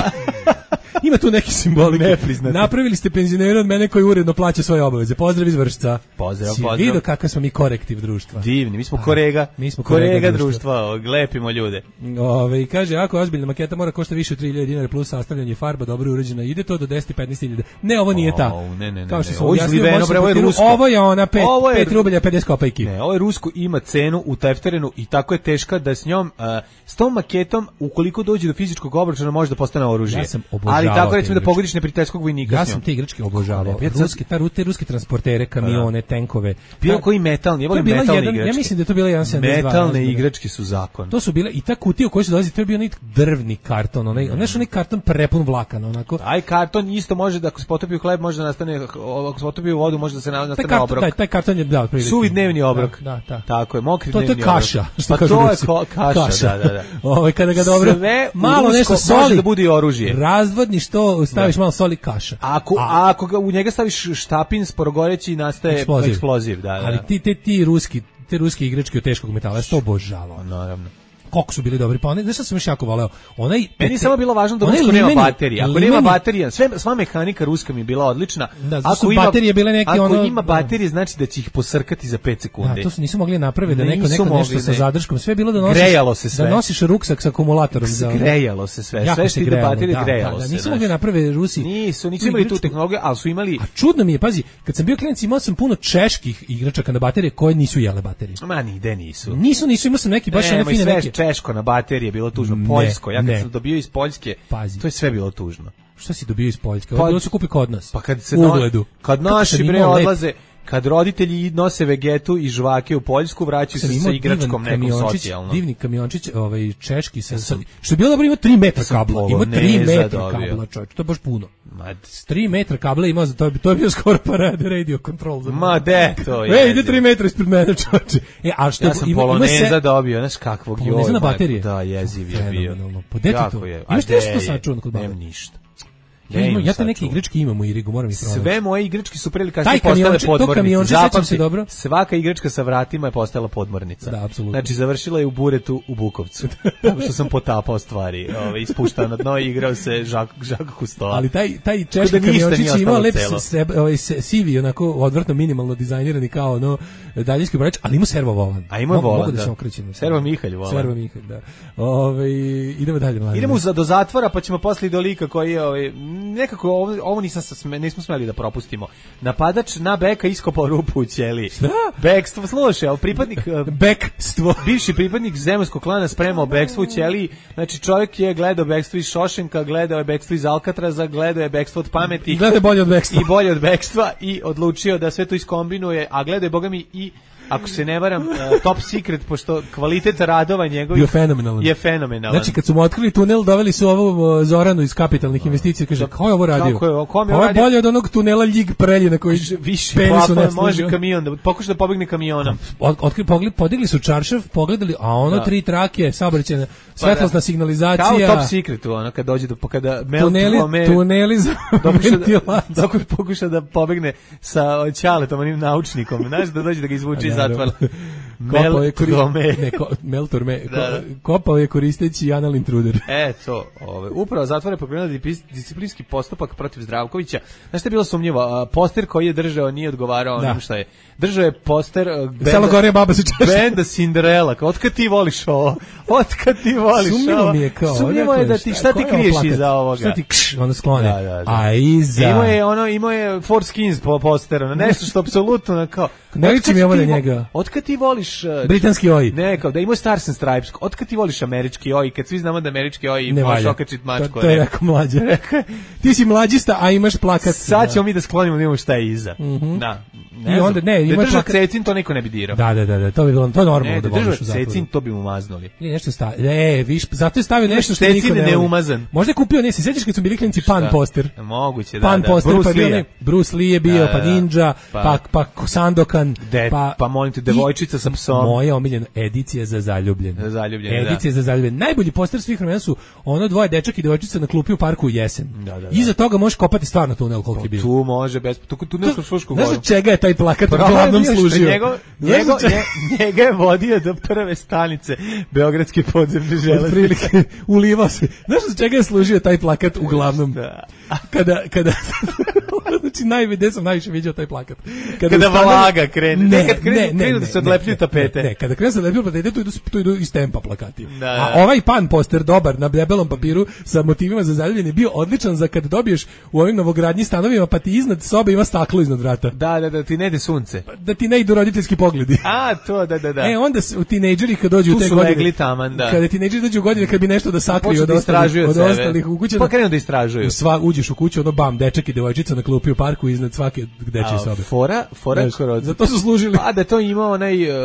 Ima tu neki simboli. Napravili ste penzionera od mene koji uredno plaća svoje obaveze. Pozdrav iz Vršca. Pozdrav, si pozdrav. vidio kakav smo mi korektiv društva. Divni, mi smo korega. Mi smo korega, korega društva, lepimo ljude. Ove, kaže, ako je ozbiljna maketa mora košta više od tri hiljade dinara plus sastavljanje farba, dobro uređena. Ide to do deset do petnaest hiljada. Ne, ovo nije ta. Oh, ne, ne, ne. Kao što ne. sam Ovo, izliveno, bre, ovo je rusko. Ovo je ona pet, ovo je pet rublja pedeset kopejki. Ne, ovo je rusko, ima cenu u tefterenu i tako je teška da s njom, uh, s tom maketom, ukoliko dođe do fizičkog obračuna, može da postane oružje. Ja sam obožavao. Ali tako recimo da pogodiš neprijateljskog vojnika. Ja sam te igračke obožavao. Ruske, ta, te ruske transportere, kamione, tenkove. Bilo koji metalni, ja volim metalne jedan, igračke. Ja mislim da je to bila jedan sedamdeset dva. Metalne igračke su zakon. To su bile i ta kutija u kojoj se dolazi, to je bio onaj drvni karton, onaj, onaj, onaj karton prepun vlakana, onako. Aj karton isto može da ako se potopi u hleb može da nastane, ako se potopi u vodu može da se nastane taj obrok. Taj, taj karton je da, prilike. Suvi dnevni obrok. Da, da, da. Tako je, mokri to, dnevni obrok. To je kaša, obrok. što pa kažu to Rusi. je ko, kaša, kaša, da, da, da. Ovaj kada ga dobro sve malo nešto soli može da bude i oružje. Razvodniš to, staviš da. malo soli kaša. Ako a ako ga u njega staviš štapin sporogoreći nastaje eksploziv, eksploziv da, da. Ali ti te ti ruski, te ruske igračke od teškog metala, što obožavao. Naravno. Koliko su bili dobri, pa onaj, znaš šta sam još jako voleo? Onaj, meni je samo bilo važno da rusko nema baterije. Ako limeni, nema baterija, sve, sva mehanika ruska mi je bila odlična. Da, ako ima, baterije bile neke ako ono, ima baterije, znači da će ih posrkati za pet sekundi. Da, to su nisu mogli napraviti da neko, neko nešto ne. sa zadrškom. Sve je bilo da nosiš, grejalo se sve. Da nosiš ruksak sa akumulatorom. Za, grejalo se sve. Sve što ide baterije, grejalo se. Nisu mogli napraviti Rusi. Nisu, nisu imali tu tehnologiju, ali su imali... A čudno mi je, pazi, kad sam bio klinac imao sam puno čeških igračaka na baterije koje nisu jele baterije. Ma nigde nisu. Nisu, nisu, imao sam neki baš one fine neke. Češko na baterije je bilo tužno, Poljsko, ja kad ne. sam dobio iz Poljske, pazi. To je sve bilo tužno. Šta si dobio iz Poljske? Pa, bilo se kupi kod nas. Pa kad se no, kad naši bre odlaze, kad roditelji nose vegetu i žvake u Poljsku, vraćaju se sa igračkom nekom socijalno. Divni kamiončić, ovaj češki sa, sa što je bilo dobro, ima tri metra kabla, ima tri metra kabla, čovjek, to je baš puno. tri metra kabla ima, to je to je bio skoro parade radio control za. Ma de, to je. Ej, ide tri metra ispred mene, čovječe. E, a što ja sam ima, Poloneza se... dobio, znaš kakvog je ovo. Na baterije. Da, jeziv je bio. Pa de to. Imaš nešto to sačuvano kod baba? Nemam ništa. Ja, imam, ja te neke igračke imam u Irigu, moram ih pronaći. Sve moje igračke su prelika što postale podmornice. Zapamti, dobro. Svaka igračka sa vratima je postala podmornica. Da, apsolutno. Znači, završila je u buretu u Bukovcu. Tako što sam potapao stvari. Ove, ispuštao na dno i igrao se Žak, Žak Kustoa. Ali taj, taj češki kamiončić ima lep sebe, ovaj, sivi, onako odvrtno minimalno dizajnirani kao ono daljinski brojač, ali ima servo volan. A ima volan, mogu da. da. se okrećem. Servo Mihalj volan. Servo Mihalj, da. Ove, idemo dalje. Mladen. Idemo za, do zatvora, pa ćemo posle do lika koji je ovaj, nekako ovo, ovo nisam, nismo smeli da propustimo. Napadač na Beka iskopao rupu u ćeliji. Šta? Bekstvo, slušaj, pripadnik Bekstvo. Bivši pripadnik zemunskog klana spremao bekstvo u ćeliji. Znači čovjek je gledao bekstvo iz Šošenka, gledao je bekstvo iz Alcatraza, gledao je bekstvo od pameti. Gledao bolje od bekstva. I bolje od bekstva i odlučio da sve to iskombinuje, a gledao je bogami i ako se ne varam, uh, top secret, pošto kvalitet radova njegovih je fenomenalan. Je fenomenalan. Znači, kad su mu otkrili tunel, doveli su ovu Zoranu iz kapitalnih investicija, kaže, ko je ovo radio? Kako je, ovo je, ovo je bolje od onog tunela Ljig Preljina koji više plafon, može kamion, da pokuša da pobegne kamionom. Od, otkrili, pogled, podigli su čaršav, pogledali, a ono da. tri trake, saobraćajna, svetlosna signalizacija. Kao top secretu, ono, kad dođe do, kada tuneli, me, tuneli za ventilaciju. Dok pokuša da pobegne sa Ćaletom, onim naučnikom, znaš, da dođe da ga izvuče iz zatvora. Kopao je Meltor me, kopao je koristeći anal intruder. E, to, ove, upravo zatvor je pokrenuo disciplinski postupak protiv Zdravkovića. Znaš što je bilo sumnjivo? Poster koji je držao nije odgovarao onim šta je. Držao je poster Selo Gorija baba se češa. Benda Cinderella. Otkad ti voliš ovo? Otkad ti voliš ovo? Sumnjivo mi je kao. Sumnjivo je da ti, šta ti kriješ iza ovoga? Šta ti kš, ono sklone? Da, da, da. A iza... Imao je, ono, imao je Four Skins po posteru. Nešto što apsolutno na kao... Ne liči mi ovo na njega. Otkad ti voliš... Britanski oj. Ne, kao da imao Stars and Stripes. Otkad ti voliš američki oj? Kad svi znamo da američki oj možeš okačit mačku. To, to je jako mlađe. Ti si mlađista, a imaš plakat. Sad ćemo mi da sklonimo da imamo šta je iza. Mm-hmm. Da. Ne I onda, ne, da drža cecin, to niko ne bi dirao. Da, da, da, da, to bi bilo, to je normalno ne, da voliš u zatvoru. Cecin, to bi mu maznuli. Nije nešto stavio, ne, viš, zato je stavio nešto što niko ne ne umazan. Možda je kupio, ne, se sjećaš kad su bili klinci Pan poster? Moguće, da, Pan da. poster, Bruce pa Lee. Bruce Lee je bio, da, pa Ninja, pa, pa, pa Sandokan, De, pa... Pa molim te, devojčica sa psom. Moja omiljena edicija za zaljubljene. Za zaljubljene, edicija da. za zaljubljene. Najbolji poster svih vremena su ono dvoje dečak i devojčica na klupi u parku u jesen. Da, da, da. Iza toga možeš kopati stvarno tunel koliko je bio. Tu može bez tu tu nešto Frušku goru. Znaš čega je taj plakat uglavnom služio? Njego, njego, njega je vodio do prve stanice Beogradske podzemne železnice. Ulivao se. Znaš za čega je služio taj plakat uglavnom? Kada kada znači najviše sam najviše viđao taj plakat. Kada, kada vlaga krene, ne, kad krenu, ne, ne, krenu da se odlepljuju tapete. Ne, ne, kada krenu da se odlepljuju tapete, tu idu, tu idu iz tempa plakati. Da, da. A ovaj pan poster dobar na debelom papiru sa motivima za zaljubljene bio odličan za kad dobiješ u ovim novogradnji stanovima pa ti iznad sobe ima staklo iznad vrata. Da, da, da, ti ne ide sunce. Da ti ne idu roditeljski pogledi. A, to, da, da, da. E, onda u tinejdžeri kad dođu tu u te su godine. legli taman, da. Kada tinejdžeri dođu u godine kad bi nešto da sakriju od, da ostalih, od ostalih u kući. Pa krenu da istražuju. Sva, uđeš u kuću, ono bam, dečak i devojčica na klupi u parku iznad svake dečje sobe. Fora, fora kroz. Zato su služili. A da to imao onaj uh,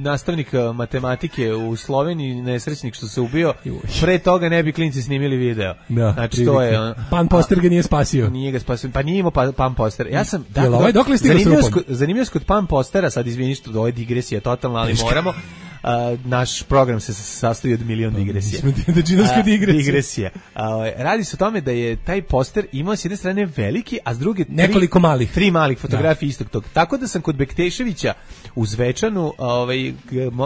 nastavnik matematike u Sloveniji, nesrećnik što se ubio. Pre toga ne bi klinci snimili video. Da, znači to je on, pan poster ga nije spasio. Nije ga spasio. Pa nije imao pa, pan poster. Ja sam da, Jel, ovaj dokle stigao sa rupom? Zanimljivo kod pan postera, sad izvini što ovo je digresija totalna, ali moramo. Uh, naš program se sastoji od milion digresija. Uh, digresija. Uh, radi se o tome da je taj poster imao s jedne strane veliki, a s druge tri, nekoliko malih. Tri malih fotografije da. Istog tog. Tako da sam kod Bekteševića u Zvečanu ovaj,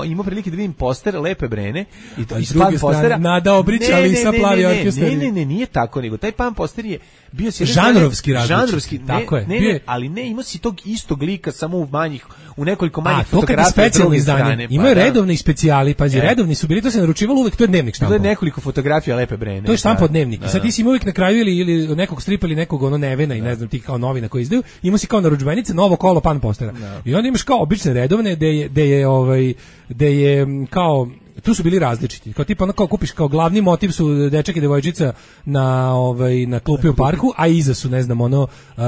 imao prilike da vidim poster Lepe Brene. I to, a s druge strane Nada Obrić, ali sa plavi orkestar. Ne, ne, ne, nije tako, nego taj pan poster je bio s jedne žanrovski različit. Žanrovski, ne, tako je. Ne, ne, ali ne, imao si tog istog lika, samo u manjih, u nekoliko manjih fotografija. A, to kad je specijalno izdanje. Imaju redovni specijali, pazi, e. redovni su bili, to se naručivalo uvek, to je dnevnik štampa. To je nekoliko fotografija Lepe Brene. To je štampa od dnevnika. Sad ti si uvek na kraju ili, ili nekog stripa ili nekog ono Nevena i ne znam, tih kao novina koji izdaju, imao si kao narudžbenice novo kolo pan postera. Da. I onda imaš kao obične redovne, gde je, gde je, ovaj, gde je kao tu su bili različiti. Kao tipa ono kao kupiš kao glavni motiv su dečak i devojčica na ovaj na klupi u parku, a iza su ne znam ono uh,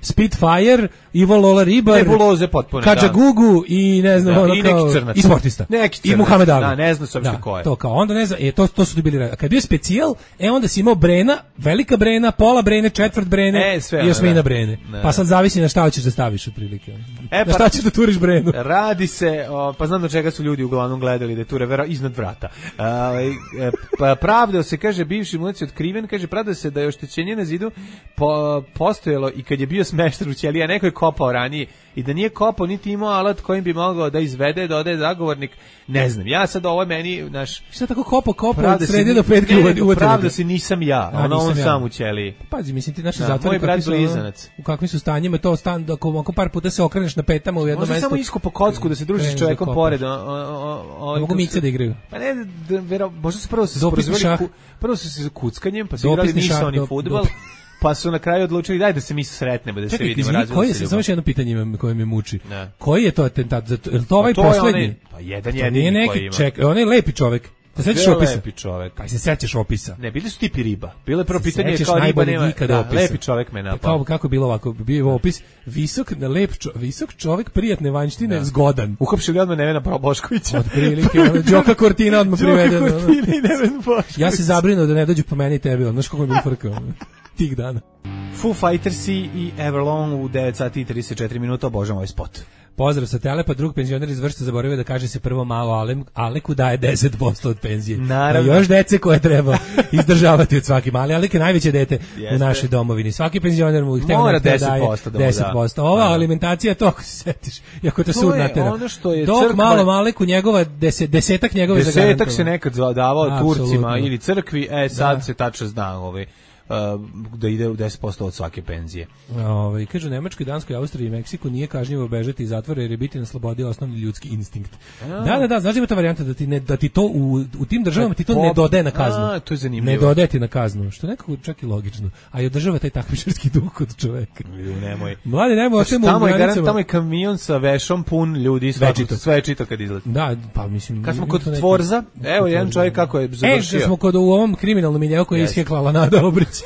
Spitfire, Ivo Lola Ribar, nebuloze potpuno, Kadžagugu i ne znam da, ono i kao neki crnac. I sportista. Neki I Muhammed Ali. Da, ne znam se uopšte da, ko je. To kao onda ne znam, e to to su bili. Kad je bio specijal, e onda si imao Brena, velika Brena, pola Brene, četvrt Brene e, sve, i osmina da. Brene. Da. Pa sad zavisi na šta hoćeš da staviš otprilike. E, na šta ćeš da turiš Brenu. Radi se, o, pa znam do čega su ljudi uglavnom gledali da ture vera iznad vrata. Pa pravdao se, kaže, bivši munac je otkriven, kaže, pravdao se da je oštećenje na zidu po, postojalo i kad je bio smešten u ćeliji, a neko je kopao ranije i da nije kopao niti imao alat kojim bi mogao da izvede, da ode zagovornik, ne znam, ja sad ovo meni, naš... Šta tako kopao, kopao, od sredi do petke uvati? Pravda se nisam ja, a, ono on ja. Sam u ćeliji. Pazi, mislim, ti naši zatvori kakvi su, u kakvim su stanjima, to stan, da ako par puta se okreneš na petama u jednom mestu... Možda samo iskopo kocku da se družiš s čovekom pored. Mogu mice da igraju. Pa ne, možda su prvo se sporozvali, prvo su se za kuckanjem, pa su igrali nisu oni fudbal, pa su na kraju odlučili daj da se mi sretnemo, da se vidimo. Čekaj, koji je, samo još jedno pitanje imam koje me muči. Ne. Koji je to atentat? Je to ovaj pa poslednji? Pa jedan jedini koji ima. Čekaj, on je lepi čovek. Se sećaš opisa? Lepi čovek. Pa se sećaš opisa? Ne, bili su tipi riba. Bilo je prvo pitanje kao riba nema. Da, lepi čovek me napao. Kao kako je bilo ovako, bio opis visok, lep čo, visok čovek, prijatne vanjštine, da. Zgodan. Uhapšili odmah Nevena Boškovića. Od prilike, Đoka Kortina odmah priveden. Đoka Kortina i Neven Bošković. Ja se zabrinuo da ne dođu po meni i tebi, znaš kako mi je frkao tih dana. Foo Fightersi i Everlong u devet sati i trideset četiri minuta, obožavam ovaj spot. Pozdrav sa Telepa, drug penzioner iz Vršca zaboravio da kaže se prvo malo Alem, Aleku daje deset posto od penzije. Naravno. A još dece koje treba izdržavati od svaki mali. Alek je najveće dete Jeste. U našoj domovini. Svaki penzioner mu ih mora deset posto daje deset posto. Ova da. Alimentacija, to ako se setiš, jako te sud natera. Dok crkva... malo Maleku njegova, deset, desetak njegove zagarantovano. Desetak se nekad davao Turcima ili crkvi, e sad da. Se tačno zna ovaj. Uh, da ide u deset posto od svake penzije. Ovaj kaže u Nemačkoj, Danskoj, Austriji i Meksiku nije kažnjivo bežati iz zatvora jer je biti na slobodi osnovni ljudski instinkt. A. Da, da, da, znači ima ta varijanta da ti ne da ti to u, u tim državama ti to ne dodaje na kaznu. A, to je zanimljivo. Ne dodaje ti na kaznu, što nekako čak i logično. A i održava taj takmičarski duh kod čoveka. Nemoj. Mladi, nemoj, ostavimo u granicama. Tamo je tamo je kamion sa vešom pun ljudi, svečito, svečito kad izleti. Da, pa mislim. Kad smo kod Tvorza, evo jedan čovjek kako je završio. E, smo kod u ovom kriminalnom miljeu koji je isheklala Nada Obrić.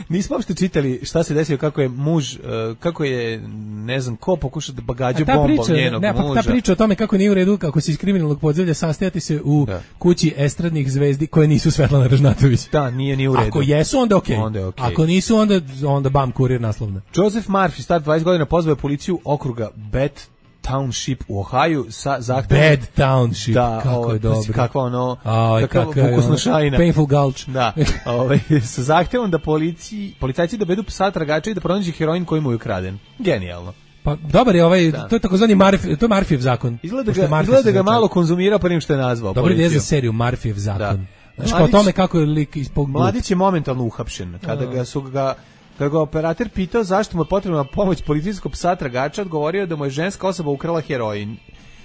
Nismo uopšte čitali šta se desilo, kako je muž, kako je, ne znam, ko pokušao da bagađa bombom njenog ne, muža. Pa ta priča o tome kako nije u redu, kako se iz kriminalnog podzemlja sastajati se u da. Kući estradnih zvezdi koje nisu Svetlana Ražnatović. Da, nije ni u redu. Ako jesu, onda okej. Okay. Onda je okay. Ako nisu, onda, onda bam, kurir naslovna. Joseph Murphy, star dvadeset godina, pozvao je policiju okruga Bet Township u Ohio sa zahtevom Bad Township, da, kako ovaj, je dobro. Kakva ono, Aj, kakva kako vukusnošajna. Painful Gulch. Da, ovaj, sa zahtevom da policiji, policajci dovedu psa tragača i da pronađe heroin koji mu je ukraden. Genijalno. Pa dobar je ovaj, da. to je takozvani Murphy, to je Murphyjev zakon. Izgleda ga, izgleda ga malo konzumirao prije što je nazvao dobar policiju. Dobar je za seriju Murphyjev zakon. Da. Znaš, kao o tome kako je lik ispog... Mladić je momentalno uhapšen. Kada ga su ga Kada ga operator pitao zašto mu je potrebna pomoć policijskog psa tragača, odgovorio da mu je ženska osoba ukrala heroin.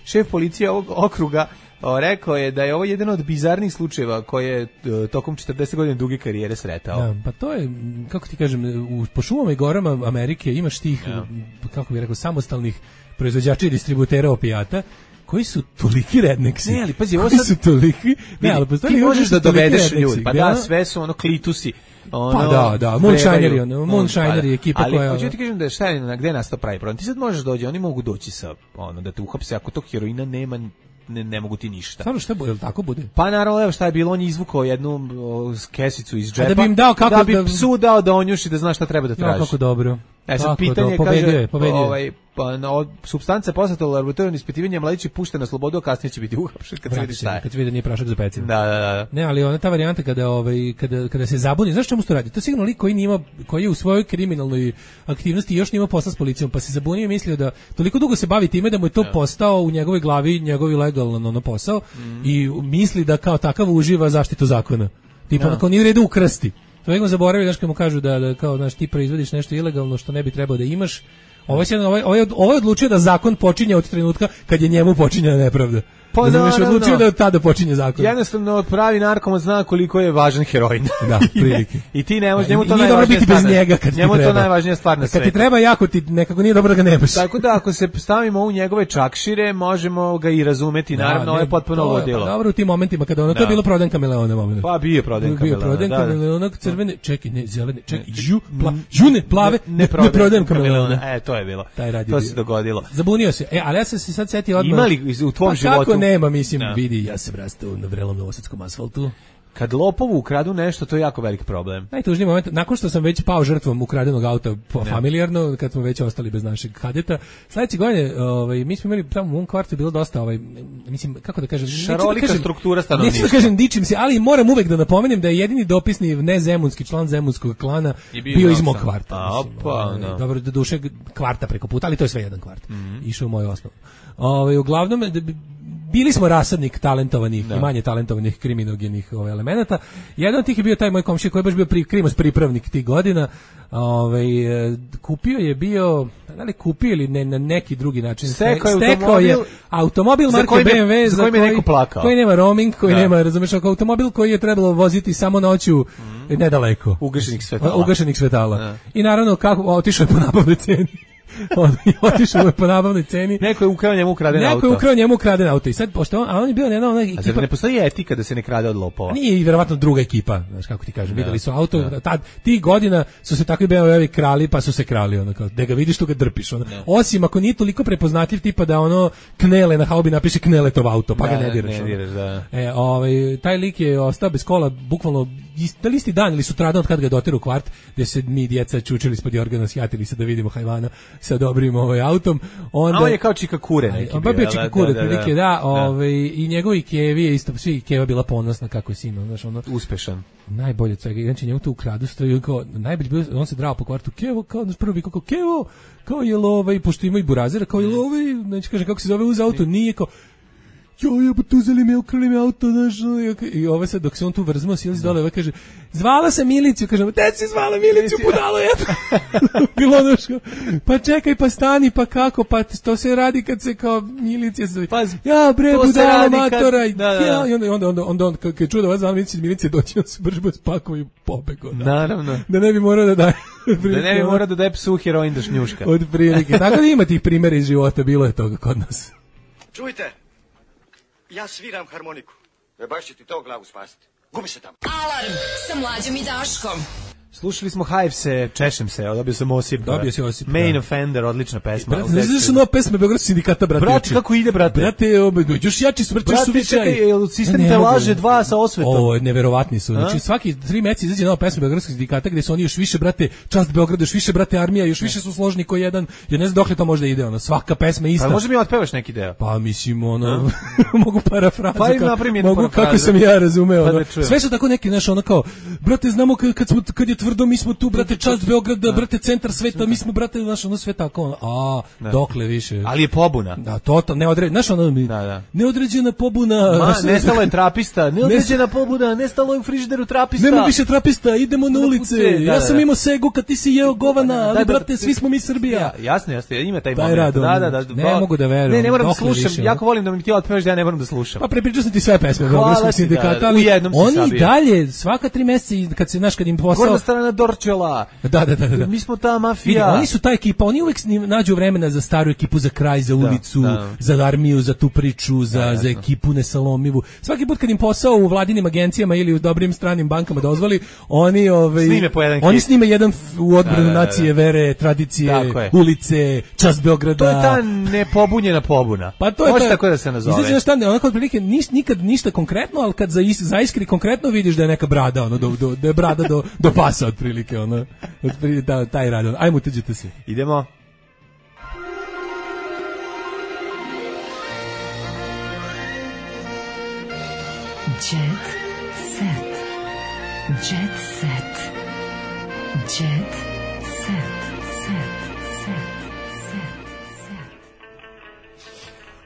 Šef policije ovog okruga o, rekao je da je ovo jedan od bizarnih slučajeva koje je tokom četrdeset godina duge karijere sretao. Da, pa to je, kako ti kažem, u, po šumama i gorama Amerike imaš tih, ja. kako bih rekao, samostalnih proizvođača i distributera opijata, koji su toliki redneksi. Ne, ali pazi, ovo sad... su toliki... Ne, ali ti možeš da dovedeš ljudi, pa da, sve su ono klitusi. Ono, pa da, da, Moonshineri, ono, Moonshineri ekipa ali, koja... Ali, hoću ti kažem da je šta je, na gde nastao pravi problem. Ti sad možeš doći, oni mogu doći sa, ono, da te uhapse, ako tog heroina nema, ne, ne mogu ti ništa. Stvarno šta bude, tako bude? Pa naravno, evo šta je bilo, on je izvukao jednu o, kesicu iz džepa, da bi im dao kako da bi da... psu dao da onjuši da zna šta treba da traži. Ja, kako dobro. E sad pitanje do, kaže, je, ovaj, pa, no, supstanca poslata u laboratorijno ispitivanje, mladić je pušten na slobodu, a kasnije će biti uhapšen kad se vidi šta je. Kad se vidi da nije prašak za pecivo. Da, da, da. Ne, ali ona ta varijanta kada, ovaj, kada, kada se zabuni, znaš čemu se to radi? To je sigurno lik koji, nima, koji je u svojoj kriminalnoj aktivnosti još nima posla s policijom, pa se zabunio i mislio da toliko dugo se bavi time da mu je to ja. postao u njegovoj glavi, njegovi legalan ono posao mm. i misli da kao takav uživa zaštitu zakona. Tipa, ja. kao nije u redu ukrasti. To uvijek zaboravili, znaš, kad mu kažu da, da kao, znaš, ti proizvodiš nešto ilegalno što ne bi trebao da imaš. Ovo je, ovaj, ovaj, ovaj odlučio da zakon počinje od trenutka kad je njemu počinjena nepravda. Pa da, da, odlučio da od tada počinje zakon. Jednostavno pravi narkoman zna koliko je važan heroin. Da, prilike. I ti ne možeš, njemu to nije dobro biti bez njega kad njemu ti treba. to najvažnija stvar na kad svetu. Kad ti treba jako, ti nekako nije dobro da ga nemaš. Tako da ako se stavimo u njegove čakšire, možemo ga i razumeti, da, naravno, ovo je potpuno ludilo. Pa dobro u tim momentima kada ono, da. to je bilo prodan kameleona moment. Pa bio prodan kameleona. Bio prodan kameleona, crvene, čekaj, ne, zelene, čekaj, žu, pla, žune, plave, ne, ne, ne prodajem kameleona. E, to je bilo. To se dogodilo. Zabunio se. E, ali ja sam se sad setio odmah. Imali u tvom životu? Kako nema, mislim, vidi, ja sam rastao na vrelom novosadskom asfaltu. Kad lopovu ukradu nešto, to je jako velik problem. Najtužniji moment, nakon što sam već pao žrtvom ukradenog auta po ne. familijarno, kad smo već ostali bez našeg kadeta, sledeće godine, ovaj, mi smo imali tamo u mom kvartu bilo dosta, ovaj, mislim, kako da kažem, šarolika da kažem, struktura stanovništva. Neću da kažem, dičim se, ali moram uvek da napomenem da je jedini dopisni nezemunski član zemunskog klana bio, bio iz mog kvarta. A, mislim, opa, ovaj, no. Dobro, do duše kvarta preko puta, ali to je sve jedan kvart. Mm -hmm. Išao u moju osnovu. Ovaj, uglavnom, bili smo rasadnik talentovanih da. i manje talentovanih kriminogenih ovaj, elemenata. Jedan od tih je bio taj moj komšija koji je baš bio pri, krimos pripravnik tih godina. Ovaj, kupio je bio, da li kupio ili ne, na neki drugi način. Stekao, stekao je automobil marke B M W za koji, za koji, neko plakao. koji nema roaming, koji da. nema, razumeš, automobil koji je trebalo voziti samo noću mm. nedaleko. Ugašenih svetala. Ugašenih svetala. Da. I naravno, kako, otišao je po nabavnoj ceni. On je otišao je po nabavnoj ceni. Neko je ukrao njemu ukraden auto. Neko je ukrao njemu ukraden auto. I sad, pošto on, a on je bio jedna ona ekipa. A zar ne postoji etika da se ne krade od lopova? Nije, i verovatno druga ekipa, znaš kako ti kažem. Videli su auto, da. tad, tih godina su se takvi B M W-evi krali, pa su se krali. Ono, kao, da ga vidiš, tu ga drpiš. Ono. Osim ako nije toliko prepoznatljiv tipa da ono knele na haubi napiše Kneletov auto, pa da, ga ne diraš. Ne diraš da. E, ovaj, taj lik je ostao bez kola, bukvalno da li isti dan ili sutradan od kad ga je doteru u kvart, gde se mi djeca čučili ispod jorgana, sjatili se da vidimo hajvana sa dobrim ovaj autom. Onda, a on je kao Čika Kure neki on bio. On bio Čika Kure, da, da, da, da, da, ovaj, i njegovi Kevi je isto, svi Keva bila ponosna kako je sin, znaš, ono. Uspešan. Najbolje od svega, znači njemu tu ukradu stoji, kao, najbolje bio, on se drao po kvartu, Kevo, kao, znaš, prvi kao, Kevo, kao je ovaj, pošto ima i burazira, kao je ovaj, znači kaže, kako se zove uz auto, nije kao, jo, ja, pa uzeli me, ukrali me auto, znaš, i ovo sad, dok se on tu vrzmao, silazi dole, ovo kaže, zvala sam miliciju, kažem, te si zvala miliciju, budalo je. Bilo ono što, pa čekaj, pa stani, pa kako, pa to se radi kad se kao milicija zove. Pazi, ja, bre, budalo matora. Kad, da, da. Ja, i onda, onda, onda, onda, onda kad je čuo da vas zvala milicija, milicija doći, on se brž bez pakova i pobego. Naravno. Da ne bi morao da daje. Da ne bi morao da daje psu heroin da šnjuška. Od prilike. Tako da ima tih primjera iz života, bilo je toga kod nas. Čujte. Ja sviram harmoniku. E baš će ti to glavu spasiti. Gubi se tamo. Alarm sa Mlađom i Daškom. Slušali smo Hivese, Češem se, dobio sam Osip. Dobio si Osip. Main da. Offender, odlična pesma. Brate, znaš da su nova pesme Beogradskog sindikata, brate? Brate, kako ide, brate? Brate, obe, još jači su, brate, su Brate, čekaj, sistem te laže dva sa osvetom. Ovo, neverovatni su. Znači, svaki tri meseca izađe nova pesma Beogradskog sindikata gde su oni još više, brate, čast Beograda, još više, brate, armija, još više su složni koji jedan. Ja ne znam dokle to možda ide, ono, svaka pesma ista. Pa može mi otpevaš neki deo? Pa mislim, ono, mogu parafrazu. Pa im napravim jednu mogu parafrazu. kako sam ja razumeo. Pa ono. da Sve su tako neki, znaš, ono kao, brate, znamo kad, kad, smo, kad je tvrdo, mi smo tu, brate, čast Beograda, brate, centar sveta, mi smo, brate, znaš, ono sve tako, ono, a, da. dokle više. Ali je pobuna. Da, to, neodređena, znaš, ono, mi, da, da. neodređena pobuna. Ma, nestalo je trapista, neodređena pobuna, nestalo je u frižideru trapista. Nema više trapista, idemo na ulice. Da, ja da, sam da. imao segu kad ti si jeo govana, ali, da, da, brate, da, svi smo mi Srbija. Ja, jasno, jasno, ima taj, taj moment. Rad, da, da, da, ne ba, mogu da verujem. Ne, ne moram da dokle slušam, više, jako volim da mi ti otpevaš da ja ne moram da slušam. Pa prepričao sam ti sve pesme Hvala Beogradskog ti, sindikata, da, ali u jednom si oni sabio. dalje, svaka tri meseca, kad se, znaš, kad im posao... Gornja strana Dorčela. Da, da, da, da. Mi smo ta mafija. Vidi, oni su ta ekipa, oni uvek nađu vremena za staru ekipu, za kraj, za ulicu, da, da. za armiju, za tu priču, za, da, za ekipu nesalomivu. Svaki put kad im posao u vladinim agencijama ili u dobrim stranim bankama dozvoli, oni ovaj snime po jedan oni hit. snime jedan f, u odbranu da, da, da. nacije, vere, tradicije, ulice, čast Beograda. To je ta nepobunjena pobuna. Pa to je može ta, tako da se nazove. Izađe šta, onako otprilike niš, nikad ništa konkretno, al kad za zaiskri konkretno vidiš da je neka brada, ono do, do da je brada do do pasa otprilike, ono. Otprilike da, taj rad. Ajmo uteđite se. Idemo. Jet set. Jet set. Jet set. Set. Set. Set.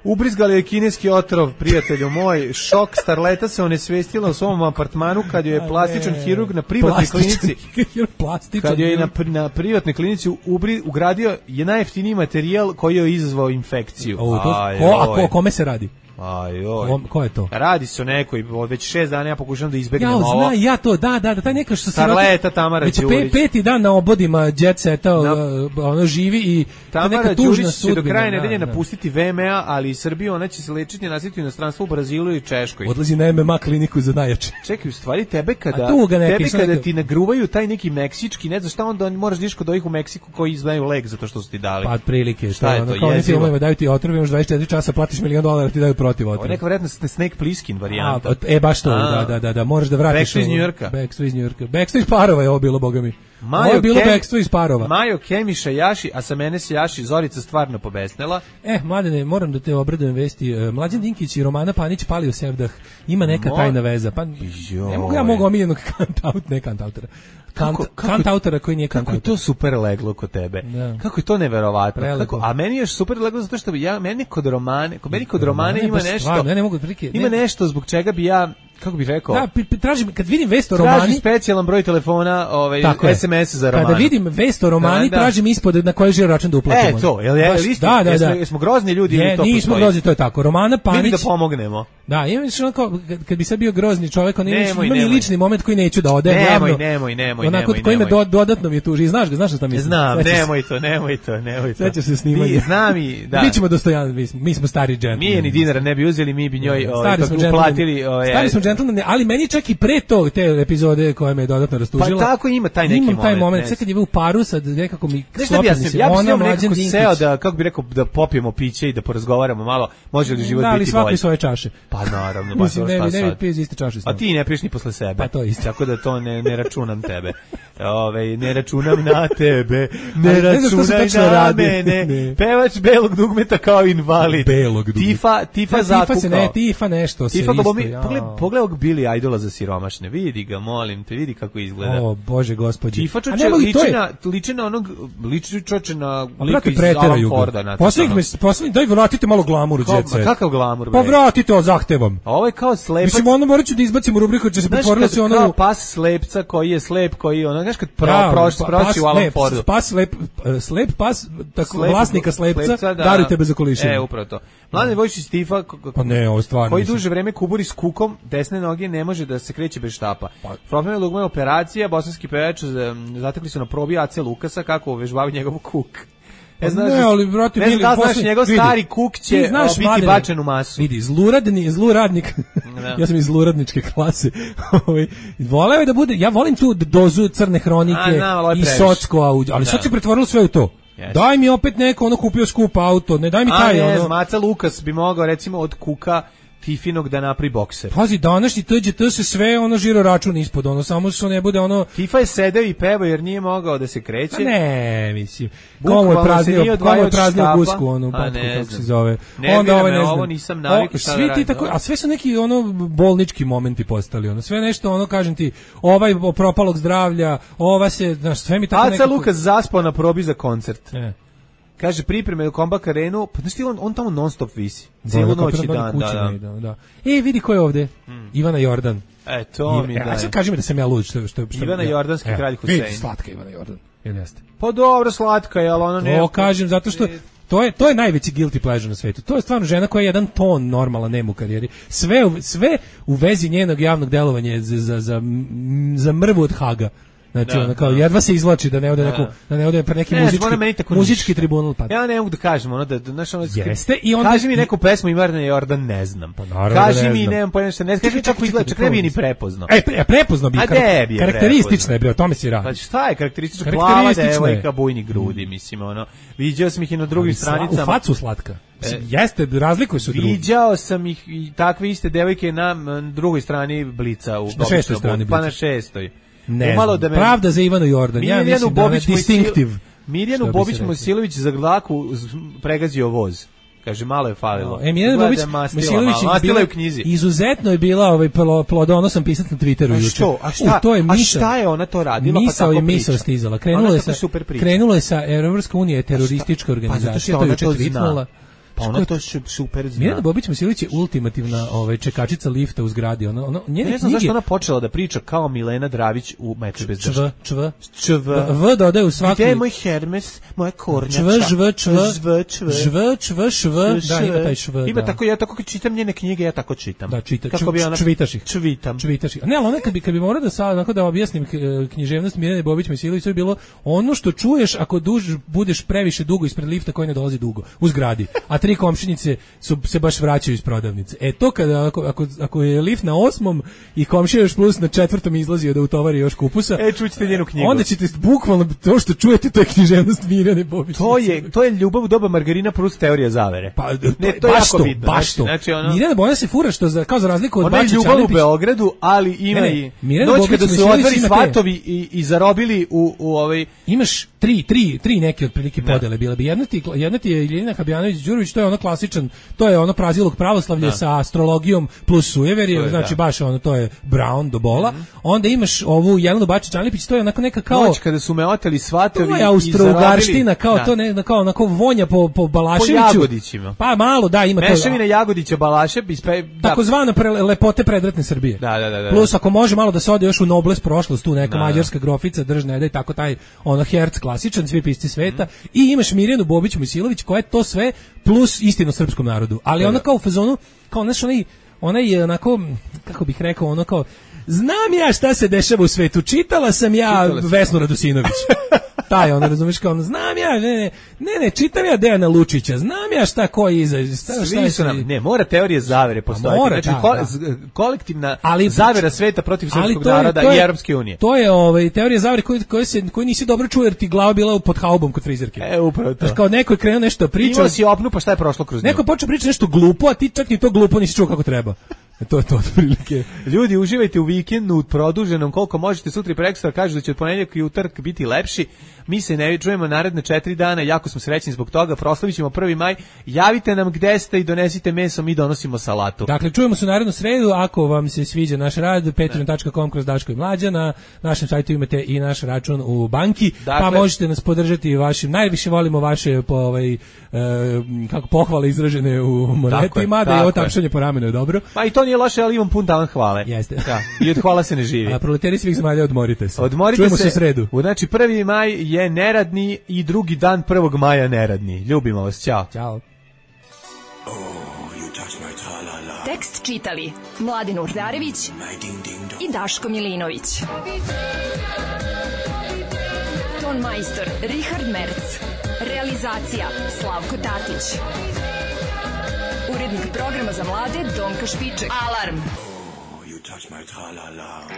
Ubrizgali je kineski otrov, prijatelju moj. Šok, starleta se onesvestila u svom apartmanu kad joj je plastičan hirurg na privatnoj klinici. Kad joj je na, na privatnoj klinici ubri, ugradio je najjeftiniji materijal koji je izazvao infekciju. O, to, Aj, ko, a ko, kome se radi? Aj, oj. Ko, ko je to? Radi se o nekoj, već šest dana ja pokušam da izbegnem ja, ovo. Zna, ja to, da, da, da, taj neka što se... Starleta Tamara Đurić. Već pe, peti dan na obodima Jet Seta, no. ono živi i Tamara Đurić će do kraja nedelje da, napustiti V M A, ali i Srbiju, ona će se lečiti na svijetu inostranstvu u Brazilu i Češkoj. Odlazi na M M A kliniku za najjače. Čekaj, u stvari tebe kada, neke, tebe kada neke... ti nagruvaju taj neki meksički, ne znaš šta onda moraš diš kod ovih u Meksiku koji znaju lek zato što su ti dali. Pa prilike, šta je to? Kao oni filmovima daju ti otrov, imaš dvadeset četiri časa, platiš milion dolara, ti daju protiv otrova. Neka vjerojatno Snake Plissken varijanta. A, e, baš to, da, da, da, da, moraš da vratiš. Backstreet iz New Yorka. Backstreet iz New Yorka. Backstreet iz Parova je ovo bilo, boga mi. Majo ovo je bilo Kem, Backstreet iz Parova. Majo Kemiša Jaši, a sa mene se Jaši Zorica stvarno pobesnela. E, mladene, moram da te obradujem vesti. Mlađan Dinkić i Romana Panić pali u Sevdah. Ima neka Mo... tajna veza. Pa, ne mogu ja mogu omiljenog kant-out, ne kant-autora. Kant, kako, kako, kant-autora koji nije kant-autor. Kako je to super leglo kod tebe? Da. Kako je to neverovatno? Kako, a meni je super leglo zato što ja, meni kod Romane, kod meni kod Romane ima nešto, stvarno, ja ne mogu prike, ima ne. nešto zbog čega bi ja, kako bih rekao? Da, tražim, kad vidim vest o Romani... Tražim specijalan broj telefona, ovaj, es em es za Romanu. Kada vidim vest o Romani, da, da. tražim ispod na koji žiro račun da uplatimo. E, to, jel je, Baš, isti, da, da, jesmo, da. jesmo grozni ljudi je, ili to nismo postoji? grozni, to je tako. Romana Panić... Vidim da pomognemo. Da, imam što kao, kad, kad bi sad bio grozni čovjek, on nemoj, ima nemoj. lični moment koji neću da odem nemoj, javno. Nemoj, nemoj, onako, nemoj, koji me nemoj. do, dodatno mi je tuži. Znaš ga, znaš šta mislim? Znam, nemoj to, nemoj to, nemoj to. Sećaš se snimanja. Znam i, da. Mi ćemo dostojan, mi smo, mi smo stari džentlmeni. Mi je ni dinara ne bi uzeli, mi bi njoj ovaj, uplatili. Ovaj, stari smo džentlmeni, ali meni čak i pre to, te epizode koje me dodatno rastužila. Pa tako ima taj neki imam moment. taj moment, sve kad je u paru, sad nekako mi sklopili se. Ja bih s njom nekako seo da, kako bi rekao, da popijemo piće i da porazgovaramo malo, može li život da, biti bolji. Da, ali svaki svoje čaše. Pa naravno, pa mislim, ne, ne bi piješ iste čaše. A ti ne piješ ni posle sebe. Pa to isto. Tako da to ne, ne računam tebe. Ove, ne računam na tebe, ne računaj na mene. Pevač belog dugmeta kao invalid. Belog dugmeta. Tifa, tifa zakukao. Tifa se ne, tifa nešto se tifa, isto. Pogledaj, pogledaj ovog Billy Idola za siromašne. Vidi ga, molim te, vidi kako izgleda. O, Bože gospodи. Tifa čoče liči na, liči na onog, liči čoče na lika iz Alan Forda. Poslednjih, poslednjih, daj vratite malo glamuru, Jet Set. Kakav glamur? Pa vratite o zahtevom. A ovo je kao slepac. Mislim, ono morat ću da izbacim u rubriku, će se pretvorilo se ono... Kao pas slepca koji je slep, koji ono, znaš kad proći u Alan Fordu. Pas slep, slep pas, tako, vlasnika slepca, daruj tebe za kolišinu. E, upravo to. Mladen Vojčić Tifa, pa ne, ovo stvarno, koji duže vreme kuburi s kukom, desne noge ne može da se kreće bez štapa. Problem je dugme operacija, bosanski pevač zatekli su na probi A C Lukasa kako uvežbavaju njegov kuk. Ne znaš, ne, ali, brate, ne znam da znaš, njegov vidi, stari kuk će znaš, biti Mladene, bačen u masu. Vidi, zluradni, zluradnik, ja sam iz zluradničke klase, voleo je da bude, ja volim tu dozu crne hronike A, i Socko, ali sad se pretvorilo sve u to. Yes. Daj mi opet neko, ono kupio skup auto, ne daj mi taj, A ne, ono... Maca Lukas bi mogao, recimo, od kuka Fifinog da napravi bokser. Pazi, današnji T Đ T se sve ono žiro račun ispod, ono, samo što ne bude ono... Fifa je sedeo i pevao jer nije mogao da se kreće. A ne, mislim. Komu je praznio, komu je praznio gusku, onu, patku, kako se zove. Ne, onda ovaj, ne znam. Ovo nisam navikao šta svi da ti tako, a sve su neki ono bolnički momenti postali, ono, sve nešto, ono, kažem ti, ovaj propalog zdravlja, ova se, znaš, sve mi tako nekako... Aca Lukas zaspao na probi za koncert. Ne. Kaže pripreme u Kombak Arenu, pa znaš ti, on, on tamo non stop visi. Cijelu noć i dan, da, da. da. E, vidi ko je ovde. Hmm. Ivana Jordan. E, to mi e, daje. Sad kaži mi da sam ja lud. Što, što, što, Ivana ja. Jordanski e, kralj Husein. Vidi, slatka Ivana Jordan. Jel jeste? Pa dobro, slatka je, ali ona ne... To kažem, zato što... To je, to je najveći guilty pleasure na svetu. To je stvarno žena koja je jedan ton normalna nema u karijeri. Sve, sve u vezi njenog javnog delovanja za, za, za, za mrvu od Haga. Znači, da, ona kao, da. jedva se izvlači da ne ode, neku, da ne ode pre neki ne, muzički, muzički tribunal. Pa. Ja ne mogu da kažem, ono da, znaš, ono, jeste, i onda... Kaži mi neku pesmu Ivane Jordan, ne znam. Pa naravno kaži ne mi, znam. nemam pojma što ne znam. Kaži mi čak izgleda, čak ne bi ni prepoznao. E, pre, prepoznao bi, kar, bi karakteristično je, bre, o tome si radi. Pa šta je karakteristično? Plava devojka, bujni grudi, mislim, ono. Viđao sam ih i na drugim stranicama. U facu slatka. E, jeste, razlikuju se od drugih. Viđao sam ih i takve iste devojke na drugoj strani Blica. U na šestoj strani Blica. Pa na šestoj. Ne znam, da me... pravda za Ivanu Jordan, ja mislim da je distinktiv. Mirjanu Bobić Mojsilović za glaku pregazio voz. Kaže, malo je falilo. E, Mirjana Bobić Mojsilović je u knjizi. Izuzetno je bila ovaj plodonosan pisat na Twitteru juče. Što? A šta? U, to je a šta je ona to radila? Misao pa tako je misao stizala. Krenulo je sa, krenulo je sa Evropska unija je teroristička organizacija, to je juče tweetnula. Pa ona to super zna. Mirjana Bobić Mojsilović je ultimativna ovaj čekačica lifta u zgradi. Ona ona njene ne znam knjige... zašto ona počela da priča kao Milena Dravić u Meče bez čv čv čv v dodaje u svaku. Gde je moj Hermes, moja kornjača. čv žv čv žv čv žv čv šv da ima taj šv. Ima tako ja tako kad čitam njene knjige ja tako čitam. Da čita. Kako bi ona čvitaš ih. Čvitam. Čvitaš ih. Ne, ali ona kad bi kad bi morao da sad onako da objasnim književnost Mirjane Bobić Mojsilović, to je bilo ono što čuješ ako duž budeš previše dugo ispred lifta koji ne dolazi dugo u zgradi. A tri komšinice su se baš vraćaju iz prodavnice. E to kada ako, ako, ako je lift na osmom i komšija još plus na četvrtom izlazio da utovari još kupusa. E čućete njenu knjigu. Onda ćete bukvalno to što čujete to je književnost Mirjane Bobić. To je to je ljubav u doba Margarina plus teorija zavere. Pa ne, to je baš jako to, bitno. Baš to. Znači ono Mirjana Bojan se fura što za, kao za razliku od Bačića ljubav u Beogradu, ali ima ne, i noć kada su odvori svatovi i, i zarobili u u ovaj imaš tri tri tri neke otprilike podele bile bi jedna ti jedna ti je Iljina Habjanović Đurović, to je ono klasičan, to je ono prazilog pravoslavlja da. sa astrologijom plus sujeverje, znači da. baš ono to je Brown do bola. Mm-hmm. Onda imaš ovu Jelenu Bačić Anlipić, to je onako neka kao noć kada su me oteli svatovi i Austro-Ugarština, kao da. to ne, kao onako vonja po po Balaševiću. Po Jagodićima. Pa malo da ima to. Mešavina Jagodića Balašev ispe da. Takozvana pre, lepote predratne Srbije. Da, da, da, da. Plus ako može malo da se ode još u nobles prošlost, tu neka da. mađarska grofica držne da i tako taj ono herc klasičan svi pisci sveta mm. i imaš Mirjanu Bobić Mojsilović koja je to sve plus istinu srpskom narodu. Ali ona kao u fazonu, kao znaš, onaj, onaj je onako, kako bih rekao, ono kao, znam ja šta se dešava u svetu, čitala sam ja čitala Vesnu Radosinović. Taj, ono, razumiješ, kao, ono, znam ja, ne, ne, ne, ne, čitam ja Dejana Lučića, znam ja šta ko je iza, šta, šta su nam, ne, mora teorije zavere postojati, mora, znači, da, ko, da. kolektivna ali, zavera sveta protiv srpskog naroda je, i Europske unije. To je, ovaj, teorija zavere koje, koje, se, koje nisi dobro čuo jer ti glava bila pod haubom kod frizerke. E, upravo to. Znači, kao neko je krenuo nešto priča. Imao si opnu, pa šta je prošlo kroz nju? Neko počeo pričati nešto glupo, a ti čak ni to glupo nisi čuo kako treba. To je to otprilike. Ljudi, uživajte u vikendu, u produženom, koliko možete, sutra i prekosutra kažu da će od ponedjeljka i utorak biti lepši. Mi se ne čujemo naredne četiri dana, jako smo srećni zbog toga, proslavit ćemo prvi maj. Javite nam gde ste i donesite meso, mi donosimo salatu. Dakle, čujemo se narednu sredu, ako vam se sviđa naš rad, patreon dot com kroz Daško i Mlađa, na našem sajtu imate i naš račun u banki, dakle, pa možete nas podržati vašim, najviše volimo vaše po, ovaj, e, kako pohvale izražene u monetima, da je ovo tapšanje po ramenu je dobro. Pa i to nije loše, ali imam pun talan hvale. Jeste. Da, i od hvala se ne živi. A proleteri svih zemalja, odmorite se. Odmorite čujemo se, se u sredu. Znači, prvi maj je neradni i drugi dan prvog maja neradni. Ljubimo vas, ćao. Ćao. Oh, you touch my tra-la-la. Tekst čitali Mladin Urdarević i Daško Milinović. Ton majstor Richard Merc. Realizacija Slavko Tatić. Urednik programa za mlade Donka Špiček. Alarm! You touch my tra-la-la.